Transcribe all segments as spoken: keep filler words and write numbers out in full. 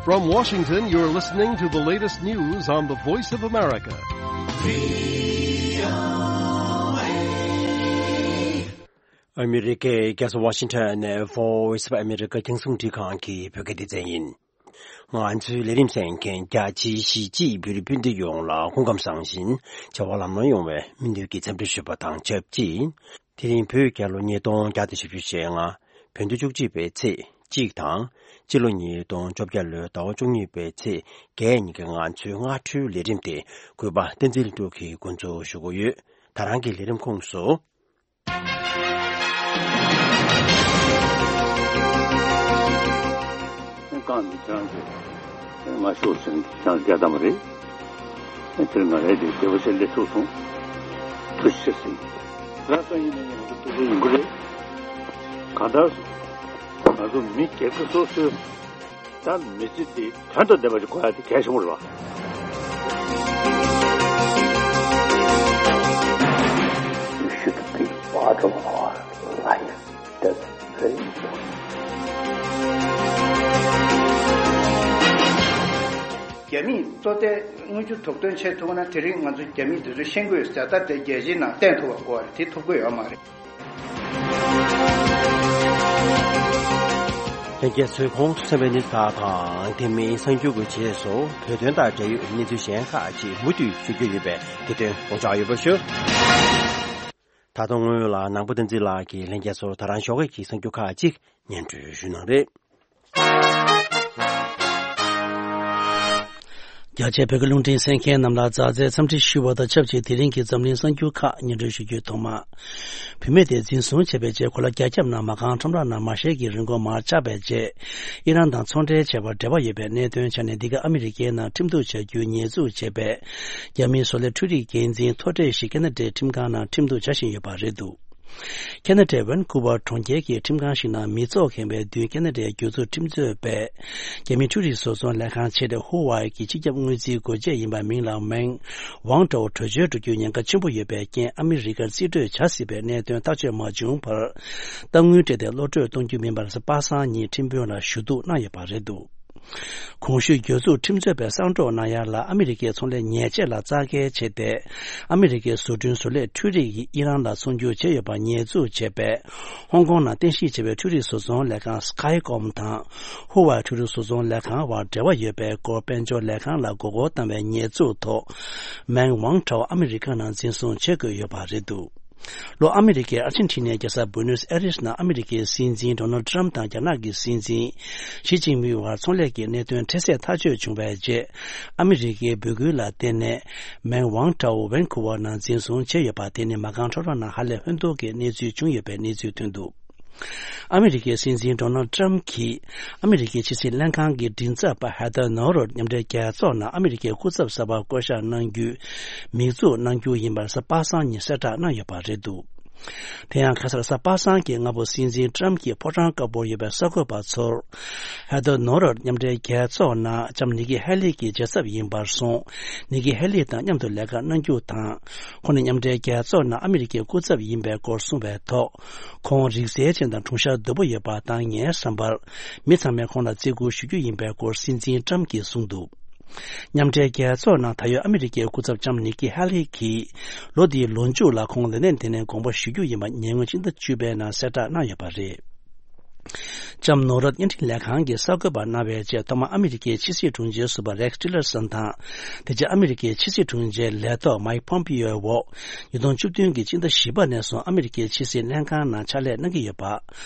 From Washington, you're listening to the latest news on the Voice of America. ཨ་མི་རི་ཀའི་རྒྱལ་ས་ཝ་ཤིང་ཊོན་ནས་Voice of America རྒྱང་སྲིང་འཕྲིན་ཁང་གི་བོད་སྐད་སྡེ་ཚན་ཡིན། ང་ཚོའི་ལས་རིམ་གསན་མཁན་རྒྱ་ཆེའི་གཞིས་བྱེས་བོད་རིགས་སྤུན་ཟླ་ཡོངས་ལ་སྐུ་ཁམས་བཟང་ཞིང་བྱ་བ་ལམ་ལྷོང་ཡོང་བའི་སྨོན་འདུན་གྱི་འཚམས་འདྲི་ཞུ་བ་དང་ཆབས་ཅིག་དེ་རིང་བོད་རྒྱལ་ལོ་ཉིས་སྟོང་བརྒྱ་དང་བཞི་བཅུ་ཞེ་ལྔ། བོད་ཟླ་བཅུ་གཅིག་པའི་ཚེས་གཅིག་དང་། སྤྱི་ལོ་ཉིས་སྟོང་བཅོ་བརྒྱད་ལོའི་ཟླ་བ་བཅུ་གཉིས་པའི་ཚེས་བརྒྱད་ཉིན་གྱི་ང་ཚོའི་སྔ་དྲོའི་ལས་རིམ་དེ་གུས་པ་བསྟན་འཛིན་ལྷུན་གྲུབ་ཀྱིས་འགོ་འཛུགས་ཞུ་གི་ཡོད། ད་རང་གི་ལས་རིམ་ཁོངས་སུ། རྐང་འདི་ཁྱེད་རང་གིས་མ་ཤོར་ཟེར་ནས་ཁྱེད་རང་རྒྱག་བཏང་བ་རེད། དེར་ང་རའི་དེ་བདེ་བ་ཆེ་སླེབས་ཐུབ་སོང་། ཐུགས་རྗེ་ཆེ་ཟེར། ལགས་སོ། ཡིན་ན་ཡང་ང་ཚོ་ཐུགས་སུ་ཡོང་གི་རེད། གང་ལྟར་ང་ཚོ་མི་སྒེར་གྱི་སོ་སོའི། ད་མི་ཚེ་འདི་དོན་དང་ལྡན་པ་ཞིག་དགོས་ཡ་དེ་གལ་ཆེན་པོ་རེད་བ། You should be part of our life. That's very important. རྒྱ་མིས་གཙོ་བསྟེན་དངུལ་ཆུ་དོགས་ཟོན་བྱེད་ཐུབ་ན། དེ་རིང་ང་ཚོ་རྒྱ་མི་དེ་ཚོ་ཤེས་ཀྱི་ཡོད་ཟེར། ད་དེ་རྒྱལ་སྤྱིའི་ནང་བསྟན་ཐུབ་པ་དགོས་པ་རེད། དེ་ཐུབ་ཀྱི་ཡོད་མ་རེད། ལྷན་རྒྱས་ཚོས་ཁོང་དུ་གསན་པའི་གནས་ཚུལ་དང་། དེ་མིན་གསར་འགྱུར་གྱི་རྗེས་སུ་བོད་དོན་དང་འབྲེལ་ཡོད་གནས་ཚུལ་གཞན་ཁག་ཅིག་མུ་མཐུད་ཞུ་རྒྱུ་ཡོད་པས། དེ་དོན་དགོངས་འཇགས་ཡོད་པ་ཞུ། ད་དུང་སྔོན་ལ་ནང་པ་བསྟན་འཛིན་ལགས་ཀྱིས་ལྷན་རྒྱས་ཚོར་ད་རང་ཞོགས་ཀྱི་གསར་འགྱུར་ཁག་ཅིག་སྙན་སྒྲོན་ཞུ་གནང་རེད། རྒྱ་ཆེའི་བོད་ཀྱི་རླུང་འཕྲིན་གསན་མཁན་རྣམས་ལ་མཛའ་བརྩེའི་འཚམས་འདྲི་ཞུ་བ་དང་ཆབས་ཅིག་དེ་རིང་གི་འཛམ་གླིང་གསར་འགྱུར་ཁག་སྙན་སྒྲོན་ཞུ་རྒྱུའི་ཐོག་མ། བུད་མེད་དེ་འཛིན་བཟུང་བྱས་པའི་རྗེས། གོ་ལ་རྒྱ་ཁྱབ་ནང་མ་རྐང་ཁྲོམ་ར་ནང་མ་ཤེས་ཀྱི་རིན་གོང་མར་ཆག་པའི་རྗེས། ཨི་རན་དང་ཚོང་འབྲེལ་བྱས་པར་འབྲེལ་བ་ཡོད་པའི་གནད་དོན་ཆ་ནས། འདི་ག་ཨ་མི་རི་ཀའི་ནང་ཁྲིམས་གཏུག་བྱ་རྒྱུའི་ཉེས་འཛུགས་བྱས་པའི་རྒྱ་མིའི་བཟོ་ལས་འཕྲུལ་རིག་འགན་འཛིན་མཐོ་གྲས་ཤིག་ཁེ་ན་ཌའི་ཁྲིམས་ཁང་ནང་ཁྲིམས་གཏུག་བྱ་བཞིན་ཡོད་པ་རེད་འདུག་ཁེ་ན་ཌའི་ཝན་ཀུ་ཝར་གྲོང་ཁྱེར་གྱི་ཁྲིམས་ཁང་ཞིག་ནང་མི་ཚོགས་ཁེངས་པའི་མདུན། ཁེ་ན་ཌའི་རྒྱུ་ཚོགས་ཁྲིམས་རྩོད་པས་རྒྱ་མིའི་འཕྲུལ་རིག་བཟོ་ཚོང་ལས་ཁང་ཆེ་གྲས་ཧུ་ཝའེ་གི་སྤྱི་ཁྱབ་དངུལ་རྩིས་འགོ་བྱེད་ཡིན་པ་མིང་ལ་མེང་ཝང་ཀྲའོ་བྲོས་བྱོལ་འགྲོ་རྒྱུའི་ཉེན་ཁ་ཆེན་པོ་ཡོད་པའི་རྐྱེན། ཨ་མི་རི་ཀར་རྩིས་སྤྲོད་བྱ་སྲིད་པའི་གནད་དོན་ཐག་གཅོད་མ་བྱུང་བར། གཏའ་དངུལ་སྤྲད་དེ་གློད་བཀྲོལ་གཏོང་རྒྱུ་མིན་པར་གཟའ་པ་སངས་ཉིན་ཁྲིམས་དཔོན་ལ་ཞུ་གཏུག་གནང་ཡོད་པ་རེད་འདུག་གོང་ཞུས་རྒྱུ་ཚོགས་ཁྲིམས་རྩོད་པས་གསང་སྒྲོག་གནང་ཡ་ལ། ཨ་མི་རི་ཀའི་ཚོང་ལས་ཉེས་ཆད་ལ་རྩ་འགེལ་བྱས་ཏེ། ཨ་མི་རི་ཀའི་བཟོ་སྐྲུན་བཟོ་ལས་འཕྲུལ་རིག་ཡིས་ཨི་རན་ལ་ཚོང་སྒྱུར་བྱས་ཡོད་པར་ཉེས་འཛུགས་བྱས་པས། ཧོང་ཀོང་ནང་རྟེན་གཞི་བྱས་པའི་འཕྲུལ་རིག་བཟོ་ཚོང་ལས་ཁང་Skycom དང་ཧུ་ཝའེ་འཕྲུལ་རིག་བཟོ་ཚོང་ལས་ཁང་བར་འབྲེལ་བ་ཡོད་པའི་སྐོར་དཔལ་འབྱོར་ལས་ཁང་ལ་མགོ་སྐོར་བཏང་བའི་ཉེས་འཛུགས་ཐོག་མེང་ཝང་ཀྲའོ་ཨ་མི་རི་ཀ་ནང་འཛིན་བཟུང་བྱེད་དགོས་ཡོད་པ་རེད་འདུག་ལྷོ་ཨ་མི་རི་ཀའི་ཨར་ཇེན་ཊི་ནའི་རྒྱལ་ས་བུ་ནོས་ཨེ་རིས་ནང་ཨ་མི་རི་ཀའི་སྲིད་འཛིན་ཌོ་ནལ་ཊམ་དང་རྒྱ་ནག་གི་སྲིད་འཛིན་ཞི་ཅིན་ཕིང་བར་ཚོང་ལས་ཀྱི་གནད་དོན་འཕྲལ་སེལ་ཐག་གཅོད་བྱུང་བའི་རྗེས། ཨ་མི་རི་ཀའི་འབོད་སྐུལ་ལ་བརྟེན་ནས་མེང་ཝང་ཀྲའོ་ཝན་ཀུ་ཝར་ནང་འཛིན་བཟུང་བྱས་ཡོད་པ་དེ་ནི་མ་རྐང་ཁྲོམ་ར་ནང་ཧ་ལས་ཧོན་ཐོར་གྱི་གནས་ཚུལ་བྱུང་ཡོད་པའི་གནས་ཚུལ་ཐོན་འདུག་ཨ་མི་རི་ཀའི་སྲིད་འཛིན་ཌོ་ནལ་ཊམ་གྱིས་ཨ་མི་རི་ཀའི་ཕྱི་སྲིད་ལྷན་ཁང་གི་མགྲིན་ཚབ་པ་ཧེ་ཐར་ནོ་རོད་མཉམ་འབྲེལ་རྒྱལ་ཚོགས་ནང་ཨ་མི་རི་ཀའི་སྐུ་ཚབ་གསར་པ་བསྐོ་གཞག་གནང་རྒྱུའི་མིག་འཛུགས་གནང་རྒྱུ་ཡིན་པར་གཟའ་པ་སངས་ཉིན་གསལ་བསྒྲགས་གནང་ཡོད་པ་རེད་འདུག་དེ་ཡང་ཁ་སང་གཟའ་པ་སངས་ཀྱི་སྔ་པོ་སྲིད་འཛིན་ཊམ་གྱིས་ཕོ་བྲང་དཀར་པོར་ཡོད་པའི་གསར་འགོད་པ་ཚོར། ཧེ་ཐར་ནོ་རོད་མཉམ་འབྲེལ་རྒྱལ་ཚོགས་ནང་ལྕམ་ནི་ཀི་ཧེ་ལི་གི་རྒྱལ་ཚབ་ཡིན་པར་སོང་། ནི་ཀི་ཧེ་ལི་དང་མཉམ་དུ་ལས་ཀ་གནང་རྒྱུ་དང་། ཁོང་ནི་མཉམ་འབྲེལ་རྒྱལ་ཚོགས་ནང་ཨ་མི་རི་ཀའི་སྐུ་ཚབ་ཡིན་པའི་སྐོར་གསུངས་པའི་ཐོག་ཁོང་རིག་རྩལ་ཅན་དང་གྲུང་ཤ་དོད་པོ་ཡོད་པ་དང་། ངའི་བསམ་པར་མི་ཚང་མས་ཁོང་ལ་བརྩི་བཀུར་ཞུ་རྒྱུ་ཡིན་པའི་སྐོར་སྲིད་འཛིན་ཊམ་གྱིས་གསུངས་འདུག་མཉམ་འབྲེལ་རྒྱལ་ཚོགས་ནང་ད་ཡོད་ཨ་མི་རི་ཀའི་སྐུ་ཚབ་ལྕམ་ནི་ཀི་ཧེ་ལི་གིས་ལོ་འདིའི་ལོ་མཇུག་ལ་ཁོང་ལས་གནས་དེ་ནས་དགོངས་པ་ཞུ་རྒྱུ་ཡིན་པ་ཉེ་སྔོན་ཕྱི་ཟླ་བཅུ་པའི་ནང་གསལ་བསྒྲགས་གནང་ཡོད་པ་རེད། ལྕམ་ནོ་རོད་བརྙན་འཕྲིན་ལས་ཁང་གིས་གསར་འགོད་པར་གནང་བའི་ཆེད་ཐོག་མར་ཨ་མི་རི་ཀའི་ཕྱི་སྲིད་དྲུང་ཆེ་ཟུར་པ་རེག་ཊི་ལར་སན་དང་། དེ་རྗེས་ཨ་མི་རི་ཀའི་ཕྱི་སྲིད་དྲུང་ཆེའི་ལས་ཐོག་མའིག་ཕོམ་པིའོའི་འོག་ཉིས་སྟོང་བཅུ་བདུན་གྱི་ཕྱི་ཟླ་བཞི་པ་ནས་བཟུང་ཨ་མི་རི་ཀའི་ཕྱི་སྲིད་ལྷན་ཁང་ནང་ཕྱག་ལས་གནང་གི་ཡོད་པ།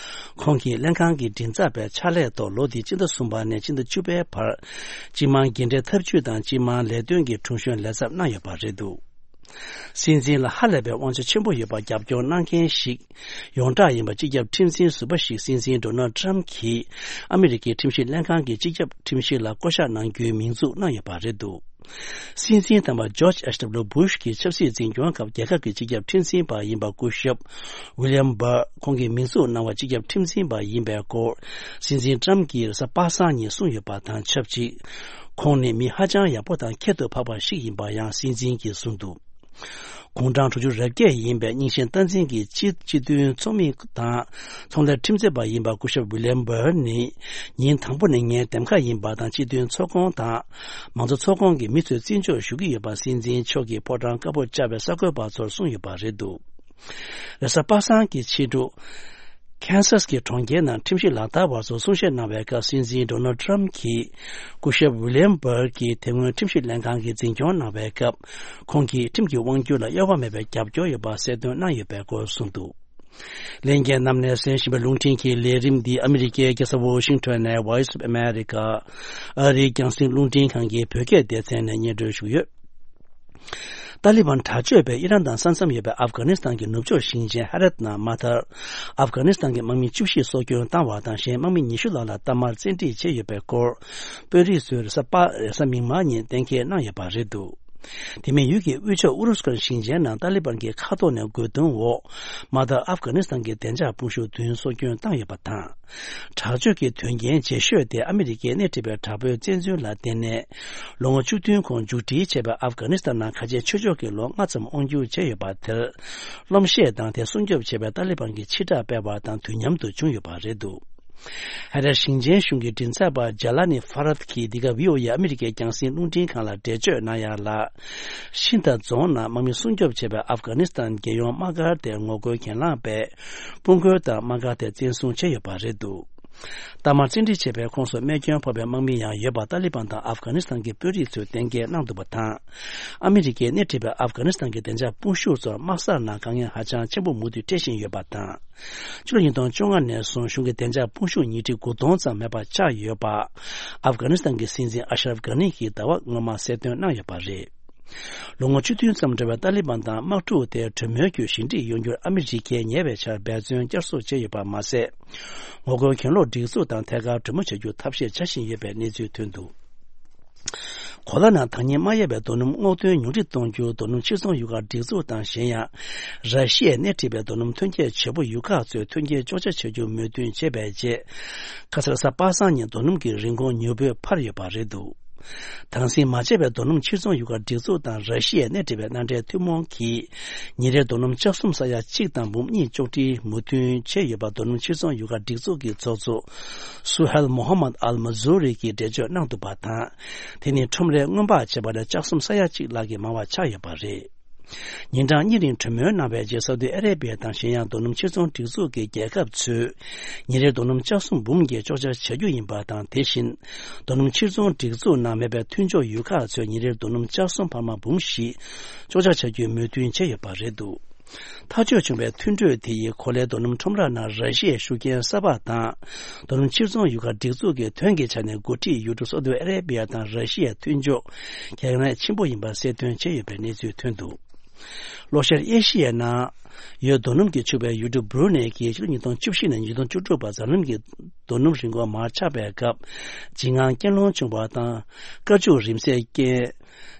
ཁོང་གིས་ལྷན་ཁང་གི་མགྲིན་ཚབ་པའི་ཕྱག་ལས་ཐོག་ལོ་འདིའི་ཕྱི་ཟླ་གསུམ་པ་ནས་ཕྱི་ཟླ་བཅུ་པའི་བར། སྤྱི་དམངས་རྒན་གྲས་ཐབས་ཇུས་དང་སྤྱི་དམངས་ལས་དོན་གྱི་དྲུང་གཞོན་ལས་ཚབ་གནང་ཡོད་པ་རེད་འདུག་སྲིད་འཛིན་ལ་ཧ་ལས་པའི་དབང་ཆ་ཆེན་པོ་ཡོད་པར་རྒྱབ་སྐྱོར་གནང་མཁན་ཞིག་ཡོངས་གྲགས་ཡིན་པ་སྤྱི་ཁྱབ་ཁྲིམས་འཛིན་ཟུར་པ་ཞིག་སྲིད་འཛིན་ཌོ་ནལ་ཊམ་གྱིས་ཨ་མི་རི་ཀའི་ཁྲིམས་ཞིབ་ལྷན་ཁང་གི་སྤྱི་ཁྱབ་ཁྲིམས་ཞིབ་ལ་བསྐོ་གཞག་གནང་རྒྱུའི་མིང་འཛུགས་གནང་ཡོད་པ་རེད་འདུག་སྲིད་འཛིན་དམ་པ་ཇོརྗ་ཨེཆ་ཌབ་ལུ་བུ་ཤ་གི་ཆབ་སྲིད་འཛིན་སྐྱོང་སྐབས་རྒྱལ་ཁབ་ཀྱི་སྤྱི་ཁྱབ་ཁྲིམས་འཛིན་པ་ཡིན་པ་སྐུ་ཞབས་ཝི་ལི་ཡམ་བྷར་ཁོང་གིས་མིང་འཛུགས་གནང་བ་སྤྱི་ཁྱབ་ཁྲིམས་འཛིན་པ་ཡིན་པའི་སྐོར་སྲིད་འཛིན་ཊམ་གྱིས་གཟའ་པ་སངས་ཉིན་གསུངས་ཡོད་པ་དང་ཆབས་ཅིག་ཁོང་ནི་མི་ཧ་ཅང་ཡག་པོ་དང་ཁྱད་དུ་འཕགས་པ་ཞིག་ཡིན་པ་ཡང་སྲིད་འཛིན་གྱིས་གསུངས་འདུག་དགུང་གྲངས་དྲུག་ཅུ་རེ་བརྒྱད་ཡིན་པའི་རྙིང་ཞེན་སྟངས་འཛིན་གྱི་སྤྱི་སྤྱི་མཐུན་ཚོགས་མི་དང་ཚོང་ལས་ཁྲིམས་རྩོད་པ་ཡིན་པ་སྐུ་ཞབས་ཝི་ལི་ཡམ་བྷར་ནི་ཉིན་དང་པོ་ནས་ངའི་འདེམས་ཁ་ཡིན་པ་དང་སྤྱི་མཐུན་ཚོགས་ཁོངས་དང་མང་གཙོ་ཚོགས་ཁོངས་ཀྱི་མི་ཚོས་བརྩི་འཇོག་ཞུ་གི་ཡོད་པ་སྲིད་འཛིན་མཆོག་གིས་ཕོ་བྲང་དཀར་པོར་བཅར་བའི་གསར་འགོད་པ་ཚོར་གསུངས་ཡོད་པ་རེད་འདུག་རེས་གཟའ་པ་སངས་ཀྱི་ཕྱི་དྲོ། ཁེན་སཱས་ཀྱི་གྲོང་ཁྱེར་ནང་ཁྲིམས་ཞིབ་ལག་བསྟར་བ་ཚོར་གསུང་བཤད་གནང་བའི་སྐབས་སྲིད་འཛིན་ཌོ་ནལ་ཌི་ཊརམ་ཕ་གྱིས་སྐུ་ཞབས་ཝི་ལི་ཡམ་བྷར་གྱིས་དེ་སྔོན་ཁྲིམས་ཞིབ་ལྷན་ཁང་གི་འཛིན་སྐྱོང་གནང་བའི་སྐབས་ཁོང་གིས་ཁྲིམས་ཀྱི་དབང་སྒྱུར་ལ་གཡོ་བ་མེད་པའི་རྒྱབ་སྐྱོར་ཡོད་པ་གསལ་སྟོན་གནང་ཡོད་པའི་སྐོར་གསུངས་འདུག་ལྷན་རྒྱས་རྣམས་ནས་གསན་བཞིན་པའི་རླུང་འཕྲིན་གྱི་ལས་རིམ་འདི་ཨ་མི་རི་ཀའི་རྒྱལ་ས་ཝོ་ཤིང་ཊོན་ནས་Voice of America ཨ་རིའི་རྒྱང་སྲིང་རླུང་འཕྲིན་ཁང་གི་བོད་སྐད་སྡེ་ཚན་ནས་སྙན་སྒྲོན་ཞུས་ཡོད། ཏཱ་ལི་བན་དྲག་སྤྱོད་པས་ཨི་རན་དང་ས་མཚམས་ཡོད་པའི་ཨབ་གྷ་ནི་སི་ཐན་གྱི་ནུབ་ཕྱོགས་ཞིང་ཆེན་ཧ་རད་ནང་མ་མཐར་ཨབ་གྷ་ནི་སི་ཐན་གྱི་དམག་མི་བཅུ་བཞི་སྲོག་སྐྱོན་བཏང་བ་དང་གཞན་དམག་མི་ཉི་ཤུ་ལྷག་ལ་གཏའ་མར་བཙན་ཁྲིད་བྱས་ཡོད་པའི་སྐོར་དཔོན་རིགས་ཚོས་རེས་གཟའ་པ་རེས་གཟའ་མིག་དམར་ཉིན་གཏན་འཁེལ་གནང་ཡོད་པ་རེད་འདུག་དེ་མིན་ཡུལ་གྱི་དབུས་ཕྱོགས་ཨུ་རུ་སུ་ཁན་ཞིང་ཆེན་ནང་ཏཱ་ལི་བན་གྱི་མཁའ་ཐོག་ནས་རྒོལ་རྡུང་འོག་མ་མཐར་ཨབ་གྷ་ནི་སི་ཐན་གྱི་བདེ་འཇགས་དཔུང་ཤུགས་བདུན་སྲོག་སྐྱོན་བཏང་ཡོད་པ་དང་། དྲག་སྤྱོད་ཀྱི་དོན་རྐྱེན་ལྗིད་ཤོས་དེ་ཨ་མི་རི་ཀས་སྣེ་ཁྲིད་པའི་དྲག་པོའི་བཙན་འཛུལ་ལ་བརྟེན་ནས། ལོ་ངོ་བཅུ་བདུན་གོང་མཇུག་སྒྲིལ་བྱས་པའི་ཨབ་གྷ་ནི་སི་ཐན་ནང་ཁ་ཆེ་ཆོས་ཕྱོགས་ཀྱི་ལོ་ལྔ་ཙམ་དབང་སྒྱུར་བྱས་ཡོད་པ་དེར། གློམ་གཤད་དང་དེ་སྲུང་སྐྱོབ་བྱེད་པའི་ཏཱ་ལི་བན་གྱི་ཕྱིར་བསྒྲགས་སྤེལ་བ་དང་དུས་མཉམ་དུ་བྱུང་ཡོད་པ་རེད་འདུག་ཧ་ར་ཞིང་ཆེན་གཞུང་གི་མགྲིན་ཚབ་པ་ཇ་ལ་ནི་ཧྥ་རད་ཀྱིས་འདི་ག་བྷི་ཨོ་ཨེ་ཨ་མི་རི་ཀའི་རྒྱང་སྲིང་རླུང་འཕྲིན་ཁང་ལ་འགྲེལ་བརྗོད་གནང་ཡག་ལ། ཤིན་ཐ་རྫོང་ནང་དམག་མི་སྲུང་སྐྱོབ་བྱས་པའི་ཨབ་གྷ་ནི་སི་ཐན་རྒྱལ་ཡོངས་དམག་སྒར་དེར་ངོ་རྒོལ་གྱེན་ལངས་པས། དཔུང་རྒོལ་དང་དམག་སྒར་དེ་བཙན་བཟུང་བྱས་ཡོད་པ་རེད་འདུག་གཏའ་མར་བཙན་ཁྲིད་བྱས་པའི་ཁོངས་སུ་རྨས་སྐྱོན་ཕོག་པའི་དམག་མི་ཡང་ཡོད་པ་ཏཱ་ལི་བན་དང་ཨབ་གྷ་ནི་སི་ཐན་གྱི་དཔོན་རིགས་ཚོས་གཏན་འཁེལ་གནང་འདུག་པ་དང་། ཨ་མི་རི་ཀས་སྣེ་ཁྲིད་པའི་ཨབ་གྷ་ནི་སི་ཐན་གྱི་བདེ་འཇགས་དཔུང་ཤུགས་ཚོར་དམག་སར་ནང་དཀའ་ངལ་ཧ་ཅང་ཆེན་པོ་མུ་མཐུད་འཕྲད་བཞིན་ཡོད་པ་དང་། ཕྱི་ལོ་ཉིས་སྟོང་བཅོ་ལྔ་ནས་བཟུང་གཞུང་གི་བདེ་འཇགས་དཔུང་ཤུགས་ཉིས་ཁྲི་དགུ་སྟོང་ཙམ་མེད་པ་ཆགས་ཡོད་པ། ཨབ་གྷ་ནི་སི་ཐན་གྱི་སྲིད་འཛིན་ཨ་ཤ་རབ་གྷ་ནི་གྱིས་ཟླ་བ་སྔོན་མ་གསལ་སྟོན་གནང་ཡོད་པ་རེད། ལོ་ངོ་བཅུ་བདུན་ཙམ་འགྲོ་བའི་ཏཱ་ལི་བན་དང་དམག་འཁྲུག་དེ་གྲོས་མོལ་བརྒྱུད་ཞི་འགྲིག་ཡོང་རྒྱུར་ཨ་མི་རི་ཀས་ཉེ་བའི་ཆར་འབད་བརྩོན་བསྐྱར་གསོ་བྱས་ཡོད་པ་མ་ཟད། ངོ་རྒོལ་གྱེན་ལོག་སྒྲིག་འཛུགས་དང་ཐད་ཀར་གྲོས་མོལ་བྱ་རྒྱུར་ཐབས་ཤེས་བྱ་བཞིན་ཡོད་པའི་གནས་ཚུལ་ཐོན་འདུག་གོ་ལ་ནང་ཐག་ཉེ་མ་ཡལ་བའི་རྡོ་སྣུམ་སྔོག་འདོན་ཉུང་འཕྲི་གཏོང་རྒྱུར་རྡོ་སྣུམ་ཕྱིར་ཚོང་ཡུལ་ཁག་སྒྲིག་འཛུགས་དང་གཞན་ཡང་། ར་ཤི་ཡས་སྣེ་ཁྲིད་པའི་རྡོ་སྣུམ་ཐོན་སྐྱེད་བྱེད་པོ་ཡུལ་ཁག་ཚོས་མཐུན་རྐྱེན་གཅོག་ཆ་བྱ་རྒྱུར་མོས་མཐུན་བྱས་པའི་རྗེས། ཁ་སང་རེས་གཟའ་པ་སངས་ཉིན་རྡོ་སྣུམ་གྱི་རིན་གོང་མྱུར་པོས་འཕར་ཡོད་པ་རེད་འདུག་དྭངས་སིང་མ་བྱས་པའི་རྡོ་སྣུམ་ཕྱིར་ཚོང་ཡུལ་ཁག་སྒྲིག་འཛུགས་དང་ར་ཤི་ཡས་སྣེ་ཁྲིད་པའི་མནའ་འབྲེལ་ཐུན་མོང་གིས། ཉིན་རེར་རྡོ་སྣུམ་ལྕགས་གསུམ་ས་ཡ་གཅིག་དང་འབུམ་གཉིས་གཅོག་འཕྲི་མོས་མཐུན་བྱས་ཡོད་པ་རྡོ་སྣུམ་ཕྱིར་ཚོང་ཡུལ་ཁག་སྒྲིག་འཛུགས་ཀྱི་ཚོགས་གཙོ། སུ་ཧེལ་མོ་ཧ་མད་ཨལ་མ་ཛུ་རི་གིས་འགྲེལ་བརྗོད་གནང་འདུག་པ་དང་། དེ་ནི་ཁྲོམ་རའི་སྔོན་དཔག་བྱས་པ་ལས་ལྕགས་གསུམ་ས་ཡ་གཅིག་ལྷག་གིས་མང་བ་ཆགས་ཡོད་པ་རེད། ཉིན་གྲངས་གཉིས་རིང་གྲོས་མོལ་གནང་བའི་རྗེས་སའུ་ཏི་ཨ་རེ་བྷི་ཡ་དང་གཞན་ཡང་རྡོ་སྣུམ་ཕྱིར་ཚོང་སྒྲིག་འཛུགས་ཀྱི་རྒྱལ་ཁབ་ཚོས་ཉིན་རེར་རྡོ་སྣུམ་ལྕགས་གསུམ་འབུམ་བརྒྱད་གཅོག་ཆ་བྱ་རྒྱུ་ཡིན་པ་དང་། དེ་བཞིན་རྡོ་སྣུམ་ཕྱིར་ཚོང་སྒྲིག་འཛུགས་ནང་མེད་པའི་མཐུན་ཕྱོགས་ཡུལ་ཁག་ཚོས་ཉིན་རེར་རྡོ་སྣུམ་ལྕགས་གསུམ་འཕར་མ་འབུམ་བཞི་གཅོག་ཆ་བྱ་རྒྱུའི་མོས་མཐུན་བྱས་ཡོད་པ་རེད་འདུག་ཐག་གཅོད་བྱུང་བའི་མཐུན་གྲོས་དེ་ཡིས་གོ་ལའི་རྡོ་སྣུམ་ཁྲོམ་ར་ནང་ར་ཤི་ཡའི་ཤུགས་རྐྱེན་གསར་པ་དང་། རྡོ་སྣུམ་ཕྱིར་ཚོང་ཡུལ་ཁག་སྒྲིག་འཛུགས་ཀྱི་དོན་གྱི་ཆ་ནས་འགོ་ཁྲིད་ཡུལ་གྲུ་སའུ་ཏི་ཨ་རེ་བྷི་ཡ་དང་ར་ཤི་ཡའི་མཐུན་ཕྱོགས་གལ་གནད་ཆེན་པོ་ཡིན་པ་གསལ་སྟོན་བྱས་ཡོད་པའི་གནས་ཚུལ་ཐོན་འདུག་ལྷོ་ཤར་ཨེ་ཤི་ཡའི་ནང་ཡོད་རྡོ་སྣུམ་གྱིས་ཕྱུག་པའི་ཡུལ་གྲུ་སྦུ་རུ་ནེ་གིས་ཕྱི་ལོ་ཉིས་སྟོང་བཅུ་བཞི་ནས་ཉིས་སྟོང་བཅུ་དྲུག་བར་འཛམ་གླིང་གི་རྡོ་སྣུམ་རིན་གོང་མར་ཆག་པའི་སྐབས། འཇིགས་དངངས་རྐྱེན་སློང་བྱུང་བ་དང་། དཀའ་སྤྱད་རིམས་ནད་རྐྱེན།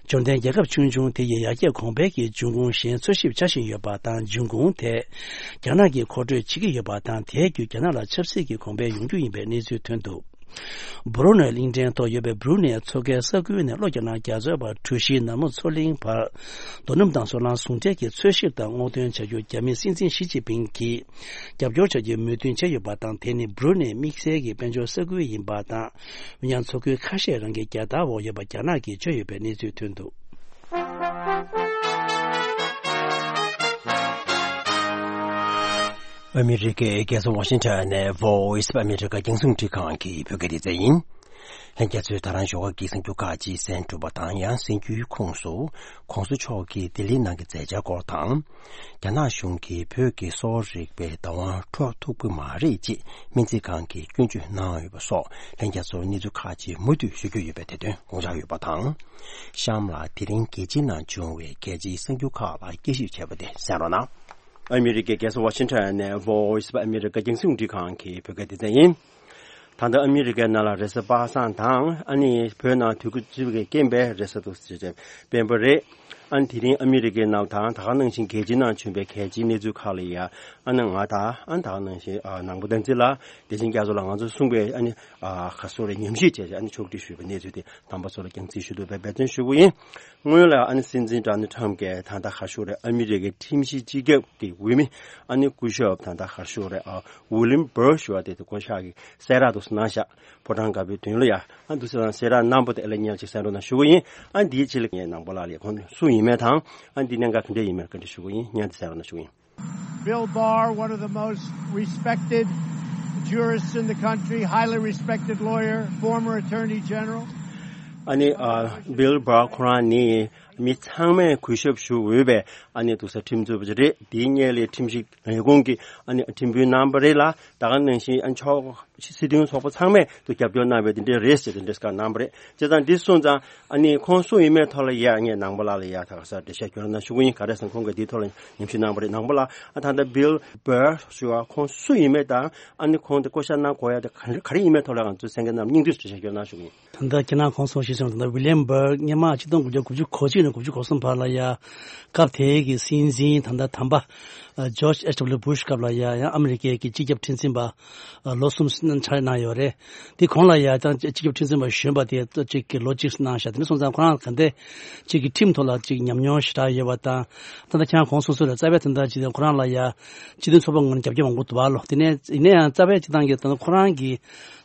འབྱོར་ལྡན་རྒྱལ་ཁབ་ཆུང་ཆུང་དེ་ཡི་ཡར་རྒྱས་གོང་འཕེལ་གྱི་འབྱུང་ཁུངས་གཞན་འཚོལ་ཞིབ་བྱ་བཞིན་ཡོད་པ་དང་། འབྱུང་ཁུངས་དེ་རྒྱ་ནག་གིས་མཁོ་སྤྲོད་བྱེད་ཀྱི་ཡོད་པ་དང་། དེའི་བརྒྱུད་རྒྱ་ནག་ལ་ཆབ་སྲིད་ཀྱི་གོང་འཕེལ་ཡོང་རྒྱུ་ཡིན་པའི་གནས་ཚུལ་ཐོན་འདུག་སྦུ་རུ་ནེ་གླིང་ཕྲན་ཐོག་ཡོད་པའི་སྦུ་རུ་ནེ་མཚོ་ཁའི་ས་ཁུལ་ནས་ལྷོ་རྒྱ་ནག་རྒྱ་མཚོའི་བར་གྲུ་བཞིའི་ནར་མོ་མཚོ་གླིང་བར་རྡོ་སྣུམ་དང་སོལ་རླངས་ཟུང་འབྲེལ་གྱི་འཚོལ་ཞིབ་དང་སྔོག་འདོན་བྱ་རྒྱུར་རྒྱ་མིའི་སྲིད་འཛིན་ཞི་ཅིན་ཕིང་གིས་རྒྱབ་སྐྱོར་བྱ་རྒྱུའི་མོས་མཐུན་བྱས་ཡོད་པ་དང་། དེ་ནི་སྦུ་རུ་ནེ་དམིགས་བསལ་གྱི་དཔལ་འབྱོར་ས་ཁུལ་ཡིན་པ་དང་། འོན་ཀྱང་མཚོ་ཁུལ་ཁ་ཤས་རང་གི་རྒྱལ་དར་འོག་ཡོད་པ་རྒྱ་ནག་གིས་བརྗོད་ཡོད་པའི་གནས་ཚུལ་ཐོན་འདུག་ཨ་མི་རི་ཀའི་རྒྱལ་ས་ཝ་ཤིང་ཊོན་ནས་Voice of America རྒྱང་སྲིང་འཕྲིན་ཁང་གི་བོད་སྐད་སྡེ་ཚན་ཡིན། ལྷན་རྒྱས་ཚོས་ད་རང་ཞོགས་ཀ་གི་གསར་འགྱུར་ཁག་ཅིག་གསན་གྲུབ་པ་དང་། ཡང་གསར་འགྱུར་ཁོངས་སུ་༸གོང་ས་མཆོག་གིས་ལྡི་ལི་ནང་གི་མཛད་འཆར་སྐོར་དང་། རྒྱ་ནག་གཞུང་གིས་བོད་ཀྱི་གསོ་བ་རིག་པའི་བདག་དབང་འཕྲོག་ཐུབ་ཀྱི་མ་རེད་ཅེས་སྨན་རྩིས་ཁང་གིས་སྐྱོན་བརྗོད་གནང་ཡོད་པ་སོགས་ལྷན་རྒྱས་ཚོར་གནས་ཚུལ་ཁག་ཅིག་མུ་མཐུད་ཞུ་རྒྱུ་ཡོད་པའི་དེ་དོན་དགོངས་འཇགས་ཡོད་པ་དང་། གཤམ་ལ་དེ་རིང་རྒྱལ་སྤྱིའི་ནང་བྱུང་བའི་གལ་ཆེའི་གསར་འགྱུར་ཁག་ལ་དཔྱད་ཞིབ་བྱས་པ་དེ་གསན་རོགས་གནང་། ཨ་མི་རི་ཀའི་རྒྱལ་ས་ཝ་ཤིང་ཊོན་ནས་Voice of America རྒྱང་སྲིང་འཕྲིན་ཁང་གི་བོད་སྐད་སྡེ་ཚན་ཡིན། ད་ལྟ་ཨ་མི་རི་ཀའི་ནང་ལ་རེས་གཟའ་པ་སངས་དང་། ཨ་ནི་བོད་ནང་དུས་ཀྱི་རྐྱེན་པས་རེས་གཟའ་དུས་ཆེན་སྤེན་པ་རེད། ཨ་ནི་དེ་རིང་ཨ་མི་རི་ཀའི་ནང་དང་ད་ག་ནང་བཞིན་རྒྱལ་སྤྱིའི་ནང་བྱུང་བའི་གལ་ཆེའི་གནས་ཚུལ་ཁག་ལ་ཡ་ཨ་ནི་ང་དང་ཨ་ནི་ད་ག་ནང་བཞིན་ཨ་ནང་པ་བསྟན་འཛིན་ལགས་བདེ་ཆེན་རྒྱ་མཚོ་ལགས་ང་ཚོས་གསུངས་པའི་ཨ་ནི་ཨ་ག་སོ་རེ་ཉམས་ཞིབ་བྱས་བྱས་ཨ་ནི་ཕྱོགས་སྒྲིག་ཞུས་པའི་གནས་ཚུལ་དེ་དམ་པ་ཚོ་ལ་རྒྱང་སྲིང་ཞུ་འདོད་པའི་འབད་བརྩོན་ཞུ་གི་ཡིན། སྔོན་ལ་ཨ་ནི་སྲིད་འཛིན་ཌོ་ནལ་ཊམ་གྱིས་ད་ལྟ་ག་སོ་རེ་ཨ་མི་རི་ཀའི་ཁྲིམས་ཞིབ་སྤྱི་ཁྱབ་ཀྱི་འོས་མི་ཨ་ནི་སྐུ་ཞབས་ད་ལྟ་ག་སོ་རེ་ཨ་ཝི་ལིམ་བྷར་ཞུ་བ་དེ་དེ་བསྐོ་བཞག་གི་གསལ་བསྒྲགས་དུ་གནང་བཞག་ཕོ་བྲང་དཀར་པོའི་མདུན་ལ་ཡ། ཨ་འདུག་སེ་དང་གསལ་བསྒྲགས་གནང་པ་དེ་ཨ་ལས་ཉལ་ཅིག་གསན་རོགས་གནང་ཞུ་གི་ཡིན། ཨ་འདིའི་ཕྱི་ལ་ངས་ནང་པ་ལགས་ལ་ཁོང་སུ་ཡིན་མིན་དང་ཨ་འདི་གནད་འགག་ག་འདྲ་ཡིན་མིན་བཀའ་འདྲི་ཞུ་གི་ཡིན། ཉན་དེ་གསན་རོགས་གནང་ཞུ་གི་ཡིན། Bill Barr, one of the most respected jurists in the country, highly respected lawyer, former attorney general. ཨ་ནི་ཨ་བྷིལ་བྷར་ཁོ་རང་ནི་མི་ཚང་མས་གུས་ཞབས་ཞུ་འོས་པའི་ཨ་ནི་འདུག་སེ་ཁྲིམས་རྩོད་པ་ཅིག་རེད། དེའི་སྔོན་ལ་ཁྲིམས་ཞིབ་ལས་ཁུངས་ཀྱི་ཨ་ནི་ཁྲིམས་དཔོན་རྣམ་པ་རེད་ལ། ད་ག་ནང་བཞིན་ཨ་ཕྱོགས་སྲིད་དོན་ཚོགས་པ་ཚང་མས་དུ་རྒྱབ་སྐྱོར་གནང་བའི་དེ་འདྲའི་རེད་ཟེར་དེ་འདྲའི་སྐད་གནང་བ་རེད། བྱས་ཙང་འདི་སོང་ཙང་ཨ་ནི་ཁོང་སུ་ཡིན་མིན་ཐོག་ལ་ཡ་ངས་ནང་པ་ལགས་ལ་ཡ་ད་ག་ས་འགྲེལ་བཤད་སྐྱོན་གནང་ཞུ་གི་ཡིན། ག་རེ་ཟེར་ན་ཁོང་གིས་འདིའི་ཐོག་ལ་ཉམས་ཞིབ་གནང་བ་རེད། ནང་པ་ལགས་ཨ་ད་ལྟ་བྷིལ་བྷར་ཞུ་བ་ཁོང་སུ་ཡིན་མིན་དང་ཨ་ནི་ཁོང་དེ་བསྐོ་བཞག་གནང་དགོས་ཡ་དེ་ག་ག་རེ་ཡིན་མིན་ཐོག་ལ་ང་ཚོ་གསན་མཁན་རྣམས་སྙིང་བསྡུས་སུ་འགྲེལ་བཤད་སྐྱོན་གནང་ཞུ་གི་ཡིན། ད་ལྟ་ཁྱེད་རང་གོང་གསུངས་ཞེས་གསུངས། ད་ལྟ་ཝི་ལི་ཡམ་བྷར་སྔོན་མ་ཆིག་སྟོང་དགུ་བརྒྱ་དགུ་བཅུ་གོ་གཅིག་ནས་དགུ་བཅུ་གོ་གསུམ་བར་ལ་ཡ་སྐབས་དེའི་གི་སྲིད་འཛིན་ད་ལྟ་དམ་པ་ཇོརྗ་ཨེཆ་ཌབ་ལིའུ་བྷུཤ་སྐབས་ལ་ཡ་ཡང་ཨ་མི་རི་ཀའི་གི་སྤྱི་ཁྱབ་ཁྲིམས་འཛིན་པ་ལོ་གསུམ་ཕྱག་ལས་གནང་ཡོད་རེད། དེ་གོང་ལ་ཡ་ད་སྤྱི་ཁྱབ་ཁྲིམས་འཛིན་པ་གཞོན་པ་དེ་གཅིག་གི་ལོ་གཅིག་གནང་བཞག་དེ་ནས་སོང་ཙང་ཁོ་རང་ག་འདྲ་གཅིག་གི་ཁྲིམས་ཐོག་ལ་གཅིག་ཉམས་མྱོང་ཞེ་དྲག་ཡོད་པ་དང་ད་ལྟ་ཁྱེད་རང་གོང་གསུངས་སོང་རེད། རྩ་བའི་དོན་དག་ཅིག་དང་ཁོ་རང་ལ་ཡ་སྤྱི་མཐུན་ཚོགས་པ་ངོས་ནས་རྒྱབ་སྐྱོར་མང་པོ་འདུག་བ་ལོ། དེ་ནས་ཡིན་ན་ཡང་རྩ་བའི་སྤྱི་བཏང་གི་ད་ལྟ་ཁོ་རང་གི་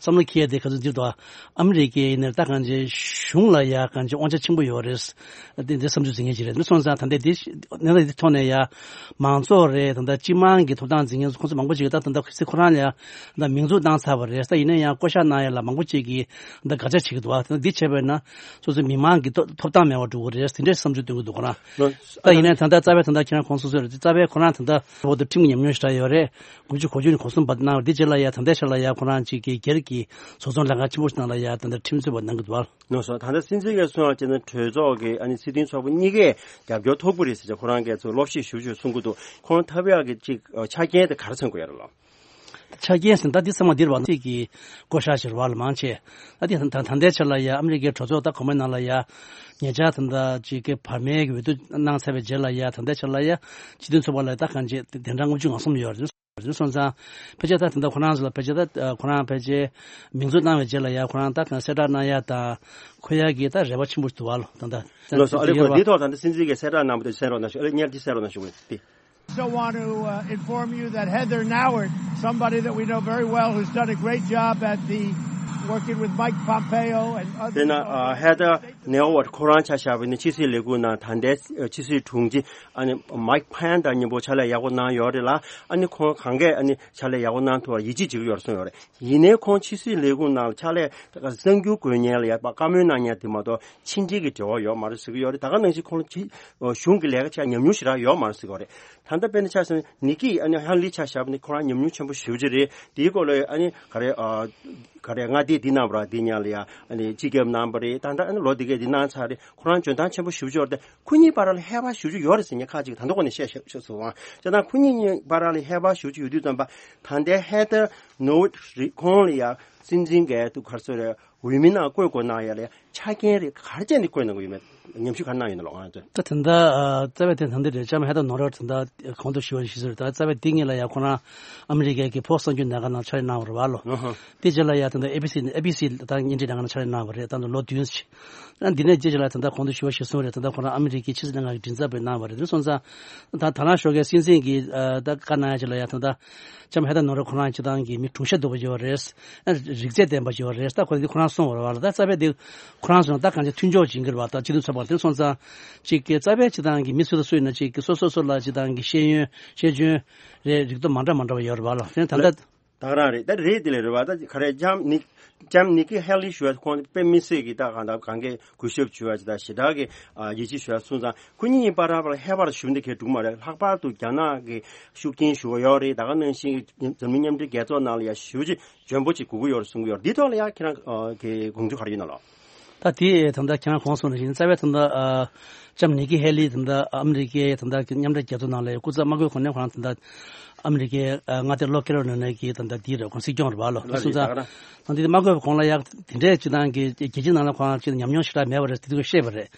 བསམ་བློ་འཁྱེར་ཡ་དེ་ག་ཚོད་འདིར་དུ་ཨ་མི་རི་ཀའི་ནས་ད་གང་ཅི་གཞུང་ལ་ཡ་གང་ཅི་དབང་ཆ་ཆེན་པོ་ཡོད་རེད། འདི་འདི་བསམ་ཚུལ་འཛིན་མཁན་ཅིག་རེད། འདི་སོང་ཙང་ད་ལྟའི་འདི་གནས་སྟངས་འདི་ཐོག་ནས་ཡ་མང་ཚོགས་རེད། ད་ལྟ་སྤྱི་དམངས་ཀྱི་ཐོབ་ཐང་འཛིན་མཁན་ཁོང་ཚོ་མང་པོ་ཅིག་གིས་ད་ད་ལྟ་ཁོ་རང་ལ་ཡ་ད་མིང་འཛུགས་བཏང་ཚར་བ་རེད། ད་ཡིན་ན་ཡང་བསྐོ་བཞག་གནང་ཡ་ལ་མང་པོ་ཅིག་གིས་ད་དགག་བྱ་བྱེད་ཀྱི་འདུག་བ། ད་འདི་བྱས་པས་ན་སོ་སོའི་མི་མང་གི་ཐོབ་ཐོབ་ཐང་མེད་པ་འགྲོ་གི་རེད། དེ་འདྲའི་བསམ་ཚུལ་འདོན་གྱི་འདུག་ཁོ་རང་། ད་ཡིན་ན་ད་ལྟ་རྩ་བའི་ད་ལྟ་ཁྱེད་རང་གོང་གསུངས་སོང་རེད། རྩ་བའི་ཁོ་རང་ད་ལྟ་བོ་དུ་ཁྲིམས་ཀྱི་ཉམས་མྱོང་ཞེ་དྲག་ཡོད་རེད། དགུ་བཅུ་གོ་བཅུ་ནས་གོ་གསུམ་བར་གནང་བ་འདི་རྗེས་ལ་ཡ་ད་ལྟའི་ཆ་ལ་ཡ་ཁོ་རང་གཅིག་གི་སྒེར་གྱི་བཟོ་ཚོང་ལས་ཁང་ཆེན་པོ་ཞིག་ནང་ལ་ཡ་ད་ལྟ་ཁྲིམས་རྩོད་པ་གནང་གི་འདུག་བ། ལགས་སོ། ད་ལྟ་སྲིད་འཛིན་གྱིས་གསུངས་པ་བྱས་ན་གྲོས་ཚོགས་ཀྱི་ཨ་ནི་སྲིད་དོན་ཚོགས་པ་གཉིས་ཀས་རྒྱབ་སྐྱོར་ཐོབ་ཀྱི་རེད་ཟེར་ཅིག་ཁོ་རང་གིས་ཚོ་སློབ་ཞིབ་ཞུ་ཞུ་གསུང་གི་འདུག་ཁོང་ཐབས་ཡག་གི་ཅིག་ཆ་རྐྱེན་དེ་ག་རེ་མཚོན་གྱི་ཡོད་རེད་ལགས། ཆ་རྐྱེན་ཟེར་ད་འདི་ཚང་མ་འདིར་བ་ཅིག་གི་བསྐོ་བཞག་ཞིག་རེད་བ་ལ་མང་ཆེ། ད་འདི་ད་ད་ལྟའི་ཆ་ལ་ཡ་ཨ་མི་རི་ཀའི་གྲོས་ཚོགས་ད་གོང་མའི་ནང་ལ་ཡ་ཉེ་ཆར་ད་ད་ཅིག་གི་བར་མའི་གི་འོས་བསྡུ་གནང་ཚར་བའི་རྗེས་ལ་ཡ་ད་ལྟའི་ཆ་ལ་ཡ་སྤྱི་མཐུན་ཚོགས་པ་ལ་ད་གང་ཅི་དེ་འདྲ་ལྔ་བཅུ་ང་གསུམ་ཡོད་རེད། རེད་སོང་ཙང་ཕལ་ཆེར་ད་ད་ལྟ་ཁོ་རང་ཚོ་ལ་ཕལ་ཆེར་ད་ཁོ་རང་ཕལ་ཆེར་མིང་འཛུགས་གནང་བའི་རྗེས་ལ་ཡ་ཁོ་རང་ད་གང་གསལ་བསྒྲགས་གནང་ཡ་དང་ཁོ་ཡ་གི་ད་རེ་བ་ཆེན་པོ་ཞིག་འདུག་བ་ལོ། ད་ད་ལགས་སོ། ཨ་ལེ་ཁོ་འདི་ཐོག་ད་ལྟ་སྲིད་འཛིན་གྱིས་གསལ་བསྒྲགས་གནང་བ་དེ་གསན་རོགས་གནང་ཞུ། ཨ་ལེ་སྙན་ཅིག་གསན་རོགས་གནང་ཞུ་གི་དེ། So want to uh, inform you that Heather Nauert, somebody that we know very well, who's done a great job at the working with Mike Pompeo and others. དེ་ན་ཨ་ཧེ་ཐར་ནེ་ཝར་ཁོ་རང་ཆ་བཞག་པ་ཡིན་ན་ཕྱི་སྲིད་ལས་ཁུངས་ནང་ད་ལྟའི་ཕྱི་སྲིད་དྲུང་ཆེ་ཨ་ནི་མའིག་ཕན་དང་མཉམ་པོ་ཕྱག་ལས་ཡག་པོ་གནང་ཡོད་རེད་ལ། ཨ་ནི་ཁོང་གང་གས་ཨ་ནི་ཕྱག་ལས་ཡག་པོ་གནང་ཐུབ་པར་ཡིད་ཆེས་བྱེད་ཀྱི་ཡོད་རེད་གསུངས་ཡོད་རེད། ཡིན་ནའི་ཁོང་ཕྱི་སྲིད་ལས་ཁུངས་ནང་ལ་ཕྱག་ལས་གསར་འགྱུར་འགོད་མཁན་ལ་ཡ་བཀའ་མོལ་གནང་མཁན་དེ་མ་གཏོགས་ཕྱི་འབྲེལ་གྱི་འབྲེལ་བ་ཡོད་མ་རེད་ཟེར་གྱི་ཡོད་རེད། ད་ག་ནང་བཞིན་ཁོང་ལ་ཕྱི་གཞུང་གི་ལས་ཀ་བྱས་ཉམས་མྱོང་ཞེ་དྲག་ཡོད་མ་རེད་ཟེར་གྱི་ཡོད་རེད། ད་ལྟ་དཔེར་ན་ཆ་བཞག་ན་ནི་ཀི་ཨ་ནི་ཧེ་ལི་ཆ་བཞག་པ་ནི་ཁོ་རང་ཉམས་མྱོང་ཆེན་པོ་ཞེ་པོ་ཅིག་རེད། དེའི་སྐོར་ལ་ཨ་ནི་ག་རེ་ཨ་ག་རེ་མངའ་སྡེ་འདི་གནང་བ་ར་འདི་ཉག་ལ་ཡ་ཨ་ནི་སྤྱི་ཁྱབ་གནང་བ་རེད། ད་ལྟ་ཨ་ནི་ལོ་འདི་གས་འདི་གནང་ཚར་རེད། ཁོ་རང་འཇོན་ཐང་ཆེན་པོ་ཞེ་པོ་ཅིག་ཡོད་རེད། ཁོ་གཉིས་བར་ལ་ཧེ་བག་ཞེ་པོ་ཅིག་ཡོད་རེད་ཟེར་མཁན་ཁག་ཅིག་ད་ལྟ་ཁོ་ནས་བཤད་བཤད་བཤད་སོང་བ། བྱས་ཙང་ཁོ་གཉིས་གཉིས་བར་ལ་ཧེ་བག་ཞེ་པོ་ཅིག་ཡོད་དུས་ཙམ་པ་ད་ལྟའི་ཧེ་ཐར་ནོ་ཝར་ཁོང་ལ་ཡ་སྲིད་འཛིན་གས་དུ་ག་རེ་ཟེར་རེད། འོས་མི་ནང་བསྐོས་དགོས་གནང་ཡ་ལ་ཆ་རྐྱེན་རེ་ག་རེ་བྱས་ནས་བསྐོས་གནང་དགོས་ཡོད་མེད་ཉམས་ཞིབ་ག་རེ་གནང་ཡོད་ན་ལོ་ང་ཚོས། ད་དེ་འདྲ་ཨ་རྩ་བའི་དེ་ད་འདི་རེད། ལྕམ་ཧེ་ཐར་ནོ་ཝར་དེ་འདྲ་གོང་དུ་ཞུ་བ་ཞིག་ཟེར་ད་རྩ་བའི་དེ་ངེད་ལ་ཡ་ཁོ་རང་ཨ་མི་རི་ཀའི་གི་ཕོགས་གསར་འགྱུར་ལས་ཁང་ནང་ཕྱག་ལས་གནང་བ་རེད་བ་ལོ། ཨ་ཧ། དེ་རྗེས་ལ་ཡ་ད་ལྟ་ཨེ་བི་སི་ཨེ་བི་སི་ད་བརྙན་འཕྲིན་ལས་ཁང་ནང་ཕྱག་ལས་གནང་བ་རེད། ད་ལྟ་ལོ་བདུན་ཞིག་ཨ་འདི་ནས་རྗེས་ལ་ད་ལྟ་གོང་དུ་ཞུ་བ་ཞིག་གསུངས་རེད། ད་ལྟ་ཁོ་རང་ཨ་མི་རི་ཀའི་ཕྱི་སྲིད་ལས་ཁང་གི་མགྲིན་ཚབ་པ་གནང་བ་རེད། དེ་སོང་ཙང་ད་ད་ལན་ཞོགས་ཀའི་སྲིད་འཛིན་གྱིས་ཨ་ད་བཀའ་གནང་ཡ་ཅིག་ལ་ཡ་ད་ལྟ་ལྕམ་ཧེ་ཐར་ནོ་ཝར་ཁོ་རང་སྤྱི་བཏང་གི་མི་གྲུང་ཤ་སྡུག་པ་ཡོད་རེད། ཨ་རིག་རྩལ་ལྡན་པ་ཡོད་རེད། ད་ཁོ་རང་འདི་ཁོ་རང་གསུངས་པ་རེད་བ་ལ། ད་རྩ་བའི་འདི་ཁོ་རང་ཚོ་ད་གང་ཅི་མཐུན་ཕྱོགས་ཅིག་ཡིན་གྱི་རེད་བ། ད་སྤྱི་མཐུན་ཚོགས་པ་དེ་སོང་ཙང་ཅིག་གི་རྩ་བའི་སྤྱི་བཏང་གི་མི་སུ་དང་སུ་ཡིན་ན་ཅིག་གི་སོ་སོ་སོ་ལ་སྤྱི་བཏང་གི་ཤེས་ཡོན་ཤེས་འཇོན་རེད་རིག་སྟོབས་མ་འདྲ་མ་འདྲ་བ་ཡོད་རེད་བ་ལ། དེ་ད་ལྟ། ད་ག་རང་རེད། ད་རེད་དེ་ལས་རེད་བ། ད་ག་རེ་ལྕམ་ནི་ལྕམ་ནི་ཀི་ཧེ་ལི་ཞུ་བ་ཁོང་དཔེ་མི་སྲིད་ཀྱི་ད་གང་ལྟར་གང་གས་གུས་ཞབས་ཞུ་བ་ཅི་ད་ཞེ་དྲག་གི་ཨ་ཡིད་ཆེས་ཞུ་བ་སོང་ཙང་ཁོ་གཉིས་བར་ལ་ཧེ་བག་ཞུ་འདི་གས་འགྲིག་མ་རེད། ལྷག་པར་དུ་རྒྱ་ནག་གི་ཤུགས་རྐྱེན་ཞུ་བ་ཡོད་རེད། ད་ག་ནང་བཞིན་འཛམ་གླིང་མཉམ་འབྲེལ་རྒྱལ་ཚོགས་ནང་ལ་ཡ་ཞུ་ཅིག་འཇོན་པོ་ཅིག་དགོས་ཀྱི་ཡོད་རེད་གསུང་གི་ཡོད་རེད། འདི་ཐོག་ལ་ཡ་ཁྱེད་རང་ཨ་གི་དགོངས་ཚུལ་ག་རེ་ཡོད་ན་ལགས། ད་དེ་ད་ལྟ་ཁྱེད་རང་གོང་གསུངས་ནང་བཞིན་རྩ་བའི་ད་ལྟ་ཨ་ལྕམ་ནི་ཀི་ཧེ་ལི་ད་ལྟ་ཨ་མི་རི་ཀའི་ད་ལྟ་མཉམ་འབྲེལ་རྒྱལ་ཚོགས་ནང་ལ་སྐུ་ཚབ་དམག་ཁུལ་གོ་གནས་ཁོ་རང་ད་ལྟ་ ཨ་མི་རི་ཀའི་ཨ་མངའ་སྡེ་ལྷོ་ཁེ་རོ་ལི་ན་གི་ད་ལྟ་འདི་རེད། ཁོང་སྲིད་སྐྱོང་རེད་བ་ལོ། ལ་སོང་ཙང་ད་འདི་མ་དགོས་པ་གོང་ལ་ཡག་དེ་འདྲས་ཅི་ཏང་གི་རྒྱལ་སྤྱི་ནང་ལ་ཁོང་ཅི་ཉམས་མྱོང་ཞེ་དྲག་མེད་པ་རེད། དེ་དུས་ཤེས་པ་རེད།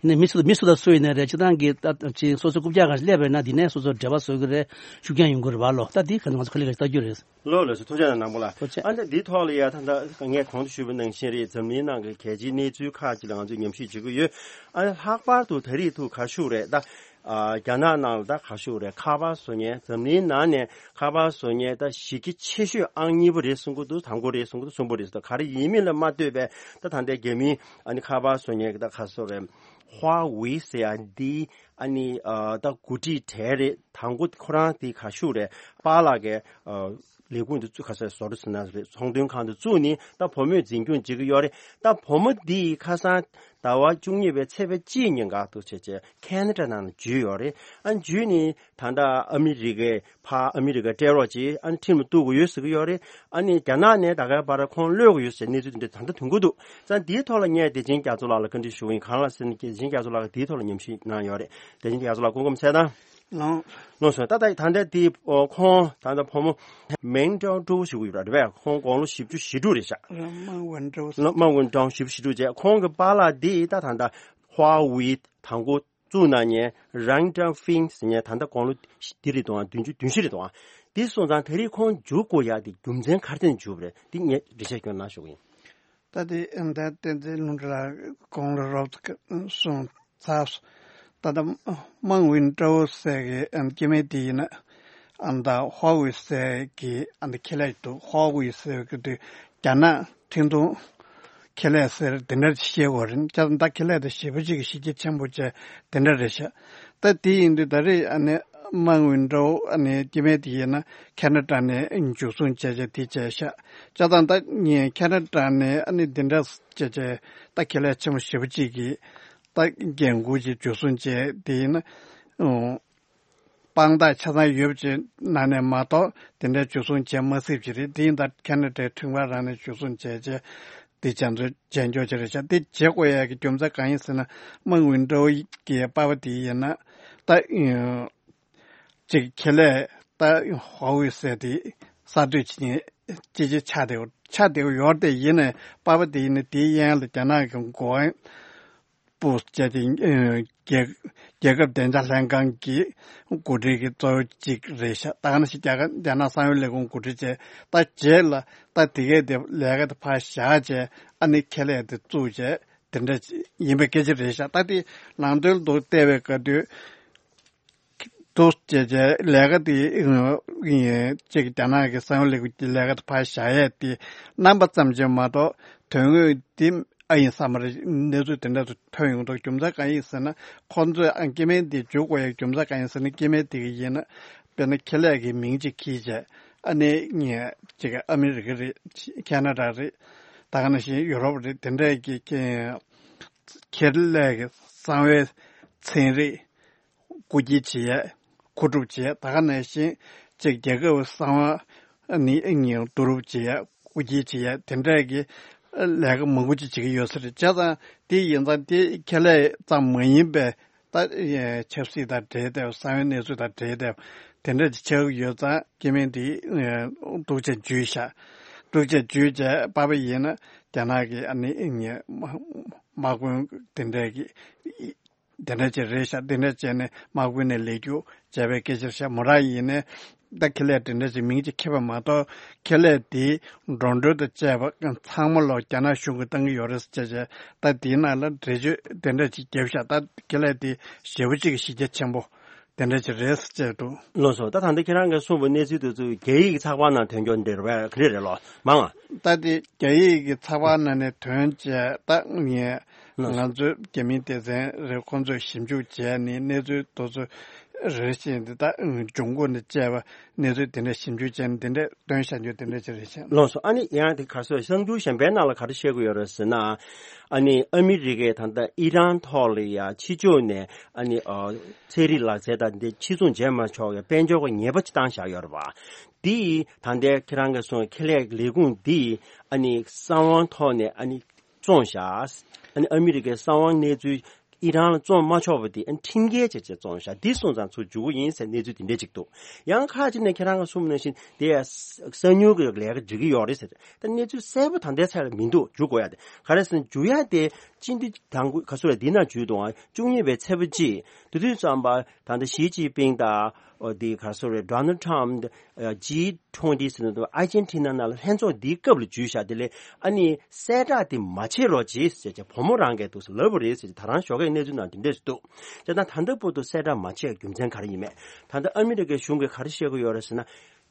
ཡིན་ནའི་མི་སུ་མི་སུ་དང་སུ་ཡིན་ནའི་རེད། ཅི་ཏང་གི་ད་ཅི་སོ་སོ་རྐུབ་བཀྱག་ག་ཞིག་སླེབས་པ་ཡིན་ན་འདི་ནས་སོ་སོ་འབྲེལ་བ་བཟོ་གི་རེད། ཤུགས་རྐྱེན་ཡོང་གི་རེད་བ་ལོ། ད་འདི་ག་ང་ཚོ་ག་ལེ་ག་ཞིག་ལྟ་རྒྱུ་རེད། ལོ་ལོ་སུ་ཐུགས་རྗེ་གནང་པོ་ལ། ཐུགས་རྗེ། ཨ་ནི་འདི་ཐོག་ལ་ཡ་ད་ད་ངས་གོང་དུ་ཞུས་པ་ནང་བཞིན་རེད། འཛམ་གླིང་ནང་གི་གལ་ཆེའི་གནས་ཚུལ་ཁག་ཅིག་ལ་ང་ཚོས་ཉམས་ཞིབ་བྱེད་ཀྱི་ཡོད། ཨ་ནི་ལྷག་པར་དུ་ད་རེས་ཐུག་ག་ཤུགས་རེད་ད། ཨ་རྒྱ་ནག་ནང་ལ་ད་ག་ཤུགས་རེད། ཁ་པར་བཟོ་མཁན། འཛམ་གླིང་ནང་ནས་ཁ་པར་བཟོ་མཁན་ད་གཞི་རྒྱ་ཆེ་ཤོས་ཨང་གཉིས་པ་རེད་གསུང་གི་འདུག་དང་པོ་རེད་གསུང་གི་འདུག་གསུམ་པ་རེད་གསུང་གི་འདུག་ག་རེ་ཡིན་མིན་ལ་མ་ལྟོས་པའི་ད་ད་ལྟའི་རྒྱ་མིའི་ཨ་ནི་ཁ་པར་བཟོ་མཁན་གྱི་ད་ག་སོ་རེད། ཧྭ་ཝེ་ཟེར་ཡ་འདི་ཨ་ནི་ཨ་ད་འགོ་ཁྲིད་གྲས་རེད། དང་པོ་ཁོ་རང་དེ་ག་ཤུགས་རེད། པཱ་ལགས་ཀྱི་ཨ་ལས་ཁུངས་དེ་བཙུགས། ག་ས་བཟོ་འདྲ་ཟེར་ན་རེད། ཚོང་དོན་ཁང་དེ་བཙུགས་ནས་ད་བུ་མོས་འཛིན་སྐྱོང་བྱེད་ཀྱི་ཡོད་རེད། ད་བུ་མོ་འདི་ཁ་སང་ཟླ་བ་བཅུ་གཉིས་པའི་ཚེས་པ་གཅིག་ཉིན་འགག་འདུག་བྱས་བྱས་ཁེ་ན་ཌ་ནང་ལ་འཇུས་ཡོད་རེད། ཨ་འཇུས་ནས་ད་ལྟ་ཨ་མི་རི་ཀའི་ཕར་ཨ་མི་རི་ཀའི་སྤྲད་རོགས་བྱེད། ཨ་ནི་ཁྲིམས་ལ་གཏུག་དགོས་ཡོད་ཟེར་གྱི་ཡོད་རེད། ཨ་ནི་རྒྱ་ནག་ནས་ད་གའི་བར་ཁོང་གློད་དགོས་ཡོད་ཟེར་གནས་ཚུལ་དེ་འདྲ་ད་ལྟ་ཐོན་གྱི་འདུག་ཙང་འདིའི་ཐོག་ལ་ངས་བདེ་ཆེན་རྒྱ་མཚོ་ལགས་ལ་བཀའ་འདྲི་ཞུ་གི་ཡིན། གང་ལགས་ཟེར་ན་བདེ་ཆེན་རྒྱ་མཚོ་ལགས་ཀྱིས་འདིའི་ཐོག་ལ་ཉམས་ཞིབ་གནང་ཡོད་རེད། བདེ་ཆེན་རྒྱ་མཚོ་ལགས་སྐུ་ཁམས་བཟང་། ལགས་ལགས་སོ། ད་ལྟ་ད་ལྟ་དེ་ཁོང་ད་ལྟ་བུ་མོ་མེང་ཀྲའོ་ཀྲོའུ་ཞུ་གི་ཡོད་རེད་པས། ཁོང་དགུང་ལོ་བཞི་བཅུ་ཞེ་དྲུག་རེད་ཤག་མ་ཝུན་ཀྲའོ། མ་ཝུན་ཀྲའོ་བཞི་བཅུ་ཞེ་དྲུག་བྱས། ཁོང་གི་པཱ་ལགས་འདི་ད་ད་ལྟ་ཧྭ་ཝེ་དང་པོ་བཙུགས་གནང་མཁན་རང་ཀྲང་ཧྥིང་ཟེར་མཁན་ད་ལྟ་དགུང་ལོ་འདི་རེད་འདུག་ཨང་། བདུན་ཅུ་བདུན་ཅུ་རེད་འདུག་ཨང་། འདི་སོང་ཙང་ད་རེས་ཁོང་འཇུ་དགོས་ཡག་དེ་རྒྱུ་མཚན་ག་རེ་བརྟེན་འཇུ་བ་རེད། འདི་ངས་འགྲེལ་བཤད་སྐྱོན་གནང་ཞུ་གི་ཡིན། ད་དེ་ཨ་ད་བསྟན་འཛིན་ལྷུན་གྲུབ་ལགས་དགུང་ལོ་རོབ་ཙམ་སོང་ཚར་སོང་། ད་ལྟ་མང་ཝིན་ཀྲོའུ་ཟེར་གི་ཨ་སྐྱེ་དམན་དེ་ཡིན་ན་ཨ་ད་ཧྭ་ཝེ་ཟེར་གི་ཨ་ད་ཁེ་ལས་འདུག་ཧྭ་ཝེ་ཟེར་གི་དུས་རྒྱ་ནག་འཕྲིན་གཏོང་ཁེ་ལས་ཟེར་དེ་འདྲ་ཞིག་བཤད་དགོས་རེད། ད་ད་ཁེ་ལས་དེ་ཞེ་པོ་ཅིག་གི་གཞི་རྒྱ་ཆེན་པོ་བྱས་དེ་འདྲ་རེད་ཤག་ད་དེ་ཡིན་དུས་ད་རེས་ཨ་ནི་མང་ཝིན་ཀྲོའུ་ཨ་ནི་སྐྱེ་དམན་དེ་ཡིན་ན་ཁེ་ན་ཌ་ནས་འཇུ་བཟུང་བྱས་བྱས་དེ་བྱས་ཤག་ད་ད་ངས་ཁེ་ན་ཌ་ནས་ཨ་ནི་དེ་འདྲ་བྱས་བྱས་ད་ཁེ་ལས་ཆེན་པོ་ཞེ་པོ་ཅིག་གི་ད་འགན་འཁུར་གྱིས་འཇུ་བཟུང་བྱས་དེ་ཡིན་ན་ཨང་། དཔང་རྟགས་ཆ་ཚང་ཡོད་པ་ཅིག་ནང་ནས་མ་གཏོགས་དེ་འདྲའི་འཇུ་བཟུང་བྱེད་མ་སྲིད་པ་ཅིག་རེད། དེ་ཡིན་ད་ཁེ་ན་ཌའི་ཁྲིམས་ཁང་རང་ནས་འཇུ་བཟུང་བྱས་བྱས་དེ་བྱས་ཚོད་བྱས་འཇོག་བྱས་རེད་ཤག་དེ་བྱེད་དགོས་ཡ་གི་རྒྱུ་མཚན་གང་ཡིན་ཟེར་ན་མང་ཝིན་ཀྲོའུ་གི་པ་ཕ་དེ་ཡིན་ན་ད་ཅིག་ཁེ་ལས་ད་ཧྭ་ཝེ་ཟེར་དེ་གསར་གཏོད་བྱེད་མཁན་ཅི་ཅི་ཆགས་བསྡད་ཡོད་ཆགས་བསྡད་ཡོད་རེད། དེ་ཡིན་ནའི་པ་ཕ་དེ་ཡིན་ན་དེའི་གཡས་ལ་རྒྱ་ནག་གི་འགོ་དཔོན་པོ་བྱས་ཏེ་ཨ་རྒྱལ་རྒྱལ་ཁབ་བདེ་འཇགས་ལྷན་ཁང་གི་འགོ་ཁྲིད་ཀྱི་གཙོ་བོ་གཅིག་རེད་ཤག་ད་ག་ནང་བཞིན་རྒྱ་གར་རྒྱ་ནག་གསང་བའི་ལས་ཁུངས་འགོ་ཁྲིད་བྱས་ད་རྗེས་ལ་ད་དེ་གས་དེ་ལས་ཀ་དེ་ཕར་བཞག་བྱས་ཨ་ནི་ཁེ་ལས་དེ་བཙུགས་བྱས་དེ་འདྲ་ཡིན་པའི་སྐད་ཆ་རེད་ཤག་ད་དེ་ནང་དོན་དུ་བལྟས་པའི་སྐབས་དུས། འདུག་བྱས་བྱས་ལས་ཀ་དེ་ཡིན་གཅིག་རྒྱ་ནག་གི་གསང་བའི་ལས་ཁུངས་ཀྱི་ལས་ཀ་དེ་ཕར་བཞག་ཡས་དེ་རྣམ་པ་ཙམ་ཅིག་མ་གཏོགས་དོན་དངོས་དེ་ཨ་ཡིན་ས་མ་རེད། གནས་ཚུལ་དེ་འདྲ་དུ་ཐོན་ཡོང་འདུག་རྒྱུ་མཚན་གང་ཡིན་ཟེར་ན་ཁོང་ཚོས་ཨ་སྐྱེ་དམན་དེ་འཇུ་དགོས་ཡས་རྒྱུ་མཚན་གང་ཡིན་ཟེར་ན་སྐྱེ་དམན་དེ་གི་ཡིན་ན་དཔེར་ན་ཁེ་ལས་ཀྱི་མིང་ཅིག་འཁྱེར་བྱས་ཨ་ནི་ངས་གཅིག་ཨ་མི་རི་ཀ་རེད། ཁེ་ན་ཌ་རེད། ད་ག་ནང་བཞིན་ཡུ་རོབ་རེད། དེ་འདྲས་ཀྱི་ཁེ་ཁེ་ལས་ཀྱི་གསང་བའི་ཚན་རིག་རྐུ་འཁྱེར་བྱེད་ཡས། མཁོ་སྒྲུབ་བྱེད་ཡས། ད་ག་ནང་བཞིན་གཅིག་རྒྱལ་ཁབ་གསང་བ་ནི་ངས་བསྡུ་རུབ་བྱེད་ཡས། རྐུ་འཁྱེར་བྱེད་ཡས་དེ་འདྲས་ཀྱི་ལས་ཀ་མང་པོ་ཅིག་བྱེད་ཀྱི་ཡོད་ས་རེད། བྱས་ཙང་དེ་ཡིན་ཙང་དེ་ཁེ་ལས་ཙམ་མ་ཡིན་པའི་ད་ཆབ་སྲིད་དང་འབྲེལ་ཏེ་གསང་བའི་གནས་ཚུལ་དང་འབྲེལ་ཏེ་དེ་འདྲས་ཅིག་ཆགས་ཀྱི་ཡོད་ཙང་སྐྱེ་དམན་དེ་འདུག་བྱས་འཇུས་བཞག་འདུག་བྱས་འཇུས་བྱས་པ་ཕ་ཡིན་ན་རྒྱ་ནག་གི་ཨ་ནི་དམག་དཔོན་དེ་འདྲས་ཀྱི། དེ་འདྲ་ཅིག་རེད་ཤག་དེ་འདྲ་བྱས་ནས་དམག་དཔོན་ནས་ལས་རྒྱུ་བྱས་པའི་སྐད་ཆ་རེད་ཤག་མོ་རང་ཡིན་ནའི་ད་ཁེ་ལས་དེ་འདྲ་ཅིག་མིང་ཅིག་འཁྱེར་བ་མ་གཏོགས་ཁེ་ལས་དེའི་འགྲོ་གྲོན་དང་བཅས་པ་ཚང་མ་ལོ་རྒྱ་ནག་གཞུང་གིས་བཏང་གི་ཡོད་རེད་ཟེར་བྱས་བྱས་ད་དེའི་ནང་ལ་འགྲེལ་བརྗོད་དེ་འདྲ་ཅིག་བརྒྱབ་ཤག་ད་ཁེ་ལས་དེ་ཞེ་པོ་ཅིག་གི་གཞི་རྒྱ་ཆེན་པོ་དེ་འདྲ་ཅིག་རེད་ཟེར་བྱས་འདུག་ལགས་སོ། ད་ད་ལྟ་ཁྱེད་རང་གིས་གསུངས་པའི་གནས་ཚུལ་དེ་ཚོ་རྒྱ་ཡིག་གི་ཚགས་པར་ནང་ཐོན་རྒྱུ་འདི་རེད་པས། ག་རེ་རེད་ལོ་མང་ང་། ད་དེ་རྒྱ་ཡིག་གི་ཚགས་པར་ནང་ནས་ཐོན་བྱས་ད་ངས་ང་ཚོའི་རྒྱ་མིའི་སྡེ་ཚན་རེད། ཁོང་ཚོས་ཞིབ་འཇུག་བྱས་ནས་གནས་ཚུལ་དེ་ཚོ་རེ་བཞིན་དེ་ད་འབྱུང་ཁུངས་དང་བཅས་པ་གནས་ཚུལ་དེ་འདྲ་ཞིབ་འཇུག་བྱས་ནས་དེ་འདྲ་བཏོན་བཞག་རྒྱུ་དེ་འདྲ་ཅིག་རེད་ཤག་ལགས་སོ། ཨ་ནི་ཡང་དེ་ག་རེ་ཟེར་གསར་འགྱུར་གཞན་པའི་ནང་ལ་ག་རེ་བཤད་ཀྱི་ཡོད་རེད་ཟེར་ན། ཨ་ནི་ཨ་མི་རི་ཀས་ད་ལྟ་ཨི་རན་ཐོག་ལ་ཡ་ཕྱི་ཕྱོགས་ནས་ཨ་ནི་ཨ་ཚན་རིག་ལག་རྩལ་དང་འདི་ཕྱིར་ཚོང་བྱས་མ་ཆོག་ཡ་དཔལ་འབྱོར་གྱི་ཉེས་པ་ཅིག་བཏང་བཞག་ཡོད་རེད་པ། འདི་ད་ལྟའི་ཁྱེད་རང་གིས་གསུངས་ཁེ་ལས་ལས་ཁུངས་འདི་ཨ་ནི་གསང་བའི་ཐོག་ནས་ཨ་ནི་བཙོངས་བཞག་ཨ་ནི་ཨ་མི་རི་ཀའི་གསང་བའི་གནས་ཚུལ་ ཨི་རན་ལ་བཙོང་མ་ཆོག་པ་དེ་ཁྲིམས་འགལ་བྱས་བྱས་བཙོང་ཤག་འདི་སོང་ཙང་ཚུར་འཇུག་གི་ཡིན་ཟེར་གནས་ཚུལ་དེ་འདྲས་ཅིག་འདུག་ཡང་ཁག་ཅིག་ནས་ཁྱེད་རང་གིས་གསུངས་པ་ནང་བཞིན་དེ་ཡང་གསང་ཉུལ་གྱི་ལས་ཀ་འགྲིག་གི་ཡོད་རེད་ཟེར། ད་གནས་ཚུལ་གསལ་པོ་ད་ལྟའི་ཆར་ལ་མི་འདུག་འཇུག་དགོས་ཡ་དེ་ག་རེ་ཟེར་ན་འཇུག་ཡ་དེ་སྤྱི་འཐུས་དང་པོ་ག་ཚོད་རེད། འདི་ནང་འཇུག་དང་བཅུ་གཉིས་པའི་ཚེས་པ་གཅིག་དེ་དུས་ཙམ་པ་ད་ལྟ་ཞི་ཅིན་ཕིང་དང་། ཨོ་དེ་ག་རེ་ཟེར་རེད། Donald Trump ཇི་ཊུ་ཝེན་ཊི་ཟེར་ནས་ཨར་ཇེན་ཊི་ན་ནང་ལ་ལྷན་ཚོགས་འདིའི་སྐབས་ལ་འཇུས་བཞག་དེ་ལས་ཨ་ནི་གསལ་བསྒྲགས་དེ་མ་བྱེད་རོགས་གྱིས་ཟེར་བྱས་བུ་མོ་རང་གིས་འདུག་ཟེར་ལབ་པ་རེད་ཟེར་བྱས་ད་རང་ཞོགས་ཀས་གནས་ཚུལ་ནང་དེ་འདྲས་འདུག་བྱས་ཙང་ད་ལྟ་བར་དུ་གསལ་བསྒྲགས་མ་བྱས་རྒྱུ་མཚན་ག་རེ་ཡིན་མེད། ད་ལྟ་ཨ་མི་རི་ཀའི་གཞུང་གིས་ག་རེ་བཤད་ཀྱི་ཡོད་རེད་ཟེར་ན།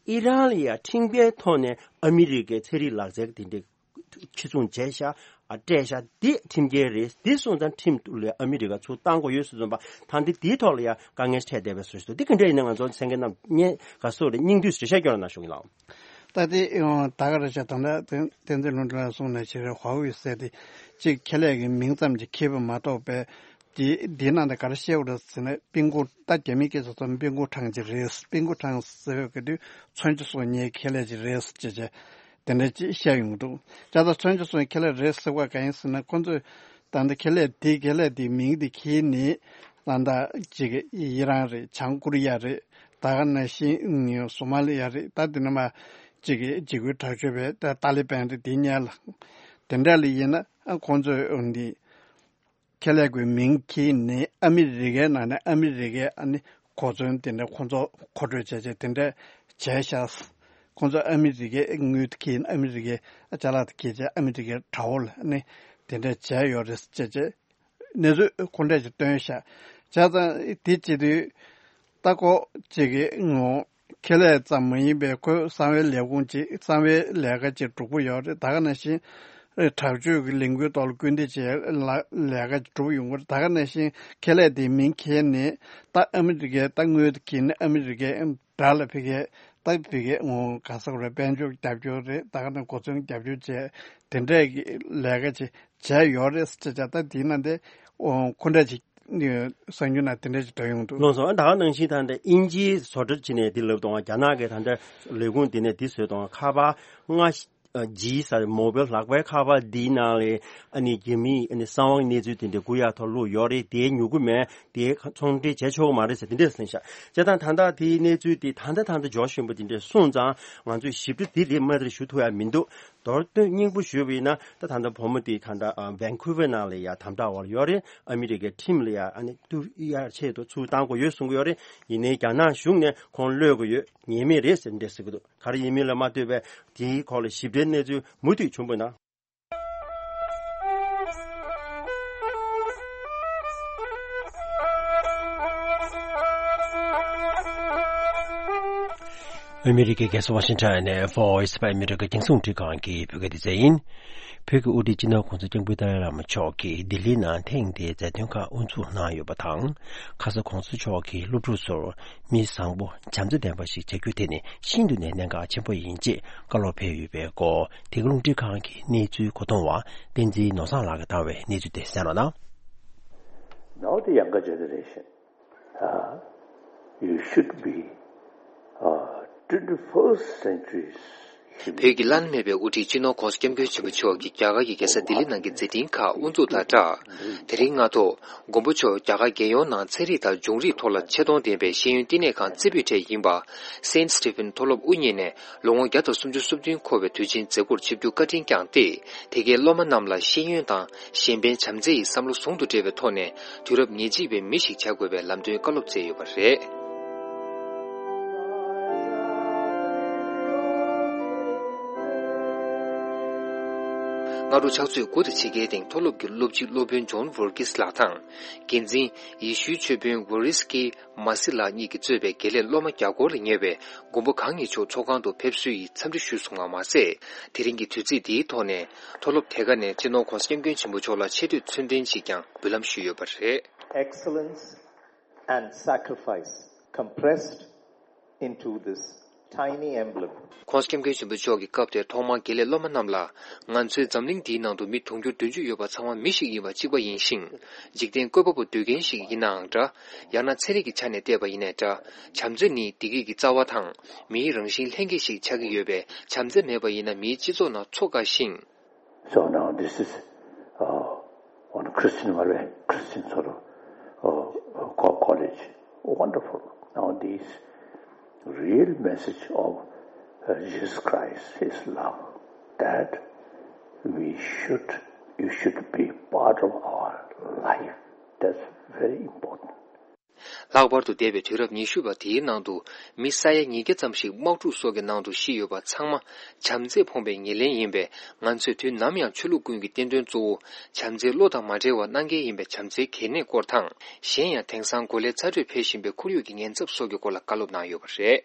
ཨི་རན་ལ་ཡང་ཁྲིམས་འགལ་ཐོག་ནས་ཨ་མི་རི་ཀའི་ཚན་རིག་ལག་རྩལ་དེ་འདྲས་ཕྱིར་ཚོང་བྱས་ཤག་ཨ་སྤྲད་ཤག་འདི་ཁྲིམས་འགལ་རེད། འདི་སོང་ཙང་ཁྲིམས་ལ་ཨ་མི་རི་ཀ་ཚུར་བཏང་དགོས་ཡོད་ཟེར་ཙམ་པ་ད་འདི་འདིའི་ཐོག་ལ་ཡང་དཀའ་ངལ་འཕྲད་བསྡད་པའི་བཟོ་ཞིག་འདུག་འདི་ག་འདྲ་ཡིན་ན་ང་ཚོ་གསན་མཁན་རྣམས་སྙན་ག་སོགས་རེ་སྙིང་བསྡུས་སུ་འགྲེལ་བཤད་སྐྱོན་ལ་གནང་ཞུ་གི་ལགས། ད་ལྟའི་ད་ག་རེ་བྱས་ད་ལྟ་བསྟན་འཛིན་ལྷུན་གྲུབ་ལགས་གསུངས་ནས་ཕྱི་རེ་ཧྭ་ཝེ་ཟེར་དེ་གཅིག་ཁེ་ལས་ཀྱི་མིང་ཙམ་གྱིས་ཁེ་པོ་མ་གཏོགས་པའི་དེ་དེའི་ནང་དུ་ག་རེ་བཤད་དགོས་རེད་ཟེར་ན་པིན་ཀོ་ད་རྒྱ་མིའི་སྐད་ཆ་ཚོ་པིན་ཀོ་ཁྲང་ཅིག་རེད། པིན་ཀོ་ཁྲང་ཟེར་བའི་གི་དུས་མཚོན་ཆ་བཟོ་མཁན་ཁེ་ལས་ཅིག་རེད་ཅེས་བྱས། དེ་འདྲ་ཅིག་བཤད་ཡོང་གི་འདུག་ཅ་ད་མཚོན་ཆ་བཟོ་མཁན་ཁེ་ལས་རེད་ཟེར་བ་གང་ཡིན་ཟེར་ན་ཁོ་ཚོས་ད་ལྟ་ཁེ་ལས་དེ་ཁེ་ལས་དེ་མིང་དེ་ཁྱེར་ནས་ད་ལྟ་ཅིག་ཨི་རན་རེད། བྱང་ཀོ་རི་ཡ་རེད། ད་ག་ནང་བཞིན་སོ་མ་ལི་ཡ་རེད། ད་དེ་ནས་མ་ཅིག་འཇིགས་སྐུལ་དྲག་སྤྱོད་པའི་ད་ཏཱ་ལི་བན་རེད། དེ་ཉལ་ལ་དེ་འདྲ་ལ་ཡིན་ན་ཁོང་ཚོས་འདི་ཁེ་ལས་ཀྱི་མིང་ཁྱེར་ནས་ཨ་མི་རི་ཀའི་ནང་ནས་ཨ་མི་རི་ཀའི་ཨ་ནི་གོ་མཚོན་དེ་འདྲ་ཁོང་ཚོ་མཁོ་སྤྲོད་བྱས་བྱས་དེ་འདྲ་བྱས་ཤག་ཁོང་ཚོ་ཨ་མི་རི་ཀའི་དངུལ་དེ་ཁྱེར་ཨ་མི་རི་ཀའི་ཅ་ལག་དེ་ཁྱེར་བྱས་ཨ་མི་རི་ཀའི་དྲ་བ་ལ་ཨ་ནི་དེ་འདྲ་བྱས་ཡོད་རེད་ཅེས་བྱས་གནས་ཚུལ་ཁོ་འདྲ་ཞིག་བཏོན་ཤག་བྱས་ཙང་དེ་བྱེད་དུས་ད་ཁོ་ཅིག་གི་ངོ་ཁེ་ལས་ཙམ་མ་ཡིན་པའི་ཁོའི་གསང་བའི་ལས་ཁུངས་ཅིག་གསང་བའི་ལས་ཀ་ཅིག་སྒྲུབ་ཀྱི་ཡོད་རེད། ད་ག་ནང་བཞིན་དྲག་སྤྱོད་ཀྱི་ལས་འགུལ་ཐོག་ལ་སྐུལ་འདེད་བྱེད་ལ་ལས་ཀ་ཅིག་སྒྲུབ་ཡོང་གི་རེད། ད་ག་ནང་བཞིན་ཁེ་ལས་དེའི་མིང་ཁྱེར་ནས་ད་ཨ་མི་རི་ཀའི་ད་དངུལ་དེ་ཁྱེར་ནས་ཨ་མི་རི་ཀའི་དགྲ་ལ་ཕ་གིའི་ད་ཕ་གིའི་ངོ་ག་ས་ག་རེ་དཔལ་འབྱོར་རྒྱབ་སྐྱོར་རེད། ད་ག་ནང་གོ་མཚོན་རྒྱབ་སྐྱོར་བྱས་དེ་འདྲའི་གི་ལས་ཀ་ཅིག་བྱས་ཡོད་རེད་ཟེར་བྱས། ད་དེའི་ནང་དེ་ཁོ་འདྲ་ཅིག་གསར་འགྱུར་ནང་དེ་འདྲ་ཅིག་འགྲོ་ཡོང་འདུག་ལགས་སོ། ད་ག་ནང་བཞིན་ད་ལྟ་དབྱིན་ཇིའི་བཟོ་གྲྭ་ཅིག་ནས་འདི་ལབ་དང་། རྒྱ་ནག་གི་ད་ལྟ་ལས་ཁུངས་འདི་ནས་འདི་བཟོས་དང་། ཁ་པར་ལྔ་ཇི་ཟེར་མོ་བེལ་ལག་པའི་ཁ་པར་འདིའི་ནང་ལ་ཨ་ནི་རྒྱ་མིའི་ཨ་ནི་གསང་བའི་གནས་ཚུལ་དེ་འདྲ་རྒུད་ཡག་ཐོག་བླུགས་ཡོད་རེད། དེ་ཉོ་གི་མེད། དེ་ཚོང་འབྲེལ་བྱས་ཆོག་གི་མ་རེད་ཟེར་དེ་འདྲ་གསུངས་ཤག་བྱས་ཙང་ད་ལྟ་དེའི་གནས་ཚུལ་དེ་ད་ལྟ་ད་ལྟ་ཇོརྗ་ཤོན་པོ་དེ་འདྲ་སོང་ཙང་ང་ཚོས་ཞིབ་ཕྲ་དེ་རེད་མ་རེད་ཞུ་ཐུབ་ཡ་མི་འདུག་མདོར་བསྡུས་སྙིང་པོ་ཞུས་པ་ཡིན་ན་ད་ད་ལྟ་བུ་མོ་དེ་ད་ལྟ་ཝན་ཁུ་ཝར་ནང་ལ་ཡ་དམ་དྲག་འོག་ལ་ཡོད་རེད། ཨ་མི་རི་ཀའི་ཁྲིམས་ལ་ཡ་ཨ་ནི་བསྟུན་ཡ་ཆེད་དུ་ཚུར་བཏང་དགོས་ཡོད་གསུང་གི་ཡོད་རེད། ཡིན་ནའི་རྒྱ་ནག་གཞུང་ནས་ཁོང་གློད་དགོས་ཡོད། ཉན་མེད་རེད་ཟེར་འདྲ་ཟེར་གི་འདུག་ག་རེ་ཡིན་མིན་ལ་མ་ལྟོས་པའི་དེའི་སྐོར་ལ་ཞིབ་ཕྲའི་གནས་ཚུལ་མུ་མཐུད་བྱུང་བ་ན། ཨ་མི་རི་ཀའི་རྒྱལ་ས་ཝ་ཤིང་ཊོན་ནས་Voice of America རྒྱང་སྲིང་རླུང་འཕྲིན་ཁང་གི་བོད་སྐད་སྡེ་ཚན་ཡིན། བོད་ཀྱི་དབུ་ཁྲིད་སྤྱི་ནོར་གོང་ས་སྐྱབས་མགོན་ཏཱ་ལའི་བླ་མ་མཆོག་གིས་ལྡི་ལིའི་ནང་ཐེངས་འདིའི་མཛད་དོན་ཁག་དབུ་འཛུགས་གནང་ཡོད་པ་དང་། ཁ་ས་༸གོང་ས་མཆོག་གིས་སློབ་ཕྲུག་ཚོར་མི་བཟང་པོ་བྱམས་བརྩེ་ལྡན་པ་ཞིག་བྱ་རྒྱུ་དེ་ནི་ཤིན་ཏུ་ནས་གནད་འགག་ཆེན་པོ་ཡིན་ཅེས་བཀའ་སློབ་ཕེབས་ཡོད་པའི་སྐོར། དེ་ག་རླུང་འཕྲིན་ཁང་གི་གནས་ཚུལ་གོ་མཐོང་བ་བསྟན་འཛིན་ནོར་བཟང་ལགས་ཀྱིས་བཏང་བའི་གནས་ཚུལ་དེ་གསན་རོགས་གནང་། Now the younger generation, uh, you should be, uh, twenty-first century's human. བོད་ཀྱི་བླ་ན་མེད་པའི་དབུ་ཁྲིད་སྤྱི་ནོར་༸གོང་ས་༸སྐྱབས་མགོན་ཆེན་པོ་མཆོག་གིས་རྒྱ་གར་གྱི་རྒྱལ་ས་ལྡི་ལི་ནང་གི་མཛད་འཕྲིན་ཁག་དབུ་འཛུགས་དང་སྦྲགས། དེ་རིང་སྔ་དྲོ། མགོན་པོ་མཆོག་རྒྱ་གར་རྒྱལ་ཡོངས་ནང་ཚན་རིག་དང་སྦྱོང་རིག་ཐོག་ལ་ཆེད་གཏོང་ལྡན་པའི་ཤེས་ཡོན་བསྟི་གནས་ཁང་རྩེ་ཕུད་འཕྲལ་ཡིན་པ། སེན་སི་ཊི་ཕིན་མཐོ་སློབ་དབུ་བརྙེས་ནས་ལོ་ངོ་བརྒྱ་དང་སུམ་ཅུ་སོ་བདུན་འཁོར་བའི་དུས་ཆེན་མཛད་སྒོར་ཆིབས་བསྒྱུར་བཀའ་དྲིན་བསྐྱངས་ཏེ། དེ་གའི་སློབ་མ་རྣམས་ལ་ཤེས་ཡོན་དང་གཞན་ཕན་བྱམས་བརྩེ་ཡི་བསམ་བློ་ཟུང་དུ་འབྲེལ་བའི་ཐོག་ནས་དུས་རབས་ཉེར་གཅིག་པའི་མི་ཞིག་བྱ་དགོས་པའི་ལམ་སྟོན་བཀའ་སློབ་སྩལ་ཡོད་པ་རེད། སྔ་དྲོ་ཕྱག་ཚོད་དགུ་དང་ཕྱེད་ཀའི་སྟེང་མཐོ་སློབ་ཀྱི་སློབ་སྤྱི་སློབ་དཔོན་ཇོན་ཝོར་ཀིས་ལགས་དང་། འགན་འཛིན་ཡེ་ཤུའི་ཆོས་དཔོན་ཝོ་རིས་ཀི་མ་སི་ལགས་གཉིས་ཀྱིས་གཙོས་པའི་དགེ་ལས་སློབ་མ་བརྒྱ་སྐོར་ལ་ཉེ་བའི་མགོན་པོ་གང་ཉིད་མཆོག་ཚོགས་ཁང་དུ་ཕེབས་བསུ་ཡི་འཚམས་འདྲི་ཞུས་སོང་བ་མ་ཟད། དེ་རིང་གི་དུས་ཚིགས་འདིའི་ཐོག་ནས་མཐོ་སློབ་དེ་ག་ནས་སྤྱི་ནོར་༸གོང་ས་༸སྐྱབས་མགོན་ཆེན་པོ་མཆོག་ལ་ཆེ་བསྟོད་ཚུལ་ལྡན་ཞིག་ཀྱང་འབུལ་ལམ་ཞུས་ཡོད་པ་རེད། Excellence and sacrifice compressed into this tiny emblem. ༸གོང་ས་༸སྐྱབས་མགོན་ཆེན་པོ་མཆོག་གི་སྐབས་དེར་ཐོག་མར་དགེ་ལས་སློབ་མ་རྣམས་ལ། ང་ཚོའི་འཛམ་གླིང་འདིའི་ནང་དུ་མི་དུང་ཕྱུར་བདུན་ཅུ་ཡོད་པ་ཚང་མ་མི་ཞིག་ཡིན་པ་གཅིག་པ་ཡིན་ཞིང་། འཇིག་རྟེན་བཀོད་པ་པོ་སྡོད་མཁན་ཞིག་ཡིན་ནའང་འདྲ། ཡང་ན་ཚན་རིག་གི་ཆ་ནས་བལྟས་པ་ཡིན་ནའི་འདྲ། བྱམས་བརྩེ་ནི་བདེ་སྐྱིད་ཀྱི་རྩ་བ་དང་། མིའི་རང་བཞིན་ལྷན་སྐྱེས་ཤིག་ཆགས་ཀྱི་ཡོད་པས། བྱམས་བརྩེ་མེད་པ་ཡིན་ན་མིའི་སྤྱི་ཚོགས་ནང་འཚོ་དཀའ་ཞིང་། So now this is, uh, on a Christian, well, Christian sort of uh, co- college. Wonderful. Now, this real message of uh, Jesus Christ, His love, that we should, you should be part of our life. That's very important. ལྷག་པར་དུ་འདས་པའི་དུས་རབས་ཉི་ཤུ་པ་དེའི་ནང་དུ་མི་ས་ཡ་ཉིས་བརྒྱ་ཙམ་ཞིག་དམག་འཁྲུག་སོགས་ཀྱི་ནང་དུ་ཤི་ཡོད་པ་ཚང་མ་བྱམས་བརྩེས་ཕོངས་པའི་ཉེར་ལེན་ཡིན་པས། ང་ཚོས་དུས་ནམ་ཡང་ཆོས་ལུགས་ཀུན་གྱི་བསྟན་དོན་གཙོ་བོ་བྱམས་བརྩེའི་བློ་དང་མ་བྲལ་བར་གནང་གལ་ཡིན་པའི་བྱམས་བརྩེའི་གལ་གནད་སྐོར་དང་། གཞན་ཡང་དེང་སང་གོ་ལའི་ཚ་དྲོད་འཕེལ་བཞིན་པའི་ཁོར་ཡུག་གི་ཉེན་ཚབས་སོགས་ཀྱི་སྐོར་ལ་བཀའ་སློབ་གནང་ཡོད་པ་རེད།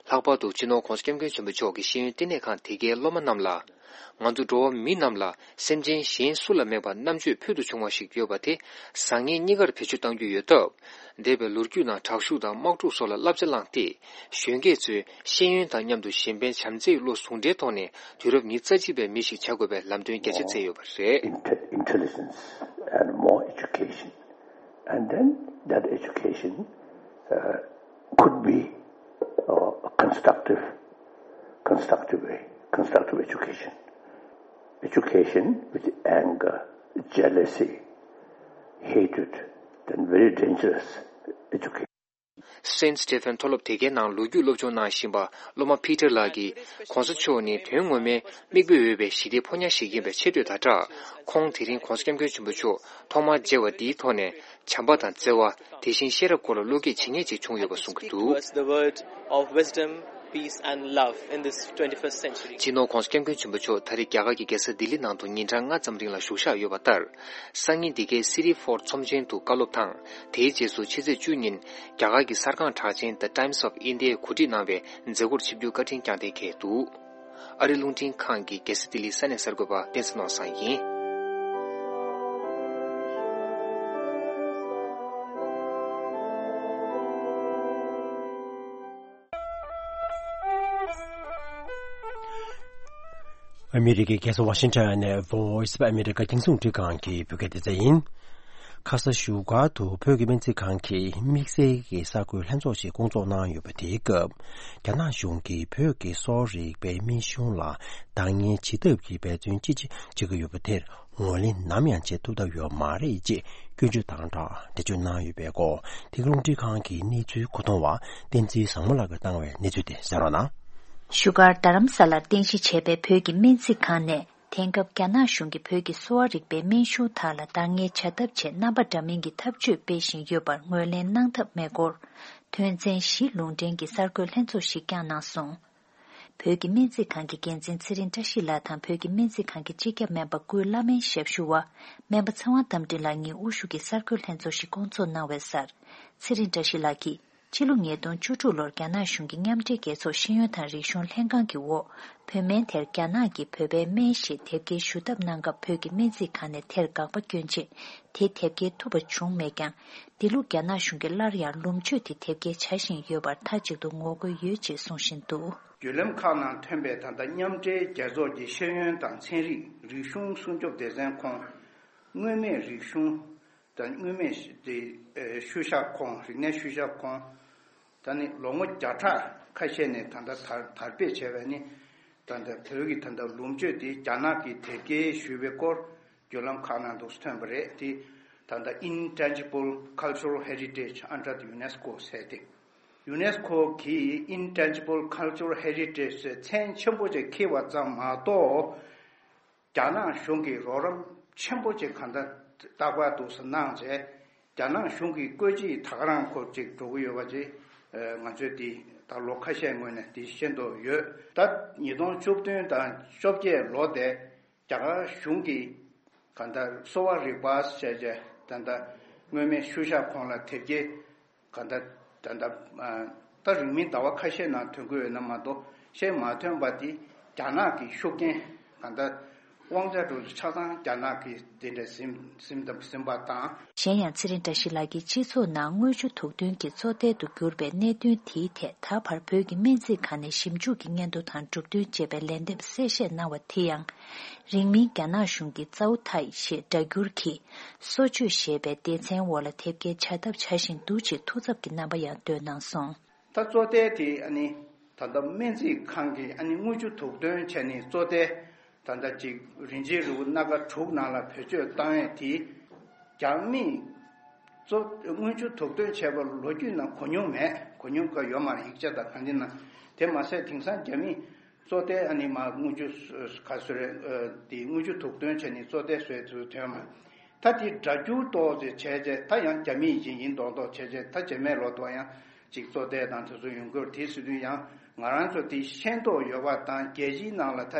ལྷག་པར་དུ་སྤྱི་ནོར་༧གོང་ས་༧སྐྱབས་མགོན་ཆེན་པོ་མཆོག་གིས་ཤེས་ཡོན་བསྟི་གནས་ཁང་དེ་གའི་སློབ་མ་རྣམས་ལ། ང་ཚོ་འགྲོ་བ་མི་རྣམས་ལ་སེམས་ཅན་གཞན་སུ་ལ་མེད་པར་རྣམ་དཔྱོད་ཕུལ་དུ་བྱུང་བ་ཞིག་ཡོད་པ་དེ་བཟང་ངན་གཉིས་ཀར་བེད་སྤྱོད་གཏང་རྒྱུ་ཡོད་སྟབས། འདས་པའི་ལོ་རྒྱུས་ནང་དྲག་ཤུགས་དང་དམག་འཁྲུག་སོགས་ལ་བསླབ་བྱ་བླངས་ཏེ། གཞོན་སྐྱེས་ཚོས་ཤེས་ཡོན་དང་མཉམ་དུ་གཞན་ཕན་བྱམས་བརྩེའི་བློ་ཟུང་འབྲེལ་ཐོག་ནས་དུས་རབས་ཉི་ཤུ་རྩ་གཅིག་པའི་མི་ཞིག་བྱ་དགོས་པའི་ལམ་སྟོན་རྒྱ་ཆེ་བསྩལ་ཡོད་པ་རེད། Inte- intelligence and more education. And then that education uh, could be uh, a constructive, constructive way, constructive education. Education with anger, jealousy, hatred, then very dangerous education. Saint Stephen མཐོ་སློབ་དེ་གའི་ནང་ལོ་རྒྱུས་སློབ་སྦྱོང་གནང་བཞིན་པ་སློབ་མ་Peter ལགས་ཀྱིས། ༸གོང་ས་མཆོག་ནི་དོན་ངོ་མའི་མིག་དཔེ་འོས་པའི་ཞི་བདེའི་ཕོ་ཉ་ཞིག་ཡིན་པའི་ཆེ་བསྟོད་དང་སྦྲགས། ཁོང་དེ་རིང་༸གོང་ས་༸སྐྱབས་མགོན་ཆེན་པོ་མཆོག་ཐོག་མར་མཇལ་བ་འདིའི་ཐོག་ནས། བྱམས་པ་དང་བརྩེ་བ། དེ་བཞིན་ཤེས་རབ་སྐོར་ལ་བློ་སྐྱེད་ཇི་སྙེད་ཅིག་བྱུང་ཡོད་པ་གསུང་གི་འདུག Towards the world of wisdom, peace and love in this twenty-first century. སྤྱི་ནོར་༸གོང་ས་༸སྐྱབས་མགོན་ཆེན་པོ་མཆོག་ད་རེས་རྒྱ་གར་གྱི་རྒྱལ་ས་ལྡི་ལི་ནང་དུ་ཉིན་གྲངས་ལྔ་ཙམ་རིང་ལ་བཞུགས་བཞག་ཡོད་པ་ལྟར། སང་ཉིན་འདི་གའི་City Fort ཚོམས་ཆེན་དུ་བཀའ་སློབ་དང་། དེའི་རྗེས་སུ་ཕྱི་ཚེས་བཅུ་ཉིན་རྒྱ་གར་གྱི་གསར་ཁང་གྲགས་ཅན་The Times of India ཡིས་གོ་སྒྲིག་གནང་བའི་མཛད་སྒོར་ཆིབས་བསྒྱུར་བཀའ་དྲིན་བསྐྱངས་གཏན་འཁེལ་འདུག་ཨ་རི་རླུང་འཕྲིན་ཁང་གི་རྒྱལ་ས་ལྡི་ལིའི་ས་གནས་གསར་འགོད་པ་བསྟན་འཛིན་ནོར་བཟང་ཡིན། ཨ་མི་རི་ཀའི་རྒྱལ་ས་ཝ་ཤིང་ཊོན་ནས་Voice of America རྒྱང་སྲིང་རླུང་འཕྲིན་ཁང་གི་བོད་སྐད་སྡེ་ཚན་ཡིན། ཁ་ས་བཞུགས་སྒར་དུ་བོད་ཀྱི་སྨན་རྩིས་ཁང་གི་དམིགས་བསལ་གྱི་གསར་འགོད་ལྷན་ཚོགས་ཤིག་བསྐོང་ཚོགས་གནང་ཡོད་པ་དེའི་སྐབས། རྒྱ་ནག་གཞུང་གིས་བོད་ཀྱི་གསོ་བ་རིག་པའི་སྨན་གཞུང་ལ་འདང་ངེས་བྱེད་ཐབས་ཀྱི་འབད་བརྩོན་ཅི་ཆེ་བྱེད་ཀྱི་ཡོད་པ་དེར། ངོས་ལེན་ནམ་ཡང་བྱེད་ཐུབ་ཐབས་ཡོད་མ་རེད་ཅེས་སྐྱོན་བརྗོད་དང་སྦྲགས་འགྲེལ་བརྗོད་གནང་ཡོད་པའི་སྐོར། དེ་ག་རླུང་འཕྲིན་ཁང་གི་གནས་ཚུལ་གོ་བསྡུར་བ་བསྟན་འཛིན་བཟང་མོ་ལགས་ཀྱིས་བཏང་བའི་གནས་ཚུལ་དེ་གསན་རོགས་གནང་། བཞུགས་སྒར་རྡ་རམ་ས་ལར་རྟེན་གཞི་བྱས་པའི་བོད་ཀྱི་སྨན་རྩིས་ཁང་ནས། དེང་སྐབས་རྒྱ་ནག་གཞུང་གིས་བོད་ཀྱི་གསོ་བ་རིག་པའི་སྨན་གཞུང་དག་ལ་འདང་ངེས་བྱ་ཐབས་ཆེད་རྣམ་པ་འདྲ་མིན་གྱི་ཐབས་ཇུས་སྤེལ་བཞིན་ཡོད་པར་ངོས་ལེན་གནང་ཐབས་མེད་སྐོར། དོན་ཚན་བཞི་ལུང་འདྲེན་གྱི་གསར་འགོད་ལྷན་ཚོགས་ཤིག་བསྐྱངས་གནང་སོང་། བོད་ཀྱི་སྨན་རྩིས་ཁང་གི་འགན་འཛིན་ཚེ་རིང་བཀྲ་ཤིས་ལགས་དང་བོད་ཀྱི་སྨན་རྩིས་ཁང་གི་སྤྱི་ཁྱབ་སྨན་པ་ཀུན་བླ་སྨན་ཞབས་ཞུ་བ་སྨན་པ་ཚེ་དབང་རྟ་མགྲིན་ལགས་གཉིས་དབུ་བཞུགས་ཀྱི་གསར་འགོད་ལྷན་ཚོགས་ཤིག་བསྐོང་ཚོགས་གནང་བའི་སར། ཚེ་རིང་བཀྲ་ཤིས་ལགས་ཀྱིས། ཕྱི་ལོ་ཉིས་སྟོང་བཅུ་དྲུག་ལོར་རྒྱ་ནག་གཞུང་གིས་མཉམ་འབྲེལ་རྒྱལ་ཚོགས་ཤེས་ཡོན་དང་རིག་གཞུང་ལྷན་ཁང་གི་འོག་བོད་སྨན་དེར་རྒྱ་ནག་གི་བོད་པའི་སྨན་ཞེས་དེབ་སྐྱེལ་ཞུ་ཐབས་གནང་སྐབས། བོད་ཀྱི་སྨན་རྩིས་ཁང་ནས་དེར་དགག་པ་བསྐྱོན་རྗེས། དེ་དེབ་སྐྱེལ་ཐུབ་པ་བྱུང་མེད་ཀྱང་། འདི་ལོ་རྒྱ་ནག་གཞུང་གིས་སླར་ཡང་ལོངས་སྤྱོད་དེ་དེབ་སྐྱེལ་བྱ་བཞིན་ཡོད་པར་མཐའ་གཅིག་ཏུ་ངོ་རྒོལ་ཡོད་ཅེས་གསུང་བཞིན་འདུག་བརྒྱུད་ལམ་ཁག་ནང་ཐོན་པའི་ད་ལྟ་མཉམ་འབྲེལ་རྒྱལ་ཚོགས་ཀྱི་ཤེས་ཡོན་དང་ཚན་རིག་རིག་གཞུང་སྲུང་སྐྱོབ་སྡེ་ཚན་ཁོངས། མངོན་མེད་རིག་གཞུང་དང་མངོན་མེད་དེ་ཤུལ་བཞག་ཁོངས། རིག་གནས་ཤུལ་བཞག་ཁོངས། ད་ནི་ལོ་ངོ་བརྒྱ་ཕྲག་ཁ་ཤས་ནས་ད་ལྟ་དར་དར་སྤེལ་བྱས་པ་ནི། ད་ལྟ་བོད་ཀྱི་ད་ལྟ་ལོངས་སྤྱོད་དེ་རྒྱ་ནག་གིས་དེབ་སྐྱེལ་ཞུས་པའི་སྐོར་བརྒྱུད་ལམ་ཁག་ནང་དུ་ཐོན་པ་རེད་དེ། ད་ལྟ་Intangible Cultural Heritage under the UNESCO ཟེར་ཏེ། UNESCO གིས་Intangible Cultural Heritage ཟེར་མཚན་ཆེན་པོ་ཅིག་འཁྱེར་བ་ཙམ་མ་གཏོགས། རྒྱ་ནག་གཞུང་གིས་རོགས་རམ་ཆེན་པོ་ཅིག་གང་ལྟར་རྟག་པར་དུ་གནང་བྱས། རྒྱ་ནག་གཞུང་གིས་བཀོད་ཇུས་ད་ག་རང་སྐོར་ཅིག་འགྲོ་གི་ཡོད་པ་ཅིག་ང་ཚོས་འདི་ད་ལོ་ཁ་ཤས་སྔོན་ནས་འདི་ཤེས་འདོད་ཡོད། ད་ཉིས་སྟོང་བཅུ་བདུན་དང་བཅོ་བརྒྱད་ལོ་དེ་རྒྱ་གར་གཞུང་གིས་གང་ལྟར་གསོ་བ་རིག་པ་ཟེར་བྱས་ད་ལྟ་མངོན་མེད་ཤུལ་བཞག་ཁོངས་ལ་དེབ་སྐྱེལ། གང་ལྟར་ད་ལྟ་ད་རིང་མིན་ཟླ་བ་ཁ་ཤས་ནང་ཐོན་གྱི་ཡོད་ན་མ་གཏོགས་ཤེས་མ་ཐོན་པ་དེ་རྒྱ་ནག་གི་ཤུགས་རྐྱེན། གང་ལྟར་དབང་ཆ་འགྲོ་ཆ་ཚང་རྒྱ་ནག་གིས་དེ་འདྲ་ཟིན་ཟིན་ཟིན་པ་དང་། གཞན་ཡང་ཚེ་རིང་བཀྲ་ཤིས་ལགས་ཀྱིས་སྤྱི་ཚོགས་ནང་དངུལ་ཆུ་དུག་འདོན་གྱི་བཙོ་ཐལ་དུ་གྱུར་པའི་གནད་དོན་དེའི་ཐད་ད་བར་བོད་ཀྱི་སྨན་རྩིས་ཁང་ནས་ཞིབ་འཇུག་གི་སྙན་ཐོ་དང་གྲུབ་དོན་ཅེས་པའི་ལན་འདེབས་གསལ་བཤད་གནང་བ་དེ་ཡང་། རིང་མིན་རྒྱ་ནག་གཞུང་གིས་ཙའུ་ཐའི་ཞེས་སྒྲ་བསྒྱུར་གྱིས། གསོ་བཅོས་ཞེས་པའི་སྡེ་ཚན་འོག་ལ་དེབ་སྐྱེལ་བྱ་ཐབས་བྱ་བཞིན་འདུག་ཅེས་ཐུགས་འཚབ་ཀྱི་རྣམ་པ་ཡང་འདོན་གནང་སོང་། ད་བཙོ་ཐལ་དེ་ཨ་ནི་ད་ལྟ་སྨན་རྩིས་ཁང་གིས་ཨ་ནི་དངུལ་ཆུ་དུག་འདོན་བྱས་ནས་བཙོ་ཐལ་ ད་ལྟ་ཅིག་རིན་ཆེན་རིལ་བུ་སྣ་ཁ་དྲུག་ནང་ལ་བེད་སྤྱོད་བཏང་ཡས་དེ་རྒྱ་མིས་གཙོ་དངུལ་ཆུ་དུག་འདོན་བྱས་པ་ལོ་རྒྱུས་ནང་གོ་མྱོང་མེད། གོ་མྱོང་ག་ཡོད་མ་རེད། ཡིག་ཆ་དང་གང་ཅི་ནང་། དེ་མ་ཟད་དེང་སང་རྒྱ་མིས་གཙོ་བསྡད་ཨ་ནི་མ་དངུལ་ཆུ་ག་ཚོད་རེད། དེ་དངུལ་ཆུ་དུག་འདོན་བྱས་ནས་གཙོ་བསྡད་བཟོས་ཚུལ་ཐོན་མ། ད་དེ་སྒྲ་སྒྱུར་ཏོག་ཙེ་བྱས་རྗེས་ད་ཡང་རྒྱ་མིའི་ཡིན་ཡིན་མདོག་མདོག་བྱས་རྗེས་ད་རྗེས་མའི་ལོ་ཏོག་ཡང་ཅིག་གཙོ་བསྡད་དང་དེ་ཚོ་ཡོང་གི་རེད། དེ་ཟེར་དུས་ཡང་ང་རང་ཚོ་དེ་ཤེས་རྟོགས་ཡོད་པ་དང་རྒྱལ་སྤྱིའི་ནང་ལ་ད་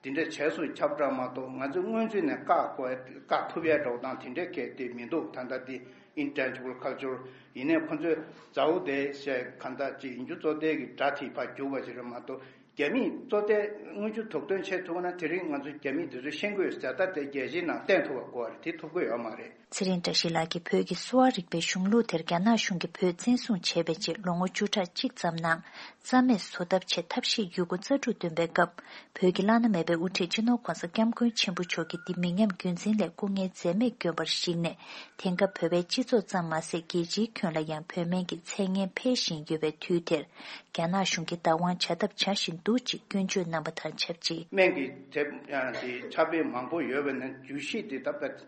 དེ་འདྲ་བྱས་སོང་ཁྱབ་བསྒྲགས་མ་གཏོགས། ང་ཚོས་སྔོན་ཚུད་ནས་བཀག་དགོས་བཀག་ཐུབ་ཡ་འདྲ་བོ་དང་དེ་འདྲའི་གལ་ཏེ་མི་འདུག་ད་ལྟ་དེ་intangible culture ཡིན་ནའི་ཁོ་ཚོས་མཛའ་བོ་དེ་བྱས་གང་ལྟར་ཅིག་ཡིན་རྒྱུ་གཙོ་བསྡད་ཀྱི་སྒྲ་དེ་ཕར་རྒྱུག་པ་ཞིག་རེད་མ་གཏོགས། རྒྱ་མིས་གཙོ་བསྡད་དངུལ་ཆུ་དུག་འདོན་བྱེད་ཐུབ་ན་དེ་རིང་ང་ཚོ་རྒྱ་མིས་དེ་ཚོ་ཤེས་དགོས་ཟེར། ད་དེ་རྒྱལ་སྤྱིའི་ནང་བསྟན་ཐུབ་པ་དགོས་པ་རེད། དེ་ཐུབ་ཀྱི་ཡོད་མ་རེད། ཚེ་རིང་བཀྲ་ཤིས་ལགས་ཀྱིས་བོད་ཀྱི་གསོ་བ་རིག་པའི་གཞུང་ལུགས་དེར་རྒྱ་ནག་གཞུང་གིས་བོད་བཙན་བཟུང་བྱས་པའི་རྗེས་ལོ་ངོ་བཅུ་ཕྲག་གཅིག་ཙམ་ནང་རྩ་མེད་བཟོ་ཐབས་ཆེད་ཐབས་ཤེས་ཡོད་རྒུ་རྩལ་སྤྲུགས་བཏོན་པའི་སྐབས། བོད་ཀྱི་བླ་ན་མེད་པའི་དབུ་ཁྲིད་སྤྱི་ནོར་༸གོང་ས་༸སྐྱབས་མགོན་ཆེན་པོ་མཆོག་གིས་འདི་མི་ཉམས་རྒྱུན་འཛིན་སླད་སྐུ་ངལ་འཛེམས་མེད་བསྐྱོན་པར་གཞིགས་ནས། དེང་སྐབས་བོད་པའི་སྤྱི་ཚོགས་ཙམ་མ་ཟད་རྒྱལ་སྤྱིའི་ཁྱོན་ལ་ཡང་བོད་སྨན་གྱི་མཚན་སྙན་འཕེལ་བཞིན་ཡོད་པའི་དུས་དེར། རྒྱ་ནག་གཞུང་གིས་བདག་དབང་བྱ་ཐབས་བྱ་བཞིན་འདུག་ཅེས་སྐྱོན་བརྗོད་གནང་བ་དང་ཆབས་ཅིག་སྨན་གྱི་དེབ་ཡང་དེ་ཕྱག་དཔེ་མང་པོ་ཡོད་པ་ནི་རྒྱུད་བཞི་དེ་ད་ལྟ་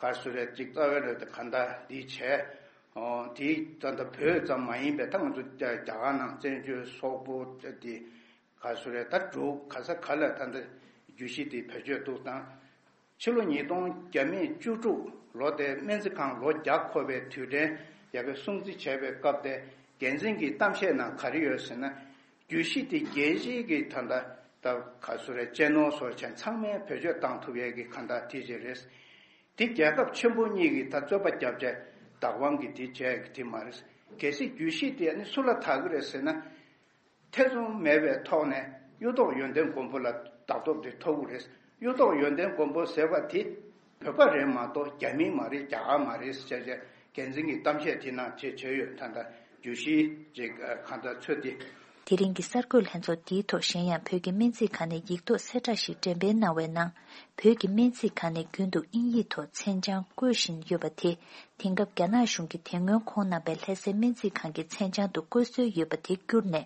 ག་རེ་ཟེར་རེད། ཅིག་རྩ་བའི་རེད་དེ་ག་འདྲ་འདི་བྱས། ཨོ་དེ་ད་ལྟ་བོད་ཙམ་མ་ཡིན་པའི་ད་ང་ཚོ་རྒྱ་རྒྱ་གར་ནང་བཙན་བྱོལ་སོག་པོ་དེ་ག་རེ་ཟེར་རེད། ད་འབྲུག་ག་ས་ག་ལ་ད་ལྟ་རྒྱུད་བཞི་དེ་བེད་སྤྱོད་འདུག་དང་། ཕྱི་ལོ་ཉིས་སྟོང་བརྒྱ་མེད་བཅུ་དྲུག་ལོ་དེ་སྨན་རྩིས་ཁང་ལོ་བརྒྱ་འཁོར་བའི་དུས་དྲན་ཡ་གི་སྲུང་བརྩི་བྱས་པའི་སྐབས་དེ་འགན་འཛིན་གྱི་གཏམ་བཤད་ནང་ག་རེ་ཡོད་ཟེར་ན། རྒྱུད་བཞི་དེ་རྒྱལ་སྤྱིའི་གི་ད་ལྟ་ད་ག་རེ་ཟེར་རེད། གཅེས་ནོར་སོགས་བྱས་ཚང་མས་བེད་སྤྱོད་བཏང་ཐུབ་ཡས་ཀྱི་ག་འདྲ་དེ་ཅིག་རེད། དེ་རྒྱལ་ཁབ་ཆེན་པོ་གཉིས་ཀྱི་ད་རྩོད་པ་རྒྱབ་བྱས་བདག་དབང་གི་དེ་བྱས་ཀྱི་དེ་མ་རེད། གལ་སྲིད་རྒྱུད་བཞི་དེ་ནི་སུ་ལ་བདག་གི་རེད་ཟེར་ན། ཐེ་ཚོམ་མེད་པའི་ཐོག་ནས་གཡུ་ཐོག་ཡོན་ཏན་མགོན་པོ་ལ་བདག་ཐོབ་དེ་ཐོབ་ཀྱི་རེད། གཡུ་ཐོག་ཡོན་ཏན་མགོན་པོ་ཟེར་བ་དེ་བོད་པ་རེད་མ་གཏོགས་རྒྱ་མི་མ་རེད། རྒྱ་གར་མ་རེད་ཟེར་བྱས་འགན་འཛིན་གྱི་གཏམ་བཤད་དེ་ནང་བྱས་བྱས་ཡོད། ད་ལྟ་རྒྱུད་བཞི་ཅིག་གང་ལྟར་ཚོད་དེ། དེ་རིང་གི་གསར་འགོད་ལྷན་ཚོགས་འདིའི་ཐོག་གཞན་ཡང་བོད་ཀྱི་སྨན་རྩིས་ཁང་ནས་ཡིག་ཐོག་གསལ་བསྒྲགས་ཤིག་འགྲེམས་སྤེལ་གནང་བའི་ནང་། བོད་ཀྱི་སྨན་རྩིས་ཁང་ནས་རྒྱུན་དུ་དབྱིན་ཡིག་ཐོག་མཚན་བྱང་བཀོད་བཞིན་ཡོད་པ་དེ། དེང་སྐབས་རྒྱ་ནག་གཞུང་གིས་དེ་སྔོན་ཁོང་རྣམ་པའི་ལྷ་སའི་སྨན་རྩིས་ཁང་གི་མཚན་བྱང་དུ་བཀོད་སྲོལ་ཡོད་པ་དེ་བསྐྱུར་ནས།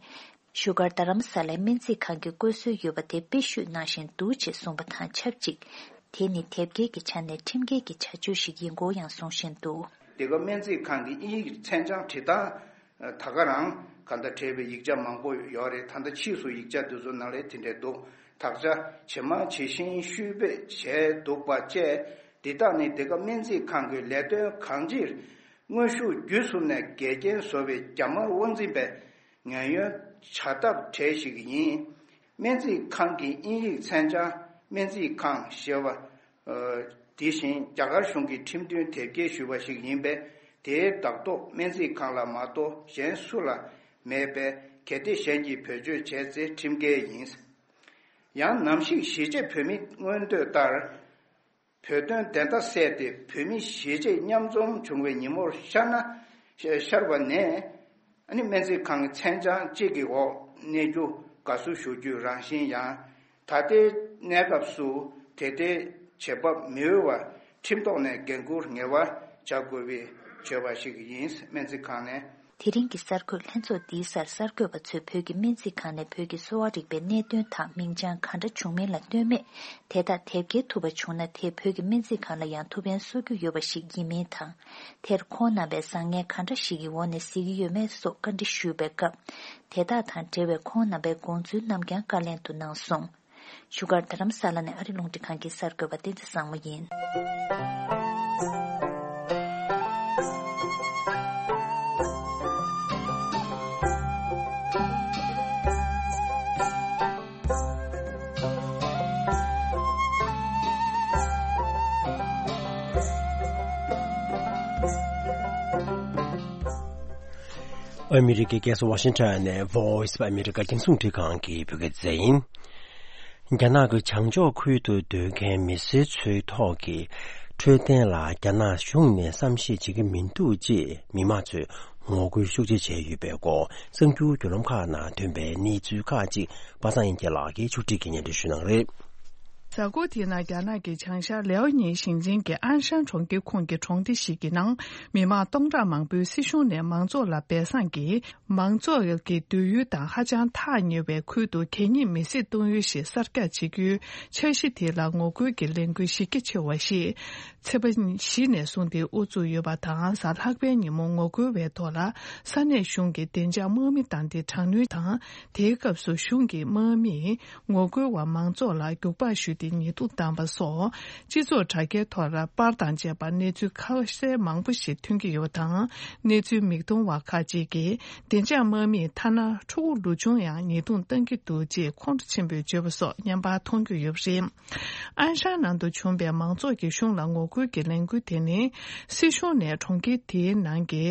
བཞུགས་སྒར་རྡ་རམ་ས་ལའི་སྨན་རྩིས་ཁང་གི་བཀོད་སྲོལ་ཡོད་པ་དེ་དཔེ་བཤུས་གནང་བཞིན་འདུག་ཅེས་གསུངས་པ་དང་ཆབས་ཅིག་དེ་ནི་དེབ་སྐྱེལ་གྱི་ཆ་ནས་ཁྲིམས་འགལ་གྱི་བྱ་སྤྱོད་ཞིག་ཡིན་སྐོར་ཡང་གསུང་བཞིན་འདུག་འདི་ག་སྨན་རྩིས་ཁང་གི་དབྱིན་ཡིག་མཚན་བྱང་བྲིས་སྟངས་ད་ག་རང་ག་འདྲ་བྲིས་པའི་ཡིག་ཆ་མང་པོ་ཡོད་རེད། ད་ལྟ་ཕྱིས་སུ་ཡིག་ཆ་འདི་ཚོ་ནང་ལ་དེ་འདྲས་འདུག་དག་ཆ་ཇི་མ་ཇི་བཞིན་བཤུས་སྤེལ་བྱས་འདུག་པ་བཅས། འདི་དག་ནི་འདི་ག་སྨན་རྩིས་ཁང་གི་ལས་དོན་གང་ཅིར་དངོས་ཤུགས་བརྒྱུད་གསུམ་ནས་འགལ་རྐྱེན་བཟོ་བའི་རྒྱ་དམར་དབང་འཛིན་པའི་ངན་གཡོན་བྱ་ཐབས་གྲས་ཤིག་ཡིན། སྨན་རྩིས་ཁང་གི་དབྱིན་ཡིག་མཚན་བྱང་སྨན་རྩིས་ཁང་ཞེས་པ། ཨ། དེ་བཞིན་རྒྱ་གར་གཞུང་གིས་ཁྲིམས་མཐུན་དེབ་སྐྱེལ་ཞུས་པ་ཞིག་ཡིན་པས། དེའི་བདག་ཐོབ་སྨན་རྩིས་ཁང་ལ་མ་གཏོགས་གཞན་སུ་ལ་མེད་པས། གལ་ཏེ་གཞན་གྱིས་བེད་སྤྱོད་བྱས་ཚེ་ཁྲིམས་འགལ་ཡིན། ཡང་ནམ་ཞིག་གཞིས་བྱེས་བོད་མིའི་མངོན་འདོད་ལྟར། བོད་དོན་བདེན་མཐའ་གསལ་ཏེ་བོད་མི་གཞིས་བྱེས་མཉམ་འཛོམས་བྱུང་བའི་ཉིན་མོར་ཤར་ན། ཤར་བ་ནས། ཨ་ནི་སྨན་རྩིས་ཁང་གི་མཚན་བྱང་གཅིག་གི་འོག་གནས་རྒྱུ་དགའ་བསུ་ཞུ་རྒྱུའི་རང་བཞིན་ཡང་། ད་ལྟའི་གནས་སྐབས་སུ་དེ་ལྟའི་བྱེད་བབ་མི་འོས་པ། ཁྲིམས་ཐོག་ནས་འགན་འཁུར་ངེས་པ་བྱ་དགོས་པའི་བྱ་བ་ཞིག་ཡིན། སྨན་རྩིས་ཁང་ནས། དེ་རིང་གི་གསར་འགོད་ལྷན་ཚོགས་འདིའི་སར་གསར་འགོད་པ་ཚོས་བོད་ཀྱི་སྨན་རྩིས་ཁང་ནས་བོད་ཀྱི་གསོ་བ་རིག་པའི་གནད་དོན་དག་མིང་བྱང་ག་འདྲ་བྱུང་མིན་ལ་ལྟོས་མེད། དེ་དག་དེབ་སྐྱེལ་ཐུབ་པ་བྱུང་ན་དེས་བོད་ཀྱི་སྨན་རྩིས་ཁང་ལ་ཡང་ཐུགས་ཕན་གསོ་རྒྱུ་ཡོད་པ་ཞིག་ཡིན་མིན་དང་། དེར་ཁོང་རྣམ་པས་བཟང་ངན་ག་འདྲ་ཞིག་གི་འོག་ནས་གཟིགས་ཀྱི་ཡོད་མེད་སོགས་བཀའ་འདྲི་ཞུས་པའི་སྐབས། དེ་དག་དང་འབྲེལ་བའི་ཁོང་རྣམ་པའི་དགོངས་ཚུལ་རྣམས་ཀྱང་བཀའ་ལན་དུ་གནང་སོང་། བཞུགས་སྒར་རྡ་རམ་ས་ལ་ནས་ཨ་རི་རླུང་འཕྲིན་ཁང་གི་གསར་འགོད་པ་བསྟན་འཛིན་བཟང་མོ་ཡིན། ཨ་མི་རི་ཀའི་རྒྱལ་ས་ཝ་ཤིང་ཊོན་ནས་Voice of America རྒྱང་སྲིང་རླུང་འཕྲིན་ཁང་གི་བོད་སྐད་སྡེ་ཚན་ཡིན། རྒྱ་ནག་གི་བྱང་ཕྱོགས་ཁུལ་དུ་སྡོད་མཁན་མི་སེར་ཚོའི་ཐོག་གི་འཕྲོད་བསྟེན་ལ་རྒྱ་ནག་གཞུང་ནས་བསམ་ཤེས་བྱེད་ཀྱི་མི་འདུག་ཅེས་མི་མང་ཚོས་ངོ་རྒོལ་ཤུགས་ཆེ་བྱས་ཡོད་པའི་སྐོར་གསར་འགྱུར་བརྒྱུད་ལམ་ཁག་ནང་ཐོན་པའི་གནས་ཚུལ་ཁག་ཅིག་པ་སངས་དབྱངས་སྐྱིད་ལགས་ཀྱིས་ཕྱོགས་སྒྲིག་གིས་སྙན་སྒྲོན་ཞུ་གནང་རེད། གཟའ་འཁོར་དེའི་ནང་རྒྱ་ནག་གི་བྱང་ཤར་ལེའོ་ཉིན་ཞིང་ཆེན་གྱི་ཨན་ཧྲན་གྲོང་ཁྱེར་ཁོངས་ཀྱི་གྲོང་སྡེ་ཞིག་གི་ནང་མི་མང་སྟོང་ཕྲག་མང་པོས་སྲིད་གཞུང་ནས་མང་ཚོགས་ལ་སྦས་གསང་གིས་མང་ཚོགས་ཀྱི་སྡོད་ཡུལ་དང་ཧ་ཅང་ཐག་ཉེ་བའི་ཁུལ་དུ་གད་སྙིགས་མེ་བསྲེགས་གཏོང་ཡུལ་ཞིག་གསར་རྒྱག་བྱེད་རྒྱུའི་འཆར་གཞི་དེ་ལ་ངོ་རྒོལ་གྱི་ལས་འགུལ་གཞི་རྒྱ་ཆེ་བ་ཞིག་ཚེས་པ་བཞི་ནས་བཟུང་སྟེ་དབུ་བཙུགས་ཡོད་པ་དང་། གཟའ་ལྷག་པའི་ཉིན་མོ་ངོ་རྒོལ་བའི་ཐོག་ལ་ས་གནས་གཞུང་གི་བདེ་འཇགས་དམག་མི་དང་དེ་དྲག་གནོན་དང་། དེའི་སྐབས་སུ་གཞུང་གི་དམག་མིས་ངོ་རྒོལ་བ་མང་ཚོགས་ལ་རྒྱུག་པར་གཞུས་ཏེ་ཉེས་རྡུང་བཏང་པ་སོགས། སྤྱི་ཚོགས་དྲ་རྒྱའི་ཐོག་ལ་པར་དང་བཅས་པ་གནས་ཚུལ་ཁ་གསལ་མང་པོ་ཞིག་ཐོན་གྱི་ཡོད་པ་དང་། གནས་ཚུལ་མིག་མཐོང་བ་ཁག་ཅིག་གིས་བདེ་འཇགས་དམག་མིས་ཐ་ན་ཕྲུ་གུ་ལོ་ཆུང་ཡང་ཉེས་རྡུང་བཏང་གི་འདུག་ཅེས་ཁོང་ཁྲོ་ཆེན་པོས་བརྗོད་པ་སོགས་བརྙན་པར་མཐོང་རྒྱུ་ཡོད་པ་རེད། ཨན་ཧྲན་ནང་དུ་བྱུང་བའི་མང་ཚོགས་ཀྱིས་གཞུང་ལ་ངོ་རྒོལ་གྱི་ལས་འགུལ་དེ་ནི། སྲིད་གཞུང་ནས་གྲོང་ཁྱེར་དེའི་ནང་གི་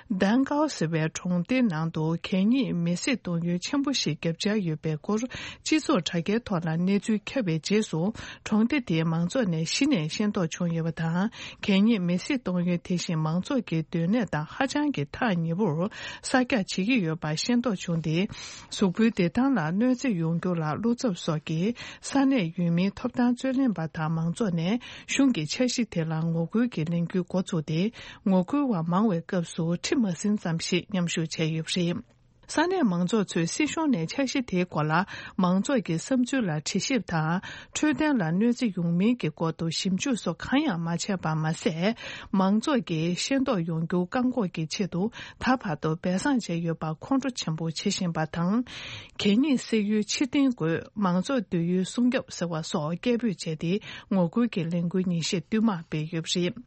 དན་ཀའོ་ཟེར་བའི་གྲོང་སྡེ་ནང་དུ་གད་སྙིགས་མེ་བསྲེགས་གཏོང་ཡུལ་ཆེན་པོ་ཞིག་བརྒྱབ་འཆར་ཡོད་པའི་སྐོར། སྤྱི་ཚོགས་དྲ་རྒྱའི་ཐོག་ལ་གནས་ཚུལ་ཁྱབ་པའི་རྗེས་སུ། གྲོང་སྡེ་དེའི་མང་ཚོགས་ནས་གཞི་ནས་ཤེས་རྟོགས་བྱུང་ཡོད་པ་དང་། གད་སྙིགས་མེ་བསྲེགས་གཏོང་ཡུལ་དེ་བཞིན་མང་ཚོགས་ཀྱི་སྡོད་གནས་དང་ཧ་ཅང་གི་ཐག་ཉེ་པོར་གསར་རྒྱག་བྱེད་ཀྱི་ཡོད་པ་ཤེས་རྟོགས་བྱུང་སྟེ། གཟུགས་པོའི་བདེ་ཐང་ལ་གནོད་འཚེ་ཡོང་རྒྱུ་ལ་བློ་འཚབ་སོགས་ཀྱིས་ས་གནས་ཡུལ་མིའི་ཐོབ་ཐང་རྩོད་ལེན་པ་དང་མང་ཚོགས་ནས་གཞུང་གི་འཆར་གཞི་དེ་ལ་ངོ་རྒོལ་གྱི་ལས་འགུལ་འགོ་བཙུགས་ཏེ། ངོ་རྒོལ་བ་མང་བའི་སྐབས་སུ་ཁྲི་མ་ཟིན་ཙམ་ཞིག་མཉམ་ཞུགས་བྱས་ཡོད་པ་རེད། ས་གནས་མང་ཚོགས་ཚོས་སྲིད་གཞུང་ནས་འཆར་གཞི་དེའི་སྐོར་ལ་མང་ཚོགས་ཀྱི་བསམ་ཚུལ་ལ་དྲི་ཞིབ་དང་འཕྲོད་བསྟེན་ལ་གནོད་འཚེ་ཡོང་མིན་གྱི་སྐོར་དུ་ཞིབ་འཇུག་སོགས་གང་ཡང་མ་བྱས་པར་མ་ཟད། མང་ཚོགས་ཀྱིས་ཤེས་རྟོགས་ཡོང་རྒྱུ་བཀག་འགོག་གི་ཆེད་དུ་ད་བར་དུ་སྦས་གསང་བྱས་ཡོད་པར་ཁོང་ཁྲོ་ཆེན་པོ་བྱེད་བཞིན་པ་དང་། གད་སྙིགས་བསྲེགས་ཡུལ་ཕྱིར་འཐེན་དགོས། མང་ཚོགས་སྡོད་ཡུལ་སྲུང་སྐྱོབ་ཟེར་བ་སོགས་སྐད་འབོད་བྱས་ཏེ་ངོ་རྒོལ་གྱི་ལས་འགུལ་ཉིན་ཤས་བསྟུད་མར་སྤེལ་ཡོད་པ་རེད།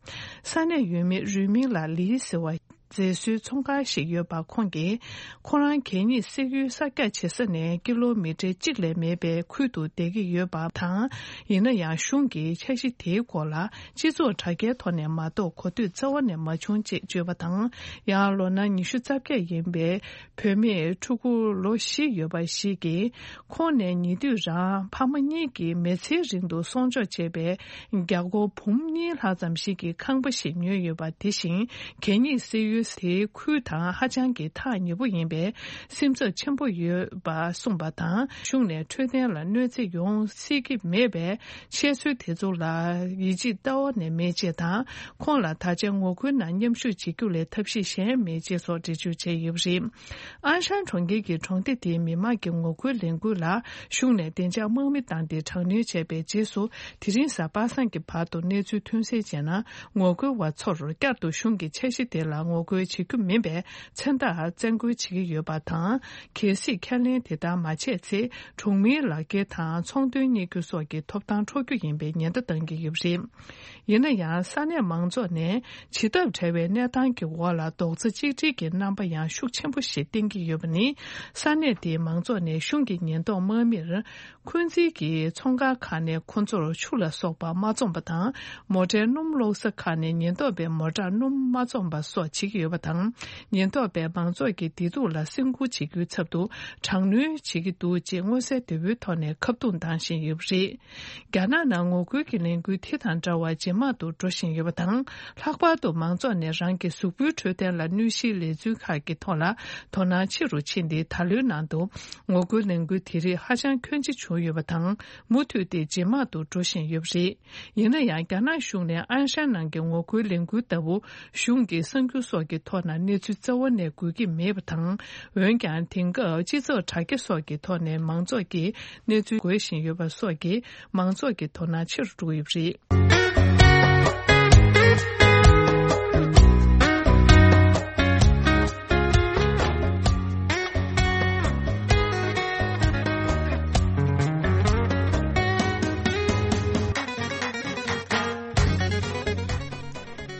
ས་གནས་ཡུལ་མི་རུས་མིང་ལ་ལི་ཟེར་བ། མཛེས་བཟོའི་ཚོང་ཁང་ཞིག་ཡོད་པ་ཁོང་གིས། ཁོ་རང་གད་སྙིགས་བསྲེགས་ཡུལ་གསར་རྒྱག་བྱེད་ས་ནས་ཀི་ལོ་མི་ཊར་གཅིག་ལས་མེད་པའི་ཁུལ་དུ་བསྡད་ཀྱི་ཡོད་པ་དང་། ཡིན་ན་ཡང་གཞུང་གིས་འཆར་གཞི་དེའི་སྐོར་ལ་སྤྱི་ཚོགས་དྲ་རྒྱའི་ཐོག་ནས་མ་གཏོགས་གོ་ཐོས་རྩ་བ་ནས་མ་བྱུང་ཅེས་བརྗོད་པ་དང་། ཡང་ལོ་ན་ཉི་ཤུ་རྩ་བརྒྱད་ཡིན་པའི་བུད་མེད་ཕྲུ་གུ་ལོ་བཞི་ཡོད་པ་ཞིག་གིས། ཁོང་ནས་ཉེ་དུས་རང་ཕ་མ་གཉིས་ཀྱིས་མི་ཚེའི་རིང་དུ་གསོག་འཇོག་བྱས་པའི་རྒྱ་སྒོར་འབུམ་གཉིས་ལྷག་ཙམ་ཞིག་གི་ཁང་པ་ཞིག་ཉོས་ཡོད་པ་དེ་བཞིན་གད་སྙིགས་བསྲེགས་ཡུལ་དེའི་ཁུལ་དང་ཧ་ཅང་གི་ཐག་ཉེ་པོ་ཡིན་པས་སེམས་འཚབ་ཆེན་པོ་ཡོད་པ་གསུངས་པ་དང་། གཞུང་ནས་འཕྲོད་བསྟེན་ལ་གནོད་འཚེ་ཡོང་སྲིད་ཀྱི་མེད་པས། བཤད་སྲོལ་དེ་ཚོ་ལ་ཡིད་ཆེས་རྩ་བ་ནས་མེད་ཅེས་དང་། ཁོང་ལ་ད་ཆ་ངོ་རྒོལ་ནང་མཉམ་ཞུགས་བྱེད་རྒྱུ་ལས་ཐབས་ཤེས་གཞན་མེད་ཅེས་སོགས་འགྲེལ་བརྗོད་བྱས་ཡོད་པ་རེད། ཨན་ཧྲན་གྲོང་ཁྱེར་གྱི་གྲོང་སྡེ་དེའི་མི་མང་གི་ངོ་རྒོལ་ལས་འགུལ་ལ་གཞུང་ནས་བདེ་འཇགས་དམག་མི་བཏང་སྟེ་དྲག་གནོན་བྱས་པའི་རྗེས་སུ། དེ་རིང་གཟའ་པ་སངས་ཀྱི་བར་དུ་གནས་ཚུལ་ཐོན་གསལ་བྱས་ན། ངོ་རྒོལ་བ་ཚོར་བསྐྱར་དུ་གཞུང་གི་འཆར་གཞི་དེ་ལ་ངོ་རྒོལ་བྱེད་རྒྱུ་མིན་པའི་མཚན་རྟགས་བཙན་སྐུལ་བྱེད་ཀྱི་ཡོད་པ་དང་། གལ་སྲིད་ཁས་ལེན་དེ་ལྟར་མ་བྱས་ཚེ། གྲོང་མིའི་ལག་འཁྱེར་དང་ཚོང་དོན་གཉེར་རྒྱུ་སོགས་ཀྱི་ཐོབ་ཐང་འཕྲོག་རྒྱུ་ཡིན་པའི་ཉེན་བརྡ་བཏང་གི་ཡོད་པ་རེད། ཡིན་ན་ཡང་། ས་གནས་མང་ཚོགས་ནས་བྱེད་ཐབས་བྲལ་བའི་གནས་སྟངས་ཀྱི་འོག་ལ་རྡོག་རྩ་གཅིག་སྒྲིལ་གྱི་རྣམ་པ་ཡང་ཤུགས་ཆེན་པོ་ཞིག་བསྟན་གྱི་ཡོད་པ་ནི། ས་གནས་དེའི་མང་ཚོགས་ནས་གཞུང་གི་ཉེན་རྟོག་དམག་མིར། འཁོན་འཛིན་གྱིས་ཚོང་ཁང་ཁག་ནས་ཁོ་ཚོར་ཆུ་ལ་སོགས་པ་མ་བཙོངས་པ་དང་། མོ་ཊའི་སྣུམ་གློག་ས་ཁག་ནས་ཉེན་རྟོག་པའི་མོ་ཊར་སྣུམ་མ་བཙོངས་པ་སོགས་བྱེད་ཀྱི་ཡོད་པ་དང་། ཉེན་རྟོག་པས་མང་ཚོགས་ཀྱི་བདེ་སྡུག་ལ་སེམས་ཁུར་བྱེད་རྒྱུའི་ཚབ་ཏུ་དྲག་གནོན་བྱེད་ཀྱི་འདུག་ཅེས་མངོན་གསལ་དོད་པོའི་ཐོག་ནས་ཁ་རྡུང་བཏང་བཞིན་ཡོད་པ་རེད། རྒྱ་ནག་ནང་ངོ་རྒོལ་གྱི་ལས་འགུལ་དེ་དང་འདྲ་བ་ཇེ་མང་དུ་འགྲོ་བཞིན་ཡོད་པ་དང་། ལྷག་པར་དུ་མང་ཚོགས་ནས་རང་གི་གཟུགས་པོའི་འཕྲོད་བསྟེན་ལ་གནོད་གཞིའི་ལས་ཚུལ་ཁག་གི་ཐོག་ལ་དོ་སྣང་ཆེ་རུ་ཕྱིན་ཏེ། ད་ལོའི་ནང་དུ་ངོ་རྒོལ་ལས་འགུལ་དེ་རིགས་ཧ་ཅང་ཁྱོན་ཆེ་བྱུང་ཡོད་པ་དང་། མུ་མཐུད་དེ་ཇེ་མང་དུ་འགྲོ་བཞིན་ཡོད་པ་རེད། ཡིན་ན་ཡང་། རྒྱ་ནག་གཞུང་ནས་ཨན་ཧྲན་ནང་གི་ངོ་རྒོལ་ལས་འགུལ་ལྟ་བུ་གཞུང་གི་གསར་འགྱུར་སོགས་ཀྱི་ཐོག་ན་གནས་ཚུལ་རྩ་བ་ནས་འགོད་ཀྱི་མེད་པ་དང་། འོན་ཀྱང་། དེང་སྐབས་སྤྱི་ཚོགས་དྲ་རྒྱ་སོགས་ཀྱི་ཐོག་ནས་མང་ཚོགས་ཀྱིས་གནས་ཚུལ་འགོད་བཞིན་ཡོད་པ་སོགས་ཀྱིས་མང་ཚོགས་ཀྱི་དོ་སྣང་ཆེ་རུ་འགྲོ་གི་ཡོད་པ་རེད།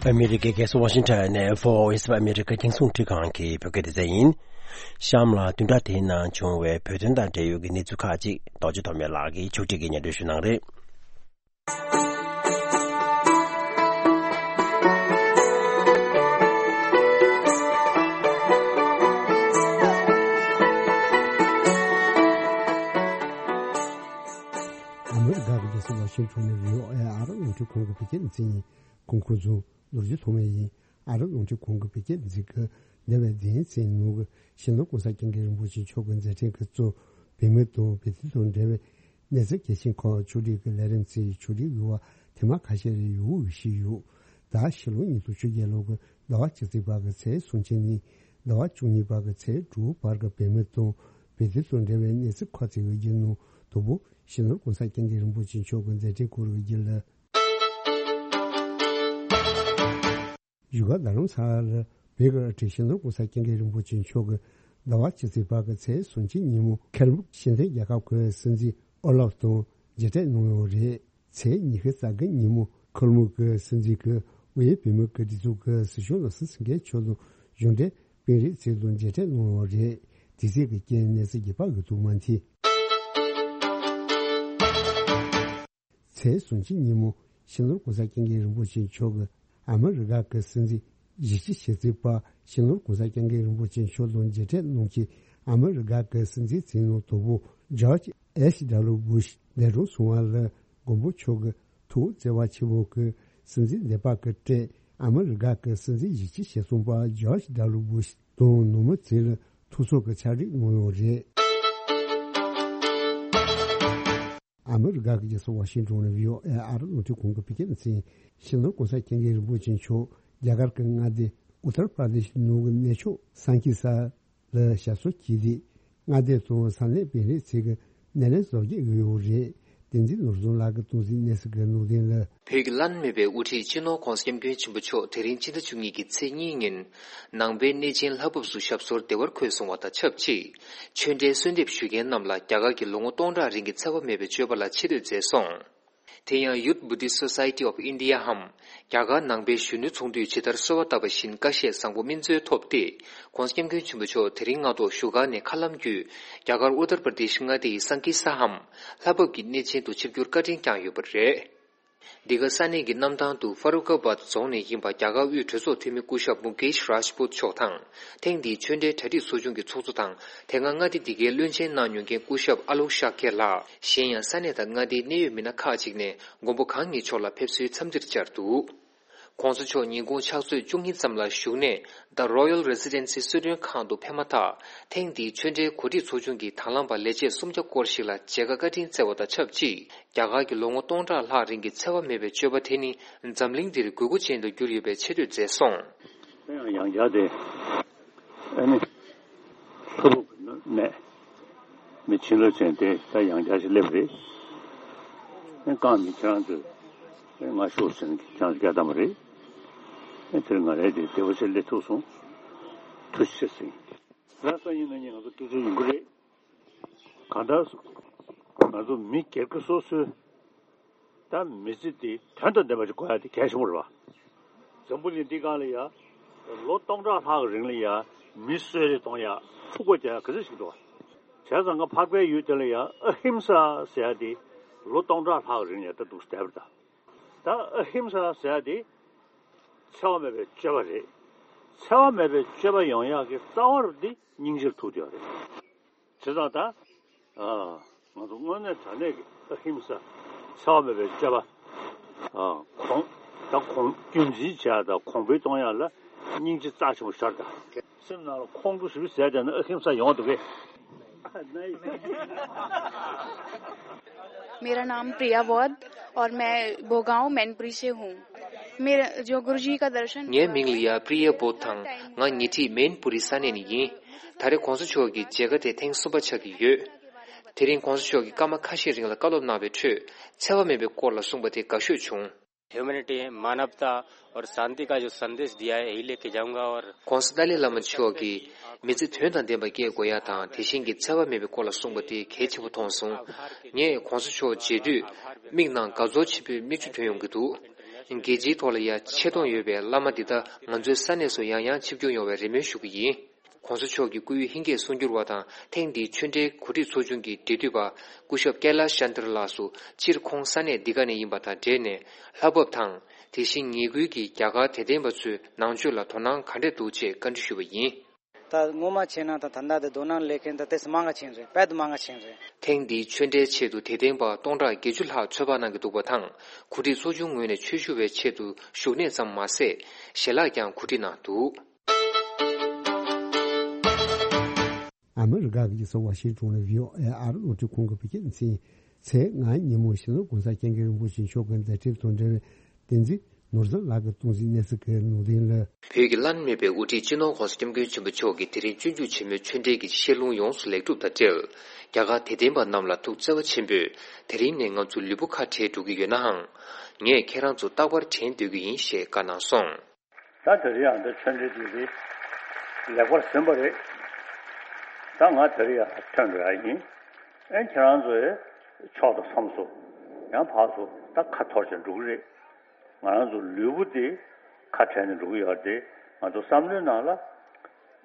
ཨ་མི་རི་ཀའི་རྒྱལ་ས་ཝ་ཤིང་ཊོན་ནས་ཕོ་ཨིས་ཨ་མི་རི་ཀ་རྒྱང་སྲུང་ཁྲི་ཁང་གི་བོད་སྐད་སྡེ་ཚན་ཡིན། གཤམ་ལ་བདུན་ཕྲག་དེའི་ནང་བྱུང་བའི་བོད་དོན་དང་འབྲེལ་ཡོད་ཀྱི་གནས་ཚུལ་ཁག་ཅིག་རྡོ་རྗེ་ཐོགས་མེད་ལགས་ཀྱིས་ཕྱོགས་སྒྲིག་གིས་སྙན་སྒྲོན་ཞུ་གནང་རེད། ཨ་མི་རི་ཀ་གི་རྒྱལ་ས་ཝ་ཤིང་ཊོན་ནས་བྷི་ཨོ་ཨེ་ཨ་རིའི་རླུང་འཕྲིན་ཁང་གི་བོད་སྐད་སྡེ་ཚན་ཡིན། གོང་འཁོད་བཟོ། རྡོ་རྗེ་ཐོགས་མེད་ཡིན། ཨ་རིའི་རླུང་འཕྲིན་ཁང་གི་བོད་སྐད་སྡེ་ཚན་གྱི་འདས་པའི་དེ་ཡིན་ཚེ་ནོར་གྱི་ཞིང་ལོ་གོང་ས་སྐྱབས་མགོན་རིན་པོ་ཆེ་མཆོག་གི་མཛད་འཕྲིན་གྱི་གཙོ་བོད་མི་དང་བོད་དོན་དང་འབྲེལ་བའི་ གནས་ཚུལ་གལ་ཆེན་ཁག་ཕྱོགས་སྒྲིག་གི་ལས་རིམ་ཚོའི་ཕྱོགས་སྒྲིག་ཡོད་པ་ཐེངས་མ་ཁ་ཤས་རེ་ཡོད་ཞིག་ཡོད། ད་ཕྱི་ལོ་ཉིས་སྟོང་བཅོ་བརྒྱད་ལོ་གི་ཟླ་བ་གཅིག་ཚེས་པ་གི་ཚེས་སུམ་ཅུ་ནས་ཟླ་བ་བཅུ་གཉིས་པ་གི་ཚེས་དྲུག་བར་གྱི་བོད་མི་དང་བོད་དོན་དང་འབྲེལ་བའི་གནས་ཚུལ་ཁག་ཅིག་གི་རྒྱུད་ནང་དང་པོ་སྤྱི་ནོར་༸གོང་ས་༸སྐྱབས་མགོན་རིན་པོ་ཆེ་མཆོག་གི་མཛད་འཕྲིན་སྐོར་གྱི་རྒྱུད་ལ། བཞུགས་སྒར་རྡ་རམ་ས་ལར་བོད་ཀྱི་སྤྲུལ་སྤྱི་ནོར་༸གོང་ས་༸སྐྱབས་མགོན་རིན་པོ་ཆེ་མཆོག་གི་ཟླ་བ་སྤྱི་ཚེས་པ་གི་ཚེས་སུམ་ཅུ་ཉིན་མོ་ཁེར་སྦུག་ཤེས་ལྡན་རྒྱལ་ཁབ་ཀྱི་སྲིད་འཛིན་ཨོ་ལབ་དང་མཇལ་འཕྲད་གནང་ཡོད་རེད། ཚེས་ཉི་ཤུ་རྩ་དགུ་ཉིན་མོ་ཁེར་སྦུག་གི་སྲིད་འཛིན་གྱི་དབུས་བོད་མི་གི་སྒྲིག་འཛུགས་ཀྱི་སྲིད་སྐྱོང་ལགས་སུ་སེང་གེ་མཆོག་དང་གཞུང་འབྲེལ་དཔོན་རིགས་ཚོ་དང་མཇལ་འཕྲད་གནང་ཡོད་རེད། དེ་ཚེས་ཀྱི་རྐྱེན་གནས་ཚུལ་རྒྱས་པ་ཡོད་དུ་མ་མཐོང་། ཚེས་སུམ་ཅུ་ཉིན་མོ་སྤྱི་ནོར་༸གོང་ས་༸སྐྱབས་མགོན་རིན་པོ་ཆེ་མཆོག་གིས་ཨ་མི་རི་ཀ་གི་སྲིད་འཛིན་གཞི་རྩའི་ཆེད་མཛད་པ་སྤྱི་ནོར་༸གོང་ས་༸སྐྱབས་མགོན་རིན་པོ་ཆེ་མཆོག་དང་མཇལ་འཕྲད་གནང་ཆེད་ཨ་མི་རི་ཀ་གི་སྲིད་འཛིན་མཚན་གནང་དང་པོ་ཇོརྗ་ཨེཆ་ཌབ་ལུ་བུ་ཤ་འདས་གྲོངས་སོང་བ་ལ་མགོན་པོ་མཆོག་གི་ཐུགས་བརྩེ་བ་ཆེན་པོ་གིས་སྲིད་འཛིན་འདས་པ་གི་སྲས་ཨ་མི་རི་ཀ་གི་སྲིད་འཛིན་གཞི་རྩའི་ཆེད་གསུངས་པ་ཇོརྗ་ཌབ་ལུ་བུ་ཤ་དང་ནུ་མོ་ཚེ་ལ་ཐུགས་ཚོར་གྱི་ཕྱག་བྲིས་གནང་ཡོད་རེད། ཨ་མི་རི་ཀ་གི་རྒྱལ་ས་ཝ་ཤིང་ཏོན་ནས་བྷི་ཨོ་ཨེ་ཨ་རི་རླུང་འཕྲིན་ཁང་གི་བོད་སྐད་སྡེ་ཚན། སྤྱི་ནོར་༸གོང་ས་༸སྐྱབས་མགོན་རིན་པོ་ཆེ་མཆོག་རྒྱ་གར་གྱི་མངའ་སྡེ་ཨུ་ཏར་པར་དེཤ་ནང་གི་གནས་མཆོག་སན་ཀི་ས་ལ་ཞབས་སོར་གྱིས་ཏེ། མངའ་སྡེ་དང་ས་གནས་དཔོན་རིགས་ཚོས་ཀྱི་སྣེ་ལེན་བཟོ་རྒྱུ་ཡོད་རེད། བསྟན་འཛིན་ནོར་བཟང་ལགས་ཀྱིས་གཏོང་ཟིན་གནས་ཚུལ་གྱི་ནང་དོན་ལ། བོད་ཀྱི་བླ་ན་མེད་པའི་དབུ་ཁྲིད་སྤྱི་ནོར་༸གོང་ས་༸སྐྱབས་མགོན་ཆེན་པོ་མཆོག་དེ་རིང་སྤྱི་ཟླ་བཅུ་གཉིས་ཀྱི་ཚེས་གཉིས་ཉིན་ནང་པའི་གནས་ཆེན་ལྷ་བབས་སུ་ཞབས་སོར་བདེ་བར་འཁོད་སོང་བ་དང་ཆབས་ཅིག་ཆོས་འབྲེལ་གསོལ་འདེབས་ཞུ་མཁན་རྣམས་ལ་རྒྱ་གར་གྱི་ལོ་ངོ་སྟོང་ཕྲག་རིང་གི་འཚེ་བ་མེད་པའི་སྤྱོད་པ་ལ་ཆེ་བསྟོད་མཛད་སོང་། དེ་ཡང་Youth Buddhist Society of India འམ་རྒྱ་གར་ནང་པའི་གཞོན་ནུ་ཚོགས་འདུས་ཇི་ལྟར་གསོལ་བ་བཏབ་པ་བཞིན་བཀའ་བཞེས་བཟང་པོ་སྨིན་སྩོལ་ཐོབ་སྟེ། ༸གོང་ས་༸སྐྱབས་མགོན་ཆེན་པོ་མཆོག་དེ་རིང་སྔ་དྲོ་བཞུགས་སྒར་ནས་མཁའ་ལམ་བརྒྱུད་རྒྱ་གར་ཨུ་ཏར་པར་དེཤ་མངའ་སྡེ་ཡི་སན་ཀི་ས་འམ་ལྷ་བབས་ཀྱི་གནས་ཆེན་དུ་ཆིབས་བསྒྱུར་བཀའ་དྲིན་བསྐྱངས་ཡོད་པ་རེད། འདི་ག་ས་གནས་ཀྱི་གནམ་ཐང་དུ་ཧྥ་རུ་ཁ་བཱད་རྫོང་ནས་ཡིན་པ་རྒྱ་གར་དབུས་གྲོས་ཚོགས་འཐུས་མི་སྐུ་ཞབས་མུ་ཀེཤ་རཱཇ་པུད་མཆོག་དང་། ཐེངས་འདིའི་ཆོས་འབྲེལ་གྲ་སྒྲིག་ཚོགས་ཆུང་གི་ཚོགས་གཙོ་དང་། དེ་སྔ་མངའ་སྡེ་འདི་གའི་བློན་ཆེན་གནང་མྱོང་མཁན་སྐུ་ཞབས་ཨ་ལོག་ཤཱ་ཁེ་ལགས། གཞན་ཡང་ས་གནས་དང་མངའ་སྡེའི་གནད་ཡོད་མི་སྣ་ཁག་ཅིག་ནས་མགོན་པོ་གང་ཉིད་མཆོག་ལ་ཕེབས་བསུའི་འཚམས་འདྲིར་བཅར་འདུག ༸གོང་ས་མཆོག་ཉིན་གུང་ཕྱག་ཚོད་བཅུ་གཉིས་ཙམ་ལ་བཞུགས་གནས་The Royal Residency གསོལ་མགྲོན་ཁང་དུ་ཕེབས་མ་ཐག་ཐེངས་འདིའི་ཆོས་འབྲེལ་གོ་སྒྲིག་ཚོགས་ཆུང་གིས་དང་བླངས་པ་ལས་བྱེད་སུམ་བརྒྱ་སྐོར་ཞིག་ལ་མཇལ་ཁ་བཀའ་དྲིན་སྩལ་བ་དང་ཆབས་ཅིག་རྒྱ་གར་གྱི་ལོ་ངོ་སྟོང་ཕྲག་ལྷག་རིང་གི་འཚེ་བ་མེད་པའི་སྤྱོད་པ་དེ་ནི་འཛམ་གླིང་འདིར་དགོས་མཁོ་ཅན་དུ་གྱུར་ཡོད་པའི་ཆེ་བསྟོད་མཛད་སོང་། ཡང་བསྐྱར་དེ། ཨ་ནི། ཕུ་བོ་གི་ནི་ནས། མི་ཕྱི་ལོ་ཅན་དེ་ད་ཡང་བསྐྱར་ཞིག་སླེབས་རེད། ཨེ་རྐང་མི་ཁྱེད་རང་ཚོས། ཨེ་ང་ཤོག་ཟེར་ནས་ཁྱེད་རང་ཚོ་སྐད་བཏང་བ་རེད། ཨེ་དེར་ང་རས་དེ་བདེ་བོ་ཞིག་སླེབས་ཐུབ་སོང་། ཐུགས་རྗེ་ཆེ་ཟེར། ར་ས་ཡིན་ན་ཉིན་ང་ཚོ་སྐད་ཆ་ཡོང་གི་རེད། གང་ལྟར། ང་ཚོ་མི་སྒེར་གྱི་སོ་སོའི། ད་མི་ཚེ་འདི་དོན་དང་ལྡན་པ་ཞིག་དགོས་ཡ་དེ་གལ་ཆེན་པོ་རེད་བ། འཛམ་བུ་གླིང་འདི་སྒང་ལ་ཡ། ལོ་སྟོང་ཕྲག་ལྷག་གི་རིང་ལ་ཡ། མི་གསོད་རེས་གཏོང་ཡ། འཁྲུག་པ་རྒྱག་ཡ་ག་ཚོད་ཞིག་འདུག་བ། བྱས་ཙང་ང་འཕགས་པའི་ཡུལ་དེ་ལ་ཡ་ཨ་ཧིམ་ས་ཟེར་ཡ་དེ། ལོ་སྟོང་ཕྲག་ལྷག་གི་རིང་ལ་ཡ་ད་འདུག་བསྡད་པ་རེད་ད། ད་ཨ་ཧིམ་ས་ཟེར་ཡ་དེ། འཚེ་བ་མེད་པའི་སྤྱོད་པ་རེད། འཚེ་བ་མེད་པའི་སྤྱོད་པ་ཡོང་ཡག་གི་རྩ་བ་རུ་འདི་སྙིང་རྗེར་ཐུག་བསྡད་ཡོད་རེད། བྱས་ཙང་ད། ཨ། ང་ཚོ་དངོས་གནས་དྲང་གནས་ཀྱི་ཨ་ཧིམ་ས། འཚེ་བ་མེད་པའི་སྤྱོད་པ། ཨ། གོང་། ད་གོང་རྒྱུན་འཛིན་བྱེད་ཡག་དང་གོང་འཕེལ་གཏོང་ཡག་ལ་སྙིང་རྗེ་རྩ་ཆེན་པོ་ཞིག་ཡོད་རེད་ད། སེམས་ནང་ལ་ཁོང་ཁྲོ་ཞེ་པོ་ཟ་བསྡད་ན་ཨ་ཧིམ་ས་ཡོང་འདུག་གས། मेरा नाम प्रिया बौद्ध और मैं भोगांव मैनपुरी से हूँ। मेरा जो गुरु जी का दर्शन ངའི་མིང་ལ་ཡ་པྲི་ཡ་བོད་དང་ང་ཉེ་འཁྲིས་མེན་པུ་རི་ས་གནས་ནས་ཡིན། ད་རེས་༸གོང་ས་མཆོག་གི་མཇལ་ཁ་དེ་ཐེངས་གསུམ་པ་ཆགས་ཀྱི་ཡོད། དེ་རིང་༸གོང་ས་མཆོག་གིས་སྐར་མ་ཁ་ཤས་རིང་ལ་བཀའ་སློབ་གནང་བའི་ཁྲོད་འཚེ་བ་མེད་པའི་སྐོར་ལ་གསུངས་པ་དེ་དགའ་ཤོས་བྱུང་། ह्यूमैनिटी, मानवता और शांति का जो संदेश दिया है, यही लेके जाऊंगा। और༸གོང་ས་ཏཱ་ལའི་བླ་མ་མཆོག་གིས་མི་ཚེ་དོན་དང་ལྡན་པ་སྐྱེལ་དགོས་ཡ་དང་དེ་བཞིན་གྱི་འཚེ་བ་མེད་པའི་སྐོར་ལ་གསུངས་པ་དེ་གལ་ཆེན་པོ་མཐོང་སོང་། ངས་༸གོང་ས་མཆོག་མཇལ་དུས་མིག་ནང་དགའ་ཚོར་ཆེན་པོའི་མིག་ཆུ་ཐོན་ཡོང་གི་འདུག་རྒྱལ་སྤྱིའི་ཐོག་ལ་ཡ་ཆེ་མཐོང་ཡོད་པའི་བླ་མ་འདི་དག་ང་ཚོའི་ས་གནས་སུ་ཡང་ཡང་ཆིབས་བསྒྱུར་ཡོང་བའི་རེ་སྨོན་ཞུ་གི་ཡིན། ༸གོང་ས་མཆོག་གི་སྐུའི་ཧིན་སྐད་གསུང་སྒྱུར་བ་དང་ཐེངས་འདིའི་ཆོས་འབྲེལ་གོ་སྒྲིག་ཚོགས་ཆུང་གི་འབྲེལ་མཐུད་པ་སྐུ་ཞབས་ཀེ་ལ་ཤན་ཏྲ་ལགས་སུ་སྤྱིར་ཁོང་ས་གནས་འདི་ག་ནས་ཡིན་པ་དང་འབྲེལ་ནས་ལྷ་བབས་དང་དེ་བཞིན་ཉེ་ཁུལ་གྱི་རྒྱ་གར་དད་ལྡན་པ་ཚོའི་ནང་ཆོས་ལ་དོ་སྣང་ག་འདྲས་འདུག་ཅེས་བཀའ་འདྲི་ཞུས་པ་ཡིན། ད་སྔོན་མ་བྱས་ན་ད་ད་ལྟ་དེ་དོ་སྣང་སླེབས་མཁན་ད་ཏོག་ཙམ་མང་ང་ཕྱིན་རེད། དཔེ་དེ་མང་ང་ཕྱིན་རེད། ཐེངས་འདིའི་ཆོས་འབྲེལ་ཆེད་དུ་དད་ལྡན་པ་སྟོང་ཕྲག་བརྒྱད་ཅུ་ལྷག་ཚོད་དཔག་གནང་གི་འདུག་པ་དང་གོ་སྒྲིག་ཚོགས་ཆུང་ངོས་ནས་ཆོས་ཞུ་བའི་ཆེད་དུ་བཞུགས་གནས་ཙམ་མ་ཟད་ཞལ་ལག་ཀྱང་གོ་སྒྲིག་གནང་འདུག་ཨ་མི་རི་ཀ་གི་རྒྱལ་ས་ཝ་ཤིང་ཏོན་ནས་བྷི་ཨོ་ཨེ་ཨ་རི་རླུང་འཕྲིན་ཁང་གི་བོད་སྐད་སྡེ་ཚན། ཚེས་ལྔ་ཉིན་མོ་སྤྱི་ནོར་༸གོང་ས་༸སྐྱབས་མགོན་རིན་པོ་ཆེ་མཆོག་གི་མཛད་འཕྲིན་དང་འབྲེལ་བའི་བསྟན་འཛིན་ནོར་བཟང་ལགས་ཀྱིས་གཏོང་གཟིགས་གནས་ཚུལ་གྱི་ལུང་འདྲེན་ལ། བོད་ཀྱི་བླ་ན་མེད་པའི་དབུ་ཁྲིད་སྤྱི་ནོར་༸གོང་ས་༸སྐྱབས་མགོན་ཆེན་པོ་མཆོག་གིས་དེ་རིང་སྤྱོད་འཇུག་ཆེན་མོའི་ཆོས་འབྲེལ་གྱི་བཤད་ལུང་ཡོངས་སུ་ལེགས་གྲུབ་དང་འབྲེལ། རྒྱ་གར་དད་ལྡན་པ་རྣམས་ལ་ཐུགས་བརྩེ་བ་ཆེན་པོས་དེ་རིང་ནས་ང་ཚོ་ལུས་པོ་ཁ་བྲལ་འགྲོ་གི་ཡོད་ནའང་། ངས་ཁྱེད་རང་ཚོ་རྟག་པར་དྲན་སྡོད་ཀྱི་ཡིན་ཞེས་བཀའ་གནང་སོང་། ད་དེ་རིང་ཡང་འདི་ཆོས་འབྲེལ་འདི་རེད། ལེགས་པར་ཟིན་པ་རེད། ད་ང་དེ་རིང་ཡང་ཐོན་འགྲོ་ཡ་ཡིན། ཨེ་ཁྱེད་རང་ཚོས་ཕྱོགས་དང་མཚམས་སུ་ཡང་ཕར་ཚུར་ད་ཁ་འཐོར་བྱས་འགྲོ་གི་རེད། ང་རང་ཚོ་ལུས་པོ་འདི་ཁ་བྲལ་ནས་འགྲོ་གི་ཡོད་རེད་དེ། ང་ཚོ་བསམ་བློའི་ནང་ལ་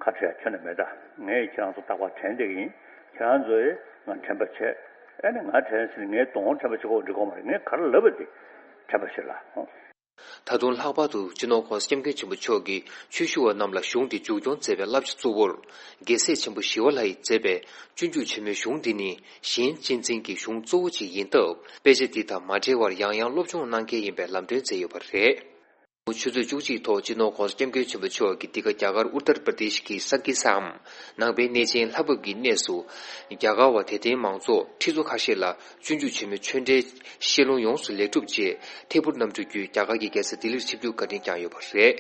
ཁ་བྲལ་ཁྱོན་ནས་མེད། ད་ངས་ཁྱེད་རང་ཚོ་རྟག་པར་དྲན་བསྡད་ཀྱི་ཡིན། ཁྱེད་རང་ཚོས་ང་དྲན་པ་བྱས། ཨེ་ནི་ང་དྲན་ཟིན་ངས་གདོང་དྲན་པ་བྱེད་དགོས་འགྲིག་གོ་མ་རེད། ངས་ག་རེ་ལབ་པ་དེ་དྲན་པ་བྱེད་ལ། ད་དུང་ལྷག་པར་དུ་སྤྱི་ནོར་༸གོང་ས་༸སྐྱབས་མགོན་ཆེན་པོ་མཆོག་གིས་ཆོས་ཞུ་བ་རྣམས་ལ་གཞུང་འདི་མཇུག་སྐྱོང་མཛད་པའི་བསླབ་བྱ་གཙོ་བོར། རྒྱལ་སྲས་ཆེན་པོ་ཞི་བ་ལྷ་ཡིས་མཛད་པའི་སྤྱོད་འཇུག་ཆེན་མོའི་གཞུང་འདི་ནི་གཞན་གཅེས་འཛིན་གྱི་གཞུང་གཙོ་བོ་ཅིག་ཡིན་སྟབས། དཔེ་ཆ་འདི་དང་མ་བྲལ་བར་ཡང་ཡང་སློབ་སྦྱོང་གནང་གལ་ཡིན་པའི་ལམ་སྟོན་མཛད་ཡོད་པ་རེད། ཆུ་ཚོད་བཅུ་གཅིག་ཐོག་སྤྱི་ནོར་༸གོང་ས་༸སྐྱབས་མགོན་ཆེན་པོ་མཆོག་གིས་འདི་ག་རྒྱ་གར་ཨུ་ཏར་པར་དེཤ་གི་ས་གི་སའམ་ནང་པའི་གནས་ཆེན་ལྷ་བབས་ཀྱི་གནས་སུ། རྒྱ་གར་བ་དད་ལྡན་མང་ཚོགས་ཁྲི་ཚོ་ཁ་ཤས་ལ་སྤྱོད་འཇུག་ཆེན་མོའི་ཆོས་འབྲེལ་བཤད་ལུང་ཡོངས་སུ་ལེགས་གྲུབ་རྗེས། ཐད་འཕུར་གནམ་གྲུ་བརྒྱུད་རྒྱ་གར་གྱི་རྒྱལ་ས་ལྡི་ལིར་ཆིབས་བསྒྱུར་བཀའ་དྲིན་བསྐྱངས་ཡོད་པ་རེད།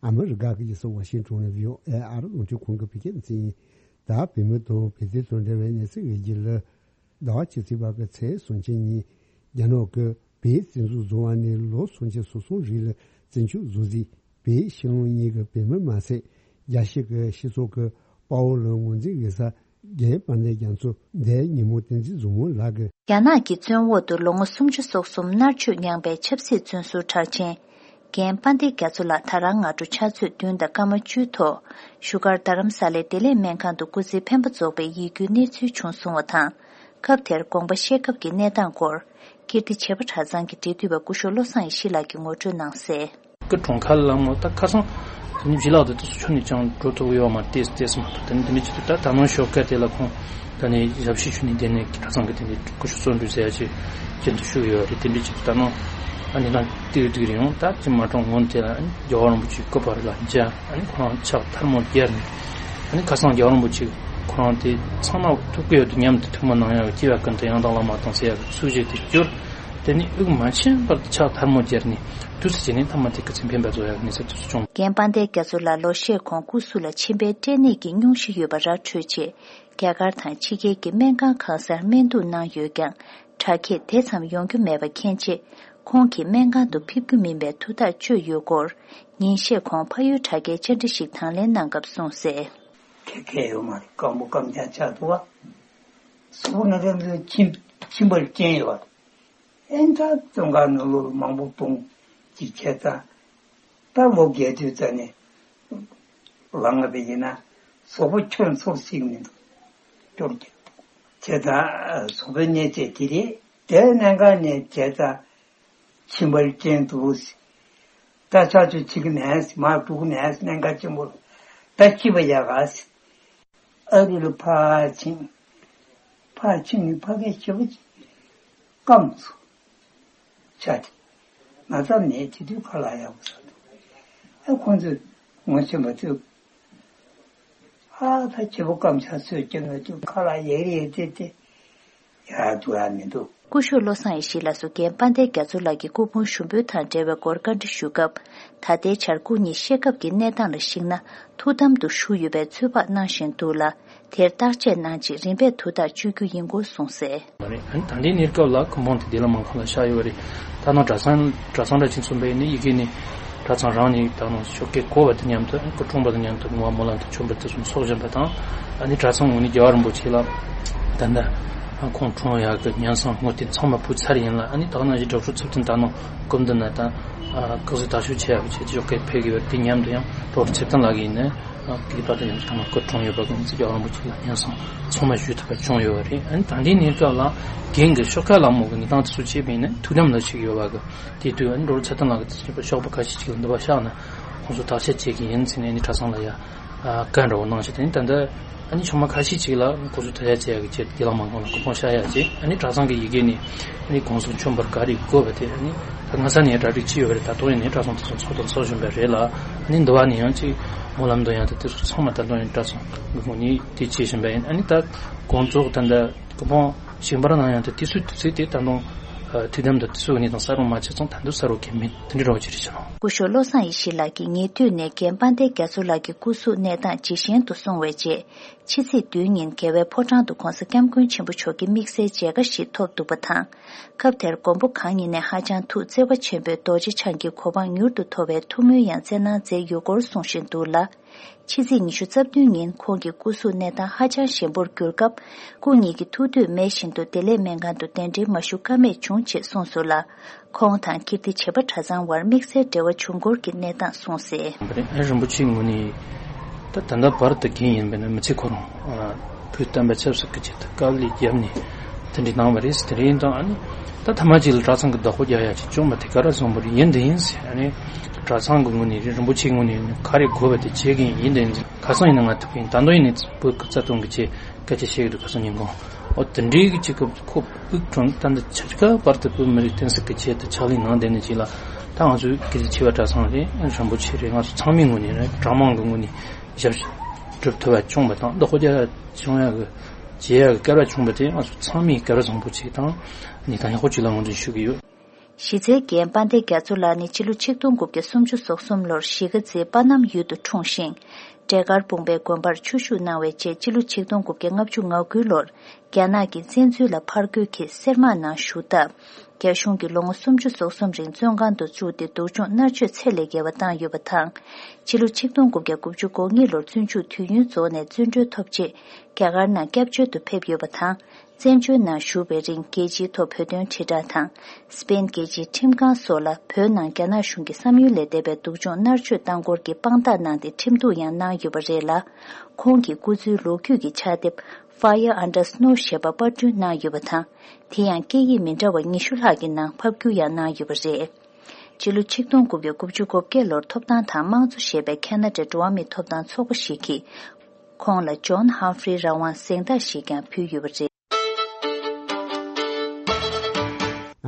ཨ་མི་རི་ཀ་གི་རྒྱལ་ས་ཝ་ཤིང་ཊོན་ནས་བྷི་ཨོ་ཨེ་ཨ་རི་རླུང་འཕྲིན་ཁང་གི་བོད་སྐད་སྡེ་ཚན་ཡིན། ད་བོད་མི་དང་བོད་དོན་དང་འབྲེལ་བའི་གནས་ཚུལ་དབྱེ་འབྱེད་ལ། ཟླ་བ་ཕྱི་ཚེས་པ་གི་ཚེས་སུམ་ཅུ་ཉིན། རྒྱ་ནག་གི་བོད་བཙན་འཛུལ་བཟོ་བ་ནས་ལོ་སུམ་ཅུ་སོ་གསུམ་རིང་ལ་བཙན་བྱོལ་བཟོ་རྩིས་བོད་ཕྱི་ལོགས་གཉིས་ཀྱི་བོད་མི་མ་ཟད། རྒྱལ་སྤྱི་གི་སྤྱི་ཚོགས་ཀྱི་དཔའ་བོ་ལ་ངོས་འཛིན་དགོས་ས། རྒན་དཔལ་ལྡན་རྒྱ་མཚོ་འདས་ཉིན་མོ་བསྟན་འཛིན་བཟང་མོ་ལགས་ཀྱིས། རྒྱ་ནག་གི་བཙོན་འོག་ཏུ་ལོ་ངོ་སུམ་ཅུ་སོ་གསུམ་མནར་གཅོད་མྱངས་པའི་ཆབ་སྲིད་བཙོན་ཟུར་གྲགས་ཅན། རྒན་དཔལ་ལྡན་རྒྱ་མཚོ་ལགས་ད་རང་སྔ་དྲོ་ཕྱག་ཚོད་བདུན་དང་སྐར་མ་བཅུ་ཐོག་བཞུགས་སྒར་རྡ་རམ་ས་ལའི་བདེ་ལེགས་སྨན་ཁང་དུ་སྐུ་ཚེའི་འཕེན་པ་རྫོགས་པའི་ཡིད་སྐྱོའི་གནས་ཚུལ་བྱུང་སོང་བ་དང་། སྐབས་དེར་དགོངས་པ་བཞེས་སྐབས་ཀྱི་གནས་སྟངས་སྐོར། ཀིརྟི་བྱེས་པ་གྲྭ་ཚང་གི་འབྲེལ་མཐུད་པ་སྐུ་ཞབས་བློ་བཟང་ཡེ་ཤེས་ལགས་ཀྱིས་ངོ་སྤྲོད་གནང་གསལ། ཀི་གྲོང་ཁ་ལ་མོ་ད་ཁ་སང་དེ་ནི་བྱི་ལག་དེ་དུས་སུ་ཆུ་ནས་ཅང་འགྲོ་ཐུབ་ཡོད་མ་རེད། ཏེས་ཏེས་མ་ཐུབ། དེ་ནི་དེ་འདྲ་ཅིག་ཏུ་ད་ད་ནང་ཞོགས་ཀ་དེ་ལ་ཁོང་ད་ནི་ཞབས་ཕྱི་ཞུ་ནི་དེ་ནས་གྲྭ་ཚང་གི་དེ་འདྲ་སྐུ་ཞབས་བརྩོན་འགྲུས་ཟེར་ཡ་ཅིག་ཅན་དུ་ཞུགས་ཡོད་རེད། དེ་འདྲ་ཅིག་ཏུ་ད་ནང་ཨ་ནི་ད་ཏིག་ཏིག་རེ་ཡོང་ད་ཅི་མ་གྲོང་ངོ་དེ་ལ་རྒྱལ་བ་རིན་པོ་ཆེ་སྐུ་པར་ལ་མཇལ། ཨ་ནི་ཁོ་རང་ཕྱག་ཐལ་མོ་སྦྱར་ནས། ཨ་ནི་ཁ་སང་རྒྱལ་བ་རིན་པོ་ཆེ་ཁོ་རང་དེ་ཚང་མ་ཐུག་གི་ཡོད་དུ་མཉམ་དུ་ཐུགས་མ་གནང་ཡག་སྐྱེ་བ་ཀུན་ཏུ་ཡང་དག་བླ་མ་དང་ཟེར་ཡག་གི་ཚུལ་བཞིན་དུ་གྱུར། དེ་ནི་དབུགས་མ་ཆད་པར་ཕྱག་ཐལ་མོ་སྦྱར་ནས་དུས་སུ་བྱས་ནས་ཐ་མ་དེ་སྐུ་ཚེ་འཕེན་པ་རྫོགས་ཡག་གི་གནས་ཚུལ་དེ་ཚོ་བྱུང་། རྒན་དཔལ་ལྡན་རྒྱ་མཚོ་ལགས་ལོ་ཤས་གོང་སྐུ་གཟུགས་ལ་མཆིན་པའི་སྐྲན་ནད་ཀྱི་སྙུང་གཞི་ཡོད་པ་ར་འཕྲོད་རྗེས། རྒྱ་གར་དང་ཕྱི་རྒྱལ་གྱི་སྨན་ཁང་གང་སར་སྨན་གཏུགས་གནང་ཡོད་ཀྱང་། དྲག་སྐྱེད་དེ་ཙམ་ཡོང་རྒྱུ་མེད་པ་མཁྱེན་རྗེས། ཁོང་གིས་སྨན་ཁང་དུ་ཕེབས་རྒྱུ་མིན་པའི་ཐུགས་ཐག་གཅོད་ཡོད་སྐོར། ཉིན་ཤས་གོང་ཕ་ཡུལ་དྲ་རྒྱའི་བཅར་འདྲི་ཞིག་དང་ལེན་གནང་སྐབས་གསུངས་གསལ། ཁེ་ཁེ་ཡོད་མ་རེད། སྐམ་པོ་སྐམ་རྐྱང་ཆགས་འདུག་བ། གཟུགས་པོ་ན་ཚ་འདི་མཆིན་མཆིན་པར་རྐྱེན་ཡོད་བ། ཨེ་ད་བཙོན་ཁང་ནང་ལོགས་མང་པོ་སྤུངས་ཅིག་བྱས་ཙང་། ད་ལོ་བརྒྱད་ཅུ་ཙམ་ནས་ལངས་པ་ཡིན་ན་གཟུགས་པོ་ཁྱོན་ཚོགས་ཤིག་མི་འདུག་སྐྱོར་གྱི་བྱས་ཙང་གཟུགས་པོའི་གནས་ཚད་དེ་རེད། དེ་གནད་འགག་ནས་བྱས་ཙང་མཆིན་པར་རྐྱེན་འདུག་ད་ཆ་ཆུ་ཆིག་ནས་མར་འགྲོ་གི་ནས་གནད་འགག་ཆེན་པོ་ད་ཤི་བ་ཡག་ག་ཨ་རི་ལ་ཕར་ཕྱིན། ཕར་ཕྱིན་ནས་ཕ་གིའི་བྱིས་པ་ཅིག་སྐམ་སོང་། ཆ་དེ། ན་ཚ་ནད་དེ་དུས་ཁ་ལག་ཡག་པོ་ཟ་འདུག་ཨ་ཁོང་ཚོས་ངོ་ཤེས་པ་ཚོས། ཨ་ད་བྱིས་པ་སྐམ་ཆ་ཚོས་ཀྱང་ང་ཚོས་ཁ་ལག་ཡག་རེད་དེ་དེ་ཡག་འདུག་ཨ་མི་འདུག་སྐུ་ཞབས་བློ་བཟང་ཡེ་ཤེས་ལགས་སུ་རྒན་དཔལ་ལྡན་རྒྱ་མཚོ་ལགས་ཀྱི་སྐུ་ཕུང་ཞུགས་འབུལ་དང་འབྲེལ་བའི་སྐོར་བཀའ་འདྲི་ཞུ་སྐབས། ད་ལྟའི་བྱ་སྒོ་གཉིས་བཤད་སྐབས་ཀྱི་གནས་སྟངས་ལ་གཞིགས་ན་ཐུགས་དམ་དུ་བཞུགས་ཡོད་པའི་ཚོད་དཔག་གནང་བཞིན་འདུག་ལ། དེར་བརྟག་དཔྱད་གནང་རྗེས་རིམ་པས་དུས་ཐག་གཅོད་རྒྱུ་ཡིན་སྐོར་གསུངས་གསལ། ད་ལྟའི་གནས་སྐབས་ལ་སྐུ་ཕུང་དེ་བདེ་ལ་མང་ཁང་ལ་བཞག་ཡོད་པ་རེད། ད་ནང་གྲྭ་ཚང་གྲྭ་ཚང་འདྲ་ཅིག་གསུངས་པས་ནི་ཡི་གེ་ནི་གྲྭ་ཚང་རང་ནས་ད་ནང་ཞོགས་ཀས་གོ་བ་དང་མཉམ་དུ་སྐུ་འཁྲུངས་པ་དང་མཉམ་དུ་བསྔོ་བ་སྨོན་ལམ་དང་མཆོད་འབུལ་དེ་ཚོ་ཚོགས་བཞིན་པ་དང་། ཨ་ནི་གྲྭ་ཚང་ངོས་ནས་རྒྱལ་བ་རིན་པོ་ཆེ་ལ་ད་ལྟ་ཁོང་འཁྲུངས་ཡག་གི་ཉམས་བཟང་བསྔོ་རྟེན་ཚང་མ་ཕུལ་ཚར་ཡིན་ལ། ཨ་ནི་ད་ག་ནང་བཞིན་གྲོགས་ཚོགས་ཚུལ་མཐུན་ད་ནང་སྐུ་མདུན་ན་ད་སྐུ་གཟུགས་དར་ཤུགས་ཆེ་ཡག་གི་ཆེད་ཞོགས་ཀས་ཕེབས་ཀྱི་ཡོད་རེད། དེ་མཉམ་དུ་ཡང་གྲོགས་ཚེ་བརྟན་ལགས་ཀྱིས་ནི། དེ་གི་ད་ལྟ་ཡང་ཚང་མ་སྐུ་འཁྲུངས་ཡོད་པ་གི་ང་ཚོ་རྒྱལ་བ་རིན་པོ་ཆེ་ལ་སྙན་སེང་ཚང་མ་ཞུ་ཐུབ་པ་བྱུང་ཡོད་པ་རེད། ཨ་ནི་ད་ལྟའི་གནས་སྐབས་ལ་རྒན་གྱི་ཤོག་ཁག་ལ་མོ་གི་གནས་སྟངས་དེ་ཚོ་བྱས་པ་ཡིན་ན་ཐུགས་དམ་ལ་ཞིག་ཡོད་པ་གི་དེ་དུས་ཨ་ནི་འགྲོ་རུ་ཚེ་བརྟན་ལགས་ཀྱི་དེ་ཚོ་ཤོག་པ་ཁ་ཤས་ཅིག་ལ་འདུ་བ་བཞག་ན་ཁོང་ཚོ་བརྟག་དཔྱད་བྱེད་ཀྱི་ཡིན་ཟེར་ནས་ཨ་ནི་གྲྭ་ཚང་ལ་ཡ་བཀའ་འདྲ་བོ་གནང་ཞིག་དེ་ནི་ད་ལྟ་ཨ་ནི་ཆུང་མ་ཁ་ཤས་ཅིག་ལ་ཁོང་ཚོ་ཐ་ཡ་བྱེད་ཡ་གི་ཆེད་དུ་དགེ་ལགས་མང་ཁང་ལ་སྐུ་ཕུང་བཞག་ཡ་བྱས། ཨ་ནི་གྲྭ་ཚང་གི་ཡི་གེ་ནས་ཨ་ནི་དགོངས་སུ་མཆོད་འབུལ་ག་རེ་དགོས་པ་དེ་ཨ་ནི། ད་སྔ་ས་ནས་གྲ་སྒྲིག་བྱས་ཡོད་པ་རེད། ད་དུང་ཡིན་ནའི་གྲྭ་ཚང་དེ་ཚོ་ཚོགས་དང་ཚོགས་བཞིན་པ་རེད་ལ། ཨ་ནི་འདི་བ་ནས་ཡང་ཅིག་སྨོན་ལམ་འདོན་ཡག་དེ་དེ་ཚོ་ཚང་མ་ད་དུང་ཡང་གྲྭ་ཚང་གི་ངོས་ནས་དེ་བྱེད་བཞིན་པ་ཡིན། ཨ་ནི་ད་དགོང་ཚོགས་ད་ད་སྐུ་ཕུང་བཞེངས་པར་གནང་ཡག་དེ་དུས་ཚོད་དུས་ཚོད་དེ་ད་དུང་ཐུགས་དམ་དང་དུས་ཚོད་ནས་དང་གསལ་པོ་མ་བྱས་ཙང་ད་དུང་གསལ་པོ་གང་མེད། དེ་འདྲ་རོགས་ཅི་རེད་ཤག་སྐུ་ཞབས་བློ་བཟང་ཡེ་ཤེས་ལགས་ཀྱིས་ཉེ་དུས་ནས་རྒན་དཔལ་ལྡན་རྒྱ་མཚོ་ལགས་ཀྱི་སྐུ་གཟུགས་གནས་སྟངས་ཇེ་ཞན་དུ་སོང་བའི་རྗེས། ཕྱི་ཚེས་བདུན་ཉིན་རྒྱལ་བའི་ཕོ་བྲང་དུ་༧གོང་ས་༧སྐྱབས་མགོན་ཆེན་པོ་མཆོག་གི་དམིགས་བསལ་མཇལ་ཁ་ཞིག་ཐོབ་འདུག་པ་དང་། སྐབས་དེར་མགོན་པོ་གང་ཉིད་ནས་ཧ་ཅང་ཐུགས་བརྩེ་བ་ཆེན་པོས་རྡོ་རྗེ་འཆང་གི་གོ་འཕང་མྱུར་དུ་ཐོབ་པའི་ཐུགས་སྨོན་ཡང་བསྩལ་གནང་མཛད་ཡོད་སྐོར་གསུང་བཞིན་འདུག་ལ། ཕྱི་ཚེས་ཉི་ཤུ་རྩ་བདུན་ཉིན་ཁོང་གི་སྐུ་གཟུགས་གནས་སྟངས་ཧ་ཅང་ཞན་པོར་གྱུར་སྐབས། སྐུ་ཉིད་ཀྱི་ཐུགས་འདོད་མེད་བཞིན་དུ་བདེ་ལེགས་སྨན་ཁང་དུ་གདན་འདྲེན་མ་ཞུ་ཀ་མེད་བྱུང་ཅེས་གསུངས་སོང་ལ། ཁོང་དང་ཀིརྟི་བྱེས་པ་གྲྭ་ཚང་བར་དམིགས་བསལ་འབྲེལ་བ་བྱུང་སྐོར་གྱི་གནས་སྟངས་གསུངས་གསལ། རིན་པོ་ཆེའི་ངོས་ནས་ད་ད་ལྟ་བར་དུ་རྒན་ཡིན་པས་ན་མི་ཚེ་ཁོ་རང་བོད་བསྟན་པ་ཆབ་སྲིད་ཀྱི་ཆེད་དུ་དཀའ་ལས་བརྒྱབ་ནས་དེ་འདྲ་གནང་བ་རེད། དེ་རིང་དང་ཨ་ནི་ད་ཐ་མ་གཅིག་ལ་གྲྭ་ཚང་གི་བདག་པོ་རྒྱག་ཡག་ཅིག་བྱུང་བ་དེ་ག་རེ་བཟང་པོ་རེད། ཡིན་དེ་ཡིན་ཟེར། ཨ་ནི་གྲྭ་ཚང་གི་ངོས་ནས་རིན་པོ་ཆེའི་ངོས་ནས་ག་རེ་དགོས་པ་དེ་བྱེད་ཀྱི་ཡིན། ཡིན་དེ་ཡིན་ཟེར། ཁ་སང་ཡིན་ན་ང་ཐུག་གིན་ད་དུང་ཡིན་ནས་བོད་སྐུ་རྩ་དོན་གྱི་ཆེད། སྐད་ཆ་བཤད་ཀྱི་འདུག་ཁ་སང་ཉིན་གུང་། ཨོ་དེ་འདྲའི་གི་ཅིག་གི་ཁོ་དབུགས་གྲོངས་ད་འདི་ཆ་ཅིག་ག་བར་དུ་བོད་མི་རིགས་བསྟན་སྲིད་ཀྱི་ཆེད་དུ་ཕྱག་ལས་གནང་བསྡད་ནས་ཅིག་ལ། ད་ང་ཚོའི་ཀིརྟི་བྱེས་པ་གྲྭ་ཚང་རེད། རིན་པོ་ཆེ་རེད། ང་ཚོ་ཚང་མའི་ངོས་ནས་རེད། གྲྭ་མང་གི་ངོས་ནས་ཞབས་ཕྱི་སྒྲུབ་ཐུབ་པ་བྱུང་བ་དང་བདག་པོ་རྒྱག་བྱུང་ཡག་གི་བྱེད་ཡག་གི་སྐལ་བ་བྱུང་བ་དེ་ང་ཚོ་ཚང་མས་སྐལ་བ་བཟང་པོ་ཅིག་དང་གནས་སྟངས་ཡག་པོ་ཅིག་ལ་ངོས་འཛིན་ཞུ་གི་ཡོད། གཞི་རྩའི་རྒན་དཔལ་ལྡན་རྒྱ་མཚོ་ལགས་ནི་སྤྱི་ལོ་ཆིག་སྟོང་དགུ་བརྒྱ་སུམ་ཅུ་སོ་གསུམ་ལོར་གཞིས་ཀ་རྩེའི་པ་ནམ་ཡུལ་དུ་འཁྲུངས་ཤིང་། འབྲས་དཀར་སྤུངས་པའི་དགོན་པར་ཆོས་ཞུགས་གནང་བའི་རྗེས་སྤྱི་ལོ་ཆིག་སྟོང་དགུ་བརྒྱ་ལྔ་བཅུ་ང་དགུ་ལོར་རྒྱ་ནག་གི་བཙན་འཛུལ་ལ་ཕར་རྒོལ་གྱིས་སེར་དམག་ནང་ཞུགས་སྟབས། རྒྱ་གཞུང་གིས་ལོ་ངོ་སུམ་ཅུ་སོ་གསུམ་རིང་བཙོན་ཁང་དུ་བཅུག་སྟེ་སྡུག་སྦྱོང་མནར་གཅོད་ཚད་ལས་བརྒལ་བ་བཏང་ཡོད་པ་དང་། སྤྱི་ལོ་ཆིག་སྟོང་དགུ་བརྒྱ་དགུ་བཅུ་གོ་གཉིས་ལོར་བཙོན་འཇུག་དུས་ཡུན་རྫོགས་ནས་བཙོན་གྲོལ་ཐོབ་རྗེས་རྒྱ་གར་ནང་སྐྱབས་བཅོལ་དུ་ཕེབས་ཡོད་པ་དང་། བཙན་བྱོལ་ནང་བཞུགས་པའི་རིང་རྒྱལ་སྤྱིའི་ཐོག་བོད་དོན་དྲིལ་བསྒྲགས་དང་། སི་པེན་རྒྱལ་སྤྱིའི་ཁྲིམས་ཁང་སོགས་ལ་བོད་ནང་རྒྱ་ནག་གཞུང་གིས་བསམ་ཡུལ་ལས་འདས་པའི་སྡུག་སྦྱོང་མནར་གཅོད་བཏང་སྐོར་གྱི་དཔང་རྟགས་གནང་སྟེ་ཁྲིམས་གཏུག་ཡང་གནང་ཡོད་པ་རེད་ལ། ཁོང་གི་སྐུ་ཚེའི་ལོ་རྒྱུས་ཀྱི་ཕྱག་དེབ་Fire Under Snow་ཞེས་པ་པར་སྐྲུན་གནང་ཡོད་པ་དང་། དེ་ཡང་སྐད་ཡིག་མི་འདྲ་བ་ཉི་ཤུ་ལྷག་གི་ནང་ཕབ་བསྒྱུར་ཡང་གནང་ཡོད་པ་རེད། སྤྱི་ལོ་ཆིག་སྟོང་དགུ་བརྒྱ་དགུ་བཅུ་གོ་བརྒྱད་ལོར་ཐོབ་ཐང་དང་དམངས་གཙོ་ཞེས་པའི་ཁ་ན་ཌའི་འགྲོ་བ་མིའི་ཐོབ་ཐང་ཚོགས་པ་ཞིག་གིས། ཁོང་ལ་ཇོན་ཧམ་ཧྥི་རི་རང་དབང་གཟེངས་རྟགས་ཤིག་ཀྱང་ཕུལ་ཡོད་པ་རེད།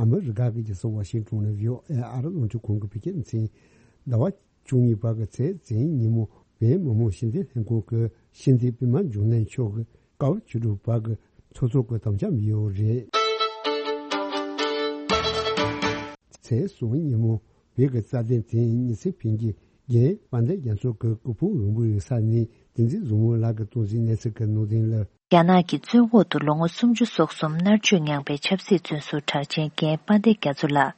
ཨ་མི་རི་ཀ་གི་རྒྱལ་ས་ཝ་ཤིང་ཊོན་ནས་བྷི་ཨོ་ཨེ་ཨ་རི་རླུང་འཕྲིན་ཁང་གི་བོད་སྐད་སྡེ་ཚན། ཟླ་བ་བཅུ་གཉིས་པ་གི་ཚེས་བཙན་ཉིན་མོ་བོད་མི་མང་སྤྱི་འཐུས་ལྷན་ཁང་གི་སྤྱི་འཐུས་པད་མ་འབྱུང་གནས་མཆོག་གིས་སྐབས་བཅུ་དྲུག་པ་གི་ཚོགས་གཙོ་གི་དམ་བཅའ་ཡོད་རེད། ཚེས་གསུམ་ཉིན་མོ་བོད་ཀྱི་རྩ་དོན་དེ་ཉི་ཚེ་ཕིང་གིས་རྒན་དཔལ་ལྡན་རྒྱ་མཚོ་གི་སྐུ་ཕུང་རིང་པོ་ཡོད་ས་ནས་བསྟན་འཛིན་བཟང་མོ་ལགས་ཀྱིས་གཏོང་ཟིན་གནས་ཚུལ་གྱི་ནང་དོན་ལ། རྒྱ་ནག་གི་བཙོན་འོག་ཏུ་ལོ་ངོ་སུམ་ཅུ་སོ་གསུམ་མནར་གཅོད་མྱངས་པའི་ཆབ་སྲིད་བཙོན་ཟུར་གྲགས་ཅན་རྒན་དཔལ་ལྡན་རྒྱ་མཚོ་ལགས།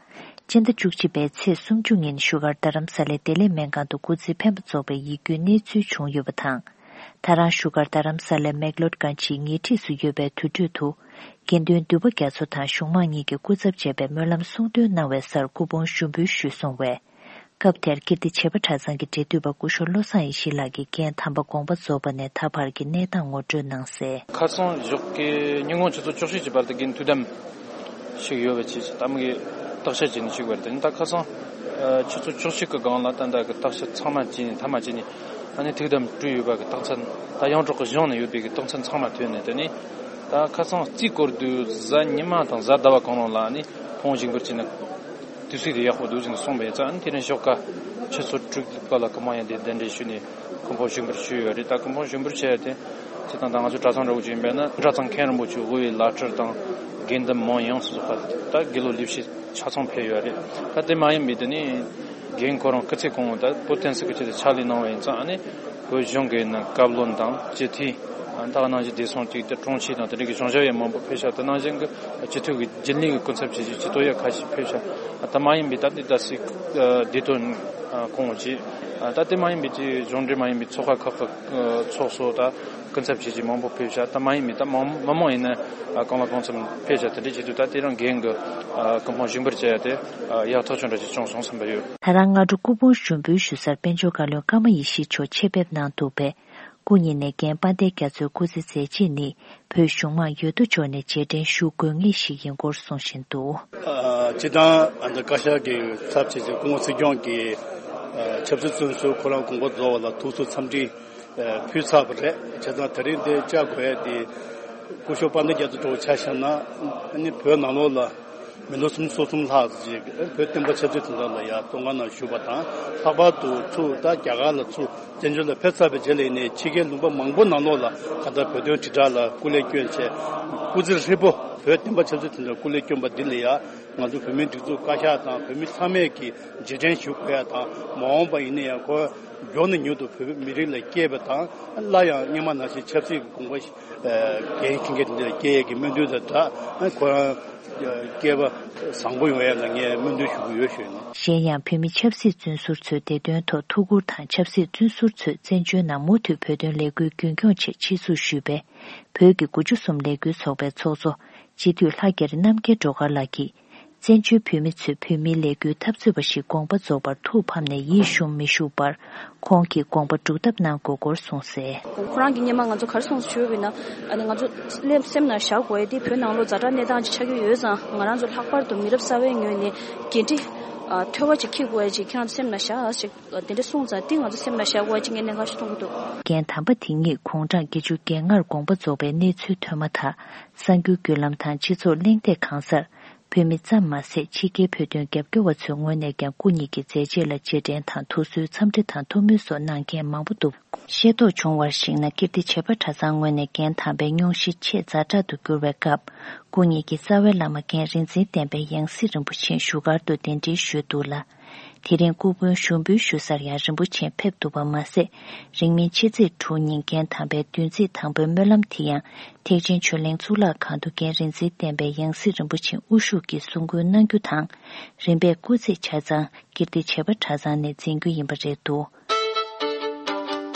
སྤྱི་ཟླ་བཅུ་གཅིག་པའི་ཚེས་སུམ་ཅུ་ཉིན་བཞུགས་སྒར་རྡ་རམ་ས་ལའི་བདེ་ལེགས་སྨན་ཁང་དུ་སྐུ་ཚེ་འཕེན་པ་རྫོགས་པའི་ཡིད་སྐྱོའི་གནས་ཚུལ་བྱུང་ཡོད་པ་དང་། ད་རང་བཞུགས་སྒར་རྡ་རམ་ས་ལའི་མེག་ལོར་གང་ཅིའི་ཉེ་འཁྲིས་སུ་ཡོད་པའི་དུར་ཁྲོད་དུ། དགེ་འདུན་འདུས་པ་རྒྱ་མཚོ་དང་གཞུང་མང་གཉིས་ཀྱིས་སྐུ་ཚབ་བྱས་པའི་སྨོན་ལམ་གསུང་འདོན་གནང་བའི་སར་སྐུ་ཕུང་ཞུགས་འབུལ་ཞུས་སོང་བས། སྐབས་དེར་ཀིརྟི་བྱེས་པ་གྲྭ་ཚང་གི་འབྲེལ་མཐུད་པ་སྐུ་ཞབས་བློ་བཟང་ཡེ་ཤེས་ལགས་ཀྱིས་རྒན་དམ་པ་དགོངས་པ་རྫོགས་པ་ནས་ད་བར་གྱི་གནས་སྟངས་ངོ་སྤྲོད་གནང་གསལ། ཁ་སང་ཞོགས་ཀའི་ཉིན་གུང་ཆུ་ཚོད་བཅུ་གཅིག་གི་བར་དུ་རྒན་ཐུགས་དམ་ཞིག་ཡོད་པ་བྱས། ད་མི་གི་བརྟག་དཔྱད་བྱས་ནས་ཞུགས་པ་རེད། དེ་ནས་ད་ཁ་སང་ཆུ་ཚོད་བཅུ་གཅིག་གི་སྒང་ལ་ད་ལྟ་གི་བརྟག་དཔྱད་ཚང་མ་བྱས་ནས་མཐའ་མ་བྱས་ནས་ཨ་ནི་ཐུགས་དམ་གྲོལ་ཡོད་པ་གི་རྟགས་མཚན། ད་ཡོངས་གྲགས་གི་གཞུང་ནས་ཡོད་པའི་གི་རྟགས་མཚན་ཚང་མ་ཐོན་ནས། དེ་ནས་ད་ཁ་སང་རྩིས་སྐོར་དུས་གཟའ་ཉི་མ་དང་གཟའ་ཟླ་བ་གང་རུང་ལ་ཨ་ནི་ཕུང་བོ་བཞེངས་འབུལ་བྱས་ན། དུས་ཚོད་དེ་ཡག་པོ་འདུག་ཟེར་ནས་གསུངས་པ་ཡིན་ཙང་། ཨ་ནི་དེ་རིང་ཞོགས་ཀ་ཆུ་ཚོད་དྲུག་པ་ལ་སྐུ་ཕུང་ཡང་དེ་གདན་འདྲེན་ཞུས་ནས་སྐུ་ཕུང་བཞེངས་འབུལ་ཞུས་ཡོད་རེད། ད་སྐུ་ཕུང་བཞེངས་འབུལ་བྱས་ཏེ་སྤྱིར་བཏང་ད་ང་ཚོ་གྲྭ་ཚང་འདྲ་བོ་ཅིག་ཡིན་པས་ན། གྲྭ་ཚང་མཁན་རིན་པོ་ཆེ་དབུ་བའི་བླ་སྤྲུལ་དང་དགེ་འདུན་མང་ཡོངས་སུ་རྫོགས་པ་ད་དགེ་སློབ་ལས་བྱེད་ཆ་ཚང་ཕེབས་ཡོད་རེད། ད་དེ་མ་ཡིན་པའི་དེ་ནི་རྒན་ཁོ་རང་སྐུ་ཚེ་གང་བོ་ད་བོད་བསྟན་སྲིད་ཀྱི་ཆེད་དུ་ཕྱག་ལས་གནང་བ་ཡིན་ཙང་། ཨ་ནི་བོད་གཞུང་གི་ནང་བཀའ་བློན་དང་སྤྱི་འཐུས། ད་ག་ནང་བཞིན་བདེ་སྲུང་ཅིག་དེ་དྲུང་ཆེ་དང་དེ་འདྲ་གི་གཞུང་ཞབས་ཡང་མང་པོ་ཕེབས་ཤག་དེ་ནང་བཞིན་གྱི་སྤྱི་འཐུས་ཀྱི་རྒྱུན་ལས་ཀྱི་སྐུ་ཚབ་བྱས་རྗེས་སྤྱི་འཐུས་ཡང་ཁ་ཤས་ཕེབས་ཤག་ད་མ་ཡིན་པའི་ད་ལྟའི་ད་སྲིད་བདེ་དོན་སྐོང་བ་བྱས། ད་དེ་མ་ཡིན་པའི་ཅིག་གཞུང་འབྲེལ་མ་ཡིན་པའི་ཚོགས་ཁག་ཁག་གི་ཚོགས་གཙོ་ད་སྐུ་ཚབ་བྱས་རྗེས་མང་པོ་ཕེབས་ཤག་ད་མ་ཡིན་པའི་ད་མང་མི་མང་ཡིན་ན་གང་ལ་གང་འཚམ་ཕེབས་ཤག་དེ་འདྲ་བྱེད་དུས་ད་དེ་རིང་རྒན་གྱི་སྐུ་ཕུང་བཞེངས་འབུལ་བྱས་ཡ་དེ་ཡག་ཐག་ཆོད་འདྲ་ཅིག་བྱུང་སོང་བསམ་པ་ཡོད། ད་རང་སྔ་དྲོ་སྐུ་ཕུང་ཞུགས་འབུལ་ཞུ་སར་དཔལ་འབྱོར་བཀའ་བློན་ཀརྨ་ཡེ་ཤེས་མཆོག་ཆེད་ཕེབས་གནང་འདུག་པས། སྐུ་ཉིད་ནས་རྒན་དཔལ་ལྡན་རྒྱ་མཚོའི་སྐུ་ཚེ་མཛད་རྗེས་ནི་བོད་གཞུང་མང་ཡོད་དོ་ཅོག་ནས་རྗེས་དྲན་ཞུ་དགོས་ངེས་ཤིག་ཡིན་སྐོར་གསུང་བཞིན་འདུག། ཨ། སྤྱིར་བཏང་ཨ་ནི་བཀའ་ཤག་གི་ཚབ་བྱས་ཏེ་སྐུ་ངོ་སྲིད་སྐྱོང་གིས་ཨ་ཆབ་སྲིད་བཙོན་ཟུར་ཁོ་རང་དགོངས་པ་རྫོགས་པ་ལ་ཐུགས་གསོ་འཚམས་འདྲི་ཨ་ཕུལ་ཚར་བ་རེད། བྱས་ཙང་དེ་རིང་འདིར་བཅར་དགོས་ཡ་དེ་སྐུ་ཞབས་དཔལ་ལྡན་རྒྱ་མཚོ་འདྲ་བོ་ཆ་བཞག་ན། ཨ་ནི་བོད་ནང་ལོགས་ལ་ མི་ལོ་སུམ་ཅུ་སོ་གསུམ་ལྷག་ཅིག་བོད་བསྟན་པ་ཆབ་སྲིད་དོན་ཐོག་ལ་ཡ་བཙོན་ཁང་ནང་བཞུགས་པ་དང་། ལྷག་པར་དུ་ཚུར་ད་རྒྱ་གར་ལ་ཚུར་བཙན་བྱོལ་ལ་ཕེབས་ཚར་བའི་རྗེས་ལ་ཡིན་ནའི་ཕྱི་རྒྱལ་ལུང་པ་མང་པོ་ནང་ལོགས་ལ་གང་ལྟར་བོད་དོན་དྲིལ་བསྒྲགས་ལ་སྐུ་ལས་བསྐྱོན་བྱས། སྐུ་ཚེ་ཧྲིལ་པོ་བོད་བསྟན་པ་ཆབ་སྲིད་དོན་ཐོག་སྐུ་ལས་བསྐྱོན་པ་འདི་ལ་ཡ། ང་ཚོ་བོད་མིའི་སྒྲིག་འཛུགས་བཀའ་ཤག་དང་བོད་མི་ཚང་མས་ཀྱིས་རྗེས་དྲན་ཞུ་དགོས་ཡ་དང་། མ་འོངས་པ་ཡིན་ན་ཡང་ཁོ་མགྱོགས་ནས་མྱུར་དུ་བོད་མི་རིགས་ལ་སྐྱེས་པ་དང་། སླར་ཡང་སྔོན་མ་ནང་བཞིན་ཆབ་སྲིད་ཀྱི་དགོངས་པ་འགན་འཁྱེར་མཁན་དེ་འདྲ་སྐྱེ་ཡས་ཀྱི་སྨོན་འདུན་དང་སྦྲགས། ཁོ་རང་སྐྱེས་པ་བཟང་པོ་ཡོང་ཡ་ལ་ངས་སྨོན་འདུན་ཞུ་གི་ཡོད་ཞུ་ཡིན། གཞན་ཡང་བོད་མི་ཆབ་སྲིད་བཙོན་ཟུར་ཚོའི་བདེ་དོན་ཐོག་ཐུགས་ཁུར་དང་། ཆབ་སྲིད་བཙོན་ཟུར་ཚོས་བཙན་བྱོལ་ནང་མུ་མཐུད་བོད་དོན་ལས་འགུལ་རྒྱུན་འཁྱོངས་ཆེད་ཆེད་འཛུགས་ཞུས་པའི་བོད་ཀྱི་དགུ་བཅུ་གསུམ་ལས་འགུལ་ཚོགས་པའི་ཚོགས་གཙོ་སྤྱི་འཐུས་ལྷ་རྒྱ་རི་རྣམ་རྒྱལ་སྒྲོལ་དཀར་ལགས་ཀྱིས། བཙན་བྱོལ་བོད་མི་ཚོས་བོད་མིའི་ལས་འགུལ་འཐབ་རྩོད་པ་ཞིག་དགོངས་པ་རྫོགས་པར་ཐུགས་ཕམ་ནས་ཡིད་ཞུམ་མི་བཞུགས་པར། ཁོང་གིས་དགོངས་པ་སྒྲུབ་ཐབས་གནང་དགོས་སྐོར་གསུངས་གསལ། ཁོ་རང་གིས་སྔོན་མ་ང་ཚོ་ག་རེ་གསུངས་ཞུས་པ་ཡིན་ན། ཨ་ནི་ང་ཚོ་སེམས་ནང་བཞག་དགོས་ཡ་དེ་བོད་ནང་ལོགས་ཛ་དྲག་གནས་སྟངས་ཅིག་ཆགས་ཀྱི་ཡོད་ཙང་། ང་རང་ཚོ་ལྷག་པར་དུ་མི་རབས་གསར་བའི་ངོས་ནས་འགན་འཁྲི་ཨ་མཐོ་བ་ཅིག་འཁྱེར་དགོས་ཡ་ཅིག་ཁྱེད་རང་ཚོ་སེམས་ནང་བཞག་ཅིག་དེ་འདྲ་གསུངས་ཙང་། དེ་ང་ཚོ་སེམས་ནང་བཞག་དགོས་ཡ་ཅིག་ངས་གནད་འགག་ཞིག་མཐོང་གི་འདུག། འགན་དམ་པ་དེ་ཉིད་དགུང་གྲངས་བརྒྱད་ཅུ་གྱ་ལྔར་དགོངས་པ་རྫོགས་པའི་གནས་ཚུལ་ཐོན་མ་ཐག། གསར་འགྱུར་བརྒྱུད་ལམ་དང་སྤྱི་ཚོགས་གླེང་སྟེགས་གང་སར། བོད་མི་ཙམ་མ་ཟད། ཕྱི་རྒྱལ་བོད་དོན་རྒྱབ་སྐྱོར་བ་ཚོའི་ངོས་ནས་ཀྱང་སྐུ་ཉིད་ཀྱི་མཛད་རྗེས་ལ་རྗེས་དྲན་དང་ཐུགས་གསོའི་འཚམས་འདྲི་དང་ཐུགས་སྨོན་སོགས་གནང་མཁན་མང་པོ་འདུག། ཤེས་རྟོགས་བྱུང་བར་གཞིགས་ན། ཀིརྟི་བྱེས་པ་གྲྭ་ཚང་ངོས་ནས་འགན་དམ་པའི་སྙུང་གཞི་ཆེས་ཛ་དྲག་ཏུ་གྱུར་བའི་སྐབས། སྐུ་ཉིད་ཀྱི་རྩ་བའི་བླ་མ་མཁན་རིག་འཛིན་བསྟན་པའི་ཡང་སྲིད་རིན་པོ་ཆེ་བཞུགས་སྒར་དུ་གདན་འདྲེན་ཞུས་འདུག་ལ། དེ་རིང་སྐུ་ཕུང་ཞུགས་འབུལ་ཞུ་སར་ཡང་རིན་པོ་ཆེ་ཕེབས་ཐུབ་པ་མ་ཟད། རིང་མིན་ཕྱི་ཚེས་དྲུག་ཉིན་རྒན་དམ་པའི་བདུན་ཚིགས་དང་པོའི་སྨོན་ལམ་དེ་ཡང་ཐེག་ཆེན་ཆོས་གླིང་གཙུག་ལག་ཁང་དུ་རྒན་རིག་འཛིན་བསྟན་པའི་ཡང་སྲིད་རིན་པོ་ཆེ་དབུ་བཞུགས་ཀྱིས་གསུང་བསྐུལ་གནང་རྒྱུ་དང་། རིམ་པས་སྐུ་ཚེ་ཆ་ཚང་ཀིརྟི་བྱེས་པ་གྲྭ་ཚང་ནས་འཛིན་རྒྱུ་ཡིན་པ་རེད་འདུག།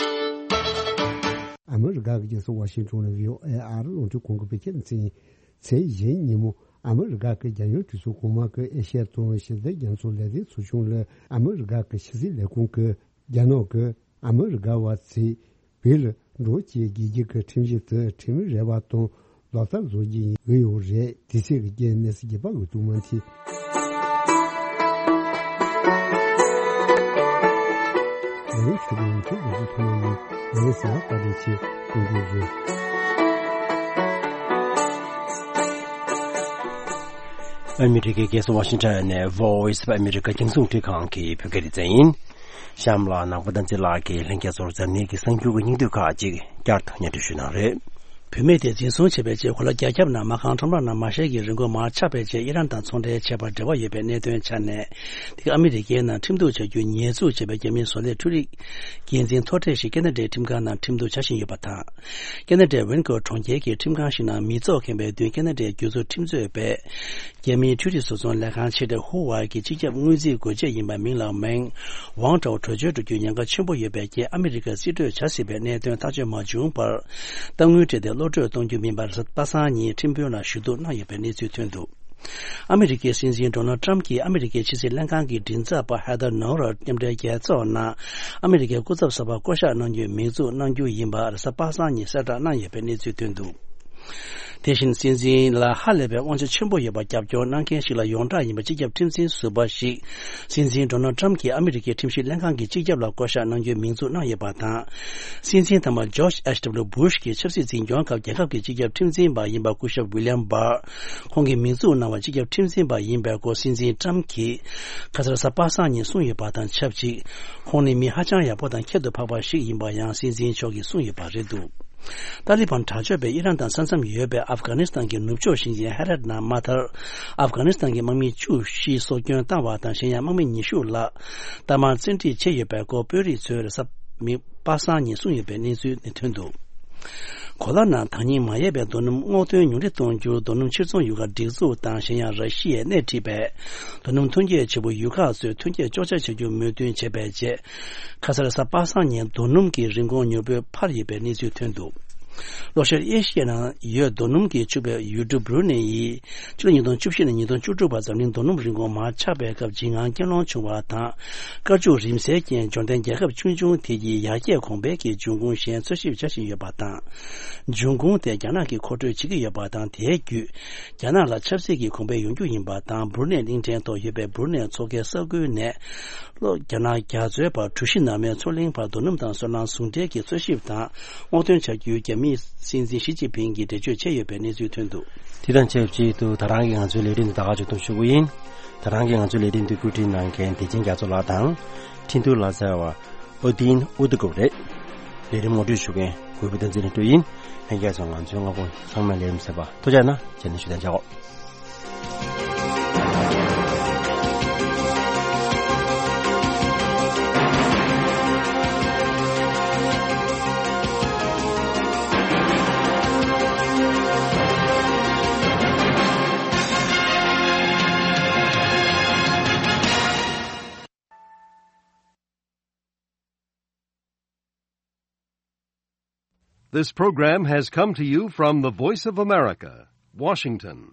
ཨ་མི་རི་ཀ་གི་རྒྱལ་ས་ཝ་ཤིང་ཊོན་ནས་བྷི་ཨོ་ཨེ་ཨ་རི་རླུང་འཕྲིན་ཁང་གི་བོད་སྐད་སྡེ་ཚན། ཚེས་བཞི་ཉིན་མོ་ཨ་མི་རི་ཀ་གི་རྒྱལ་ཡོངས་གྲོས་ཚོགས་གོང་མ་གི་ཨེ་ཤ་ཡ་དང་ཞི་བདེ་རྒྱ་མཚོ་ལས་དོན་ཚོགས་ཆུང་ལ་ཨ་མི་རི་ཀ་གི་ཕྱི་སྲིད་ལས་ཁུངས་ཀྱིས་རྒྱ་ནག་གིས་ཨ་མི་རི་ཀ་བ་ཚོས་བོད་ལ་འགྲོ་བ་བཅས་རྒྱལ་སྤྱི་གི་ཁྲིམས་གཞི་དེ་ཁྲིམས་རེ་བ་དང་ལག་བསྟར་བཟོ་རྒྱུ་ཡིན་འོས་ཡོད་རེད། དེ་སྲིད་ཀྱི་རྒྱལ་གནས་སུ་རྒྱལ་པ་འོས་བསྡུ་མ་མཐུན། ང་རང་ཆོས་སྐྱོང་ཡོངས་ཁྱབ་སྒྲོག་འཛིན་ཐོག་མ་ཡིན། ང་རང་ཟེར་བ་བཀའ་དྲིན་ཆེ། ཐུགས་རྗེ་གཟོས། ཨ་མི་རི་ཀའི་རྒྱལ་ས་ཝ་ཤིང་ཊོན་ནས་Voice of America རྒྱང་སྲིང་རླུང་འཕྲིན་ཁང་གི་བོད་སྐད་སྡེ་ཚན་ཡིན། གཤམ་ལ་ནང་པ་བསྟན་འཛིན་ལགས་ཀྱིས་ལྷན་རྒྱས་ཚོར་འཛམ་གླིང་གི་གསར་འགྱུར་གྱི་སྙིང་བསྡུས་ཁག་ཅིག་བསྐྱར་དུ་སྙན་སྒྲོན་ཞུ་གནང་རེད། བུད་མེད་དེ་འཛིན་བཟུང་བྱས་པའི་རྗེས་གོ་ལ་རྒྱ་ཁྱབ་ནང་མ་རྐང་ཁྲོམ་ར་ནང་མ་ཤེལ་གྱི་རིན་གོང་མར་ཆག་པའི་རྗེས་ཨི་རན་དང་ཚོང་འབྲེལ་བྱས་པར་འབྲེལ་བ་ཡོད་པའི་གནད་དོན་ཆ་ནས། དེ་ག་ཨ་མི་རི་ཀའི་ནང་ཁྲིམས་གཏུག་བྱ་རྒྱུ་ཉེས་འཛུགས་བྱས་པའི་རྒྱ་མིའི་བཟོ་ལས་འཕྲུལ་རིག་འགན་འཛིན་མཐོ་གྲས་ཤིག་ཁེ་ན་ཌའི་ཁྲིམས་ཁང་ནང་ཁྲིམས་གཏུག་བྱ་བཞིན་ཡོད་པ་དང་། ཁེ་ན་ཌའི་ཝེན་ཀོ་གྲོང་ཁྱེར་གྱི་ཁྲིམས་ཁང་ཞིག་ནང་མི་ཚོགས་ཁེངས་པའི་མདུན་ཁེ་ན་ཌའི་རྒྱུ་ཚོགས་ཁྲིམས་རྩོད་པས། རྒྱ་མིའི་འཕྲུལ་རིག་བཟོ་ཚོང་ལས་ཁང་ཆེ་གྲས་ཧུ་ཝའེ་གི་སྤྱི་ཁྱབ་དངུལ་རྩིས་སྒོ་འབྱེད་ཡིན་པ་མིང་ལ་མེང་ཝང་ཀྲའོ་བྲོས་བྱོལ་འགྲོ་རྒྱུའི་ཉེན་ཁ་ཆེན་པོ་ཡོད་པའི་རྐྱེན། ཨ་མི་རི་ཀར་རྩིས་སྤྲོད་བྱ་སྲིད་པའི་གནད་དོན་ཐག་གཅོད་མ་བྱུང་བར། གཏའ་དངུལ་སྤྲད་དེ་གློད་བཀྲོལ་གཏོང་རྒྱུ་མིན་པར་པ་སངས་ཉིན་ཁྲིམས་དཔོན་ལ་ཞུ་གཏུག་གནང་ཡོད་པའི་གནས་ཚུལ་ཐོན་འདུག། ཨ་མི་རི་ཀའི་སྲིད་འཛིན་ཌོ་ནལ་ཏྲམ་གྱིས་ཨ་མི་རི་ཀའི་ཕྱི་སྲིད་ལྷན་ཁང་གི་མགྲིན་ཚབ་པ་ཧེ་ཐར་ནོ་རར་མཉམ་འབྲེལ་རྒྱལ་ཚོགས་ནང་ཨ་མི་རི་ཀའི་སྐུ་ཚབ་གསར་པ་བསྐོ་གཞག་གནང་རྒྱུའི་མིང་འཛུགས་གནང་རྒྱུ་ཡིན་པ་རེས་གཟའ་པ་སངས་ཉིན་གསལ་བསྒྲགས་གནང་ཡོད་པའི་གནས་ཚུལ་ཐོན་འདུག། དེ་བཞིན་སྲིད་འཛིན་ལ་ཧ་ལས་པའི་དབང་ཆ་ཆེན་པོ་ཡོད་པ་རྒྱབ་སྐྱོར་གནང་མཁན་ཞིག་ལ་ཡོངས་གྲགས་ཡིན་པ་སྤྱི་ཁྱབ་ཁྲིམས་འཛིན་ཟུར་པ་ཞིག་སྲིད་འཛིན་ཌོ་ནལ་ཏྲམ་གྱིས་ཨ་མི་རི་ཀའི་ཁྲིམས་ཞིབ་ལྷན་ཁང་གི་སྤྱི་ཁྱབ་ལ་བསྐོ་གཞག་གནང་རྒྱུའི་མིང་འཛུགས་གནང་ཡོད་པ་དང་། སྲིད་འཛིན་དམ་པ་ཇོརྗ་ཨེཆ་ཌབ་ལུ་སྦུ་ཤ་གྱིས་ཆབ་སྲིད་འཛིན་སྐྱོང་སྐབས་རྒྱལ་ཁབ་ཀྱི་སྤྱི་ཁྱབ་ཁྲིམས་འཛིན་པ་ཡིན་པ་སྐུ་ཞབས་ཝི་ལི་ཡམ་བྷར་ཁོང་གིས་མིང་འཛུགས་གནང་བ་སྤྱི་ཁྱབ་ཁྲིམས་འཛིན་པ་ཡིན་པའི་སྐོར་སྲིད་འཛིན་ཏྲམ་གྱིས་ཁ་སང་རེས་གཟའ་པ་སངས་ཉིན་གསུངས་ཡོད་པ་དང་ཆབས་ཅིག། ཁོང་ནི་མི་ཧ་ཅང་ཡག་པོ་དང་ཁྱད་དུ་འཕགས་པ་ཞིག་ཡིན་པ་ཡང་སྲིད་འཛིན་མཆོག་གིས་གསུངས་ཡོད་པ་རེད་འདུག། ཏཱ་ལི་བན་དྲག་སྤྱོད་པས་ཨི་རན་དང་ས་མཚམས་ཡོད་པའི་ཨབ་གྷ་ནི་སི་ཐན་གྱི་ནུབ་ཕྱོགས་ཞིང་ཆེན་ཧེ་རད་ནང་མ་མཐར། ཨབ་གྷ་ནི་སི་ཐན་གྱི་དམག་མི་བཅུ་བཞི་སྲོག་སྐྱོན་བཏང་བ་དང་གཞན་ཡང་དམག་མི་ཉི་ཤུ་ལྷག་གཏའ་མར་བཙན་ཁྲིད་བྱས་ཡོད་པའི་སྐོར་དཔོན་རིགས་ཚོས་རེས་གཟའ་མིག་པ་སངས་ཉིན་གསུངས་ཡོད་པའི་གནས་ཚུལ་ནི་ཐོན་འདུག། གོ་ལ་ནང་ད་ཉིན་མ་ཡལ་བའི་རྡོ་སྣུམ་སྔོག་འདོན་ཉུང་འཕྲི་གཏོང་རྒྱུར་རྡོ་སྣུམ་ཕྱིར་ཚོང་ཡུལ་ཁ་སྒྲིག་འཛུགས་དང་གཞན་ཡང་ར་ཤི་ཡས་སྣེ་ཁྲིད་པས་རྡོ་སྣུམ་ཐོན་སྐྱེད་བྱེད་པོ་ཡུལ་ཁག་ཚོས་ཐོན་སྐྱེད་གཅོག་ཆ་བྱ་རྒྱུར་མོས་མཐུན་བྱས་པའི་རྗེས། ཁ་སང་རེས་གཟའ་པ་སངས་ཉིན་རྡོ་སྣུམ་གྱི་རིན་གོང་མྱུར་པོས་འཕར་ཡོད་པའི་གནས་ཚུལ་ཐོན་འདུག། ལྷོ་ཤར་ཨེ་ཤི་ཡའི་ནང་ཡོད་རྡོ་སྣུམ་གྱིས་ཕྱུག་པའི་ཡུལ་གྲུ་སྦུ་རུ་ནེ་ཡིས་ཕྱི་ལོ་ཉིས་སྟོང་བཅུ་བཞི་ནས་ཉིས་སྟོང་བཅུ་དྲུག་བར་འཛམ་གླིང་རྡོ་སྣུམ་རིན་གོང་མར་ཆག་པའི་སྐབས་འཇིགས་དངངས་སྐྱེ་ལོང་བྱུང་བ་དང་། བཀའ་བཅུ་རིམ་སེལ་རྐྱེན་འབྱོར་ལྡན་རྒྱལ་ཁབ་ཆུང་ཆུང་དེ་གྱིས་ཡར་རྒྱས་གོང་འཕེལ་གྱི་འབྱུང་ཁུངས་གཞན་འཚོལ་ཞིབ་བྱ་བཞིན་ཡོད་པ་དང་། འབྱུང་ཁུངས་དེ་རྒྱ་ནག་གིས་མཁོ་སྤྲོད་བྱེད་ཀྱི་ཡོད་པ་དང་། དེའི་བརྒྱུད་རྒྱ་ནག་ལ་ཆབ་སྲིད་ཀྱི་གོང་འཕེལ་ཡོང་རྒྱུ་ཡིན་པ་དང་། སྦུ་རུ་ནེ་གླིང་ཕྲན་ཐོག་ཡོད་པའི་སྦུ་རུ་ནེ་མཚོ་ཁའི་ས་ཁུལ་ནས་གློག་རྒྱ་ནག་རྒྱ་མཚོའི་བར་གྲུ་བཞི་ནར་མའི་མཚོ་གླིང་བར་རྡོ་སྣུམ་དང་སོལ་རླངས་ཟུང་འབྲེལ་གྱི་འཚོལ་ཞིབ་དང་སྔོག་འདོན་བྱ་རྒྱུའི་རྒྱ་མིའི་ སྲིད་འཛིན་ཞི་ཅིན་ཕིང་གིས་འགྲེལ་བརྗོད་བྱས་ཡོད་པའི་གནས་ཚུལ་ཐོན་འདུག། དེ་དང་ཆབས་ཅིག་ཏུ་ད་རང་གི་ང་ཚོའི་ལས་རིམ་འདི་ད་ག་ཅིག་ཏུ་ཞུ་གི་ཡིན། ད་རང་གི་ང་ཚོའི་ལས་རིམ་འདི་བཀོད་སྒྲིག་གནང་མཁན་བདེ་ཆེན་རྒྱ་མཚོ་ལགས་དང་། འཕྲིན་ཐུང་ལག་རྩལ་བ་ཨོ་ཏིན་ཨུ་ཏུ་ཀུབ་རེད། ལས་རིམ་ངོ་སྤྲོད་ཞུ་མཁན་གུས་པ་བསྟན་འཛིན་ལྷུན་གྲུབ་ཡིན། ལྷན་རྒྱས་ཚོ་ང་ཚོའི་སྔ་དགོང་ཚང་མས་ལས་རིམ་གསན་པར་ཐུགས་རྗེ་གནང་། རྗེས་ནས་ཞུ་དང་བྱ་འོ། This program has come to you from the Voice of America, Washington.